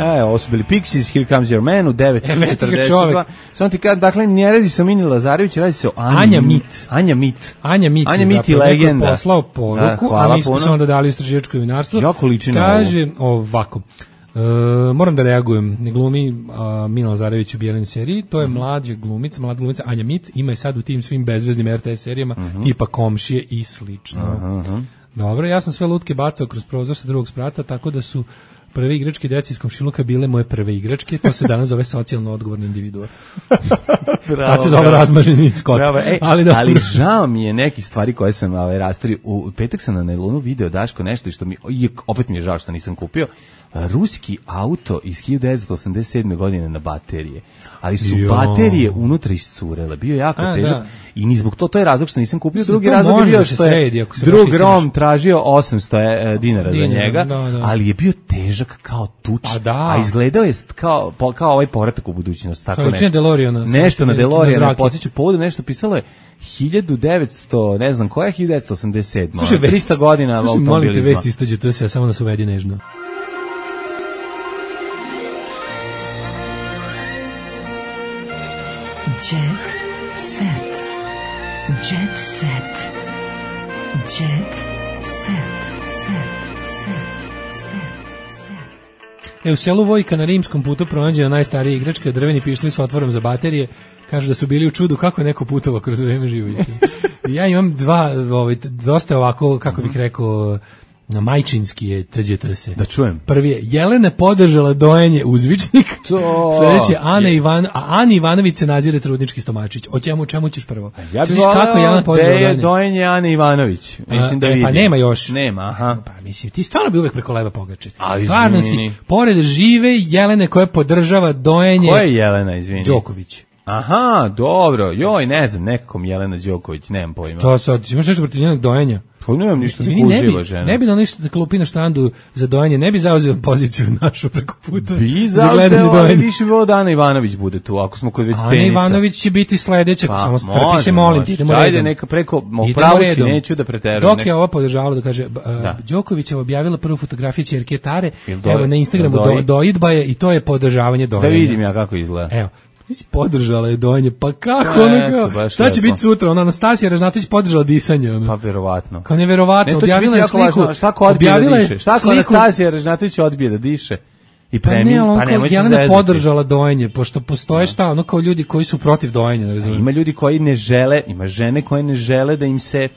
Speaker 5: E, ovo su bili Pixies, Here Comes Your Man u devet četrdeset dva. Samo ti kad, dakle, ne radi se o Mini Lazarević, radi se o Anja,
Speaker 6: Anja Mit.
Speaker 5: Anja Mit.
Speaker 6: Anja Mit,
Speaker 5: Anja Mit i legenda.
Speaker 6: Je poslao poruku, da, a mi smo samo dodali istraživačko novinarstvo.
Speaker 5: Jako liči na
Speaker 6: kaže ovako, e, moram da reagujem, ne glumi uh, Mina Lazarević u Bijelin seriji, to je mm. mlađa glumica, mlada glumica Anja Mit, ima je sad u tim svim bezveznim R T S serijama, mm -hmm. tipa Komšije i slično. Uh -huh. Dobro, ja sam sve lutke bacao kroz prozor sa drugog sprata, tako da su prve igračke deci iz komšiluka bile moje prve igračke, to se danas zove socijalno odgovorni individua. Tad se zove razmaženi skot.
Speaker 5: Ej, ali, ali žao mi je nekih stvari koje sam ovaj, rastorio. U petak sam na Nailonu video, Daško, nešto što mi, opet mi je žao što nisam kupio, ruski auto iz hiljadu devetsto osamdeset sedme godine na baterije. Ali su jo. baterije unutra iscurele. Bio je jako A, težak. Da. I ni zbog to, to je razlog što nisam kupio. Drugi razlog je bio što je drug Rom tražio osamsto dinara za njega, da, da. Ali je bio težak kao tuč. A, da. A izgledao je kao, kao ovaj povratak u budućnost. Tako nešto.
Speaker 6: Delorijana,
Speaker 5: nešto na Delorijana. Podsjeću, povodu nešto pisalo je hiljadu devetsto, ne znam, koja je hiljadu devetsto osamdeset sedma
Speaker 6: Slušaj,
Speaker 5: trista godina automobilizma.
Speaker 6: Slušaj, molim te vesti istađete se, samo nas uvedi nežno.
Speaker 11: Jet set. Jet set. Jet set. Set. Set. Set.
Speaker 6: E, u selu Vojka na rimskom putu pronađena najstarija igračka, drveni pištolj sa otvorom za baterije. Kažu da su bili u čudu kako je neko putovao kroz vreme života. Ja imam dva, ovaj, dosta ovako, kako bih rekao, na majčinski je tđete se.
Speaker 5: Da čujem.
Speaker 6: Prvi je Jelena podržala dojenje uzvičnik. To. Sljedeće je Ana Ivan, a Ani Ivanović se nazire trudnički stomačić. O čemu čemu ćeš prvo?
Speaker 5: Ja bih voleo da je dojenje Ane Ivanović. Mislim da
Speaker 6: e,
Speaker 5: vidim.
Speaker 6: Pa nema još.
Speaker 5: Nema, aha.
Speaker 6: Pa mislim, ti stvarno bi uvek preko leva pogače. Stvarno si, pored žive Jelene koja podržava dojenje.
Speaker 5: Ko je Jelena, izvini?
Speaker 6: Đoković.
Speaker 5: Aha, dobro. Joj, ne znam, nekako mi Jelena Đoković, nemam pojma.
Speaker 6: To sad, imaš nešto protiv njenog dojenja?
Speaker 5: Pa nemam ništa, uživa žena.
Speaker 6: Ne bi na ništa da klupi na štandu za dojenje, ne bi zauzeo poziciju našu preko puta.
Speaker 5: Bi zauzeo, ali više bi ovo da Ana Ivanović bude tu, ako smo kod već tenisa.
Speaker 6: Ana Ivanović će biti sledeća, pa, samo strpi se, molim ti, idemo redom.
Speaker 5: Ajde, neka preko, pravo si, neću da preterujem.
Speaker 6: Dok je ovo podržavalo da kaže, Đoković je objavila prvu fotografiju ćerke Tare, evo na Instagramu doidba je i to je podržavanje dojenja.
Speaker 5: Da vidim ja kako izgleda.
Speaker 6: Evo. Ti si podržala je dojenje, pa kako ono kao, šta će biti sutra, ona Anastasija Ražnatović podržala disanje, ono.
Speaker 5: Pa verovatno.
Speaker 6: Kao neverovatno, objavila je sliku,
Speaker 5: šta ko odbije da diše, šta ko Anastasija Ražnatović odbije da diše i premi,
Speaker 6: pa,
Speaker 5: pa nemoj se zezati.
Speaker 6: Jelena podržala dojenje, pošto postoje šta, ono kao ljudi koji su protiv dojenja, ne razumijem.
Speaker 5: Ima ljudi koji ne žele, ima žene koje ne žele da im se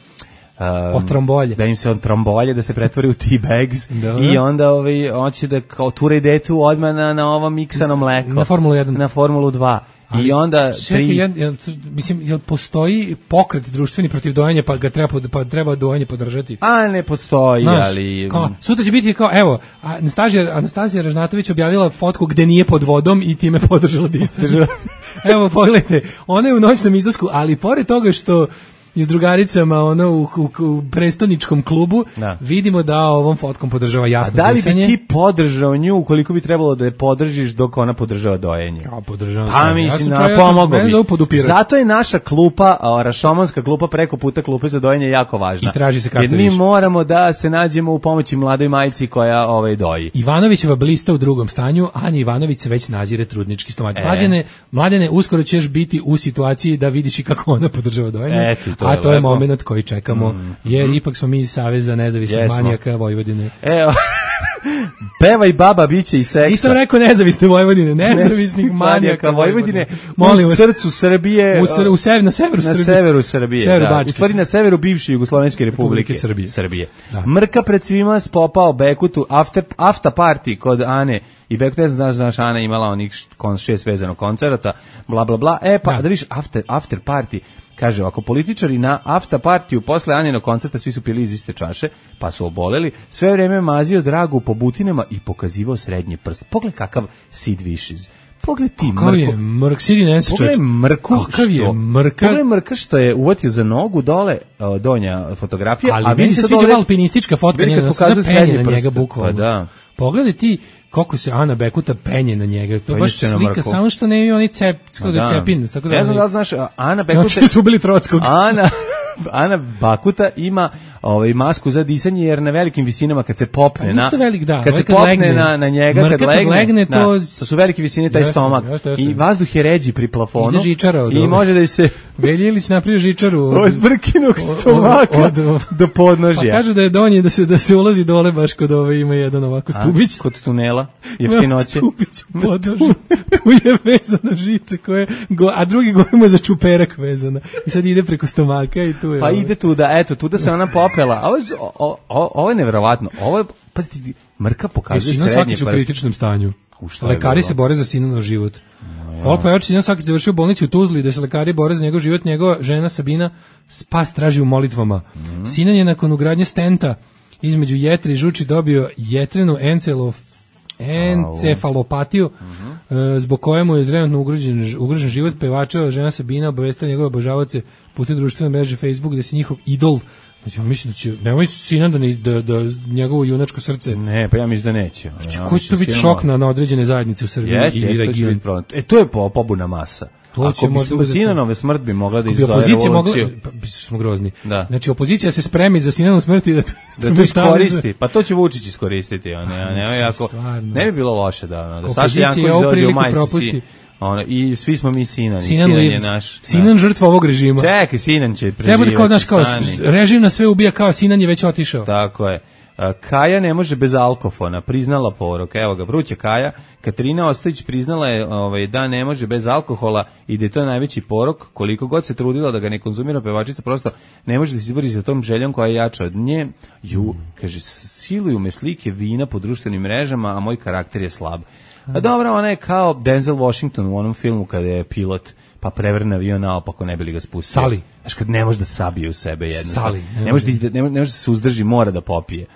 Speaker 5: Um,
Speaker 6: otrombolje.
Speaker 5: Da im se otrombolje, da se pretvori u tea bags i onda ovaj, hoće da kao ture detu odmah na, na ovo miksano mleko.
Speaker 6: Na Formulu jedan.
Speaker 5: Na Formulu dva. Ali, i onda
Speaker 6: čekaj, tri... jel, jel, mislim, jel postoji pokret društveni protiv dojenja, pa ga treba, pa treba dojenje podržati?
Speaker 5: A ne postoji,
Speaker 6: znaš,
Speaker 5: ali...
Speaker 6: Kao, sutra će biti kao, evo, Anastasija, Anastasija Ražnatović objavila fotku gde nije pod vodom i time podržala disanje. Evo, pogledajte, ona je u noćnom izlasku, ali pored toga što i s drugaricama ono u, u, u prestoničkom klubu, da. Vidimo da ovom fotkom podržava jasno disanje.
Speaker 5: A da li bi ti podržao nju ukoliko bi trebalo da je podržiš dok ona podržava dojenje?
Speaker 6: Ja podržavam
Speaker 5: pa,
Speaker 6: se.
Speaker 5: Mislim,
Speaker 6: ja
Speaker 5: sam čao, pomogao
Speaker 6: ja
Speaker 5: bi. Zato je naša klupa, rašomanska klupa preko puta klupe za dojenje jako važna.
Speaker 6: I traži se karta.
Speaker 5: Jer mi više. Moramo da se nađemo u pomoći mladoj majci koja ovaj doji.
Speaker 6: Ivanovićeva blista u drugom stanju, Anja Ivanović se već nazire trudnički stomak. E. Mlađene, mladene, uskoro ćeš biti u situaciji da vidiš i kako ona podržava dojenje.
Speaker 5: Eto, to
Speaker 6: a
Speaker 5: je
Speaker 6: to je moment koji čekamo, mm, jer mm. ipak smo mi iz Saveza nezavisnih yes, manijaka Vojvodine.
Speaker 5: Evo, pevaj baba, biće i seksa.
Speaker 6: Nisam rekao nezavisne Vojvodine, nezavisnih manijaka Vojvodine.
Speaker 5: Molim u srcu Srbije.
Speaker 6: U, sr, u sever, na severu
Speaker 5: na
Speaker 6: Srbije.
Speaker 5: Severu Srbije, severu da. U stvari na severu bivše Jugoslovenske republike.
Speaker 6: Srbije.
Speaker 5: Srbije. Da. Mrka pred svima spopao Bekutu, after, after party kod Ane i Bekut, ne znaš, znaš, Ana imala onih šest vezanog koncerata, bla, bla, bla. E, pa da, da viš, after, after party, kaže, ako političari na after partiju posle Aninog koncerta svi su pili iz iste čaše, pa su oboleli, sve vreme mazio Dragu po butinama i pokazivao srednji prst. Pogled kakav Sid Vicious. Pogled ti
Speaker 6: Mrko. Je Mrk, Sidi Nense,
Speaker 5: pogled Mrku,
Speaker 6: kakav je Mrka.
Speaker 5: Pogled Mrka što je uvatio za nogu dole o, donja fotografija.
Speaker 6: Ali a meni se sviđa alpinistička fotka njega, da se penje na njega bukvalno.
Speaker 5: Pa da.
Speaker 6: Pogledaj ti kako se Ana Bekuta penje na njega. To pa baš slika, samo što ne ima oni cep, skoro da. Cepin. Tako da
Speaker 5: ne znam da li znaš, Ana Bekuta...
Speaker 6: Znači su ubili Trockog.
Speaker 5: Ana, Ana Bakuta ima ovaj masku za disanje jer na velikim visinama kad se popne pa, na
Speaker 6: velik, da,
Speaker 5: kad se
Speaker 6: kad
Speaker 5: popne
Speaker 6: legne,
Speaker 5: na na njega
Speaker 6: kad legne,
Speaker 5: legne
Speaker 6: to,
Speaker 5: da, to su velike visine taj jeste, stomak jeste, jeste. I vazduh je ređi pri plafonu i može da se
Speaker 6: Veljilić napravi žičaru
Speaker 5: od, od brkinog stomaka od, od, od, do podnožja.
Speaker 6: Pa kažu da je donji da se da se ulazi dole baš kod ove ima jedan ovako stubić.
Speaker 5: A, kod tunela jeftinoće.
Speaker 6: Stubić u podnožju. Tu je vezana žica koja go, a drugi gore mu za čuperak vezana. I sad ide preko stomaka i tu je.
Speaker 5: Pa ovo. Ide tu da eto tu da se ona popela. A ovo ovo je neverovatno. Ovo je pazite Mrka pokazuje srednje
Speaker 6: prst. U kritičnom stanju. Lekari se bore za sinov život. Folk pevač Sinan Sakić završio u bolnici u Tuzli da se lekari bore za njegov život, njegova žena Sabina spas traži u molitvama. Mm-hmm. Sinan je nakon ugradnje stenta između jetre i žuči dobio jetrenu encelof, encefalopatiju, mm-hmm. zbog kojemu je trenutno ugrožen, ugrožen život. Pevačeva žena Sabina obavestila njegove obožavaoce putem društvene mreže Facebook da se njihov idol. Znači, ja mislim da će, nemoj Sinan da, ne, da, da njegovo junačko srce...
Speaker 5: Ne, pa ja mislim da neće.
Speaker 6: Ja, ko će to biti šok na, na određene zajednice u Srbiji
Speaker 5: yes,
Speaker 6: i
Speaker 5: yes,
Speaker 6: regionu?
Speaker 5: E, to je po, pobuna masa. To ako bi Sinanove smrt bi mogla da izazove revoluciju. Mogla,
Speaker 6: pa, bi smo grozni.
Speaker 5: Da.
Speaker 6: Znači, opozicija se spremi za Sinanovu smrt i da to,
Speaker 5: da to iskoristi. Pa to će Vučić iskoristiti. A ne, ne, jako, ne bi bilo loše da, da Saša Janković dođe u majci. Ono, i svi smo mi Sinan,
Speaker 6: Sinan,
Speaker 5: Sinan je naš.
Speaker 6: Sinan žrtva ovog režima.
Speaker 5: Čekaj, Sinan će preživjeti.
Speaker 6: Treba da kao, naš, kao režim na sve ubija, kao Sinan je već otišao.
Speaker 5: Tako je. Kaja ne može bez alkofona, priznala porok. Evo ga, vruće Kaja. Katarina Ostojić priznala je ovaj, da ne može bez alkohola i da je to najveći porok. Koliko god se trudila da ga ne konzumira, pevačica prosto ne može da se izbori sa tom željom koja je jača od nje. Ju, kaže, siluju me slike vina po društvenim mrežama, a moj karakter je slab. A dobro, ona je kao Denzel Washington u onom filmu kada je pilot pa prevrne avion naopako, ne bi li ga spustio.
Speaker 6: Sali.
Speaker 5: Znaš, kad ne može da sabije u sebe jedno.
Speaker 6: Sali.
Speaker 5: Ne može da, ne može da se uzdrži, mora da popije.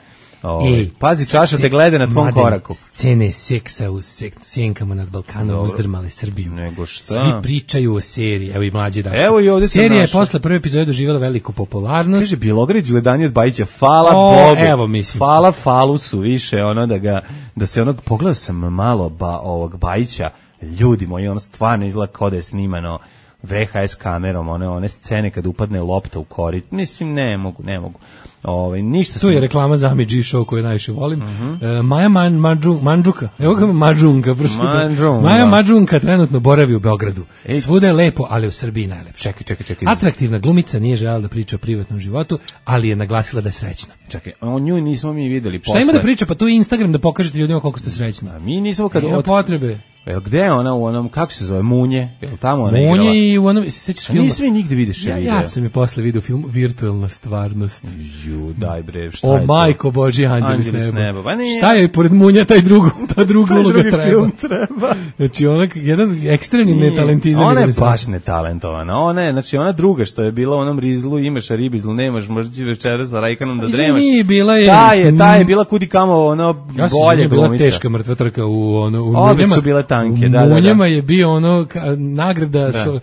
Speaker 5: Ej, pazi, čaša te gleda na tvom koraku.
Speaker 6: Scene seksa u sek, sjenkama nad Balkanom uzdrmale Srbiju.
Speaker 5: Nego šta?
Speaker 6: Svi pričaju o seriji, evo i mlađi Daško.
Speaker 5: Evo i ovdje
Speaker 6: serija je posle prve epizode doživjela veliku popularnost.
Speaker 5: Kaže, Bjelogrlić gledanje od Bajića, hvala
Speaker 6: o,
Speaker 5: Bogu.
Speaker 6: Evo, mislim.
Speaker 5: Hvala Falusu više, ono da ga, da se onog, pogledao sam malo ba, ovog Bajića, ljudi moji, ono stvarno izgleda kao da je snimano V H S kamerom, one, one scene kad upadne lopta u korit. Mislim, ne mogu, ne mogu. Ove, ništa
Speaker 6: tu
Speaker 5: sam...
Speaker 6: je reklama za Ami G Show koju najviše volim.
Speaker 5: Uh-huh.
Speaker 6: e, Maja Man, Manđu, Mandžuka, evo ga Mađunka,
Speaker 5: Mandžunka.
Speaker 6: Maja Mađunka trenutno boravi u Beogradu. Ej. Svuda je lepo, ali u Srbiji najlepše.
Speaker 5: Čekaj, čekaj, čekaj.
Speaker 6: Atraktivna glumica nije željela da priča o privatnom životu, ali je naglasila da je srećna.
Speaker 5: Čekaj, o nju nismo mi videli posle.
Speaker 6: Šta ima da priča? Pa tu je Instagram da pokažete ljudima koliko ste srećni.
Speaker 5: A mi nismo kad...
Speaker 6: Nema potrebe.
Speaker 5: Jel gde je ona u onom, kako se zove, Munje? Jel tamo ona
Speaker 6: Munje
Speaker 5: igrala?
Speaker 6: Munje i u onom, sećaš filma?
Speaker 5: Nisi mi nigde vidiš je
Speaker 6: ja,
Speaker 5: video.
Speaker 6: Ja sam je posle video film Virtualna stvarnost.
Speaker 5: Ju, daj bre, šta
Speaker 6: o,
Speaker 5: je to?
Speaker 6: O majko Božji, Anđeli,
Speaker 5: Anđeli
Speaker 6: s
Speaker 5: s neba. Pa
Speaker 6: šta je pored Munja taj drugu, ta druga
Speaker 5: taj
Speaker 6: uloga
Speaker 5: drugi
Speaker 6: treba?
Speaker 5: Film treba.
Speaker 6: Znači, ona, jedan ekstremni netalentizam.
Speaker 5: Ona je baš netalentovana. Ona je, znači, ona druga što je bila u onom rizlu, imaš ribizlu, nemaš, možda će večera sa Rajkanom da dremaš.
Speaker 6: Izvini, bila je...
Speaker 5: Ta je, ta je bila kudi kamo, ono,
Speaker 6: ja
Speaker 5: bolje glumica.
Speaker 6: Bila teška mrtva trka u, ono, u
Speaker 5: Obe su bile tanke, da, da, da.
Speaker 6: U Munjama je bio ono, ka, nagrada da. So,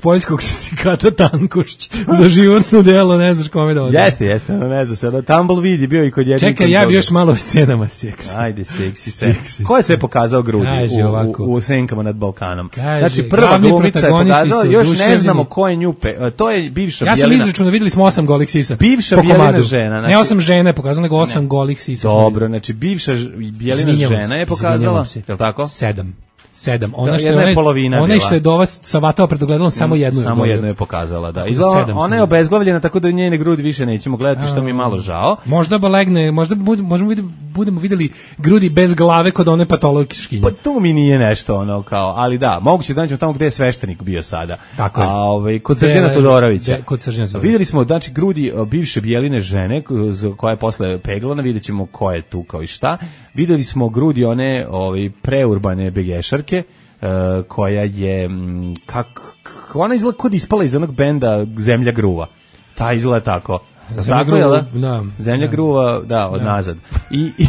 Speaker 6: Poljskog sindikata Tankošć za životno delo, ne znaš kome da odam.
Speaker 5: Jeste, jeste, no, ne znam se, ono, Tumbleweed je bio i kod jednog.
Speaker 6: Čekaj, ja bi još malo o scenama seksa.
Speaker 5: Ajde, seksi, seksi. Ko je sve pokazao grudi
Speaker 6: Kaži,
Speaker 5: u, u, u Senkama nad Balkanom?
Speaker 6: Kaži,
Speaker 5: znači, prva glumica je pokazala, još ne znamo ko je nju, pe, to je bivša
Speaker 6: ja
Speaker 5: Bjelina.
Speaker 6: Ja sam izračunao, videli smo osam golih sisa.
Speaker 5: Bivša Bjelina žena.
Speaker 6: Znači, ne osam žena je pokazala, nego osam ne. golih sisa.
Speaker 5: Dobro, znači, bivša Bjelina žena je pokazala, je li tako?
Speaker 6: Sedam. Sedam. Ona
Speaker 5: da,
Speaker 6: što je polovina ona što je do vas savatao pred ogledalom samo jednu.
Speaker 5: Samo jednu je pokazala, da. Izgleda, ona je obezglavljena tako da njene grudi više nećemo gledati, što mi je malo žao.
Speaker 6: Možda ba legne, možda budemo možemo vidjeti budemo videli grudi bez glave kod one patološkinje.
Speaker 5: Pa to mi nije nešto ono kao, ali da, moguće da nađemo tamo gde je sveštenik bio sada.
Speaker 6: Tako je.
Speaker 5: A ovaj kod Srđana Todorovića.
Speaker 6: Kod Srđana Todorovića.
Speaker 5: Videli smo znači grudi bivše Bjeline žene koja je posle peglana, videćemo ko je tu kao i šta. Videli smo grudi one ovaj preurbane begešarke. Uh, koja je m, kak, ona izgleda kod ispala iz onog benda Zemlja gruva. Ta izgleda tako.
Speaker 6: Zemlja
Speaker 5: tako
Speaker 6: gruva,
Speaker 5: je,
Speaker 6: da?
Speaker 5: Zemlja
Speaker 6: da.
Speaker 5: gruva, da, od da. nazad. I, i,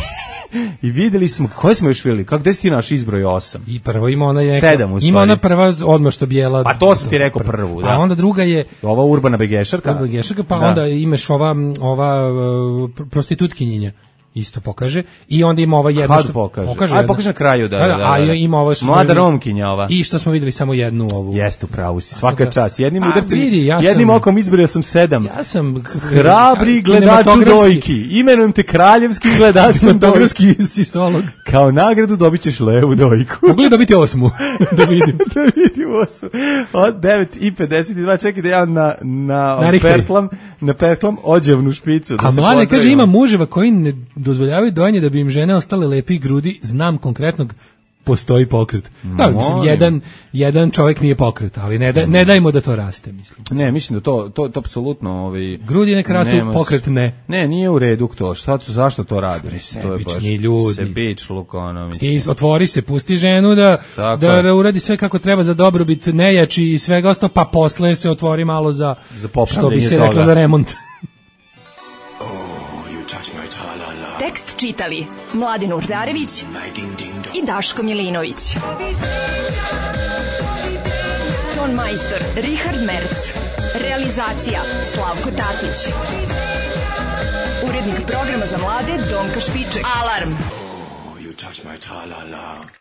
Speaker 5: i videli smo, koje smo još videli? Kako, gde si ti naš izbroj osam?
Speaker 6: I prvo ima ona je...
Speaker 5: Sedam, u stvari.
Speaker 6: Ima ona prva odmah što bijela...
Speaker 5: Pa to sam ti rekao prvu, da.
Speaker 6: A onda druga je...
Speaker 5: Ova urbana begešarka.
Speaker 6: Urbana begešarka, pa
Speaker 5: da.
Speaker 6: onda imaš ova, ova uh, prostitutkinjenja. Isto pokaže i onda ima ova jedna
Speaker 5: što
Speaker 6: pokaže.
Speaker 5: pokaže Aj pokaže na kraju da da. da, da,
Speaker 6: a ima ovo što
Speaker 5: mlada Romkinja ova.
Speaker 6: I što smo videli samo jednu ovu.
Speaker 5: Jeste, upravo si. Svaka čast. Jednim udarcem,
Speaker 6: ja
Speaker 5: jednim sam, okom izbrojao sam sedam.
Speaker 6: Ja sam
Speaker 5: hrabri gledaču dojki. Imenujem te kraljevski gledač
Speaker 6: dojki sisolog.
Speaker 5: Kao nagradu dobićeš levu dojku.
Speaker 6: Mogu li dobiti osmu? Da vidim.
Speaker 5: Da vidim osmu. Od devet i pedeset dva čekaj da ja na na perklam, na perklam ođevnu špicu da.
Speaker 6: A mlade kaže ima muževa koji ne dozvoljavaju dojenje da bi im žene ostale lepi grudi, znam konkretnog, postoji pokret. Da, mislim, jedan, jedan čovjek nije pokret, ali ne, da, ne dajmo da to raste, mislim.
Speaker 5: Ne, mislim da to, to, to apsolutno... Ovaj,
Speaker 6: grudi neka rastu, pokret ne.
Speaker 5: Ne, nije u redu to. Šta tu, zašto to radi? Mislim, to je baš
Speaker 6: ljudi.
Speaker 5: Sebičluk, ono, mislim.
Speaker 6: Ti otvori se, pusti ženu da, da uradi sve kako treba za dobrobit nejači i svega ostalo, pa posle se otvori malo za,
Speaker 5: za
Speaker 6: što bi se reklo, za remont.
Speaker 11: Tekst čitali Mladin Urdarević i Daško Milinović. Ton majstor Richard Merc. Realizacija Slavko Tatić. Urednik programa za mlade Donka Špiček. Alarm! Oh, you touch my tra-la-la.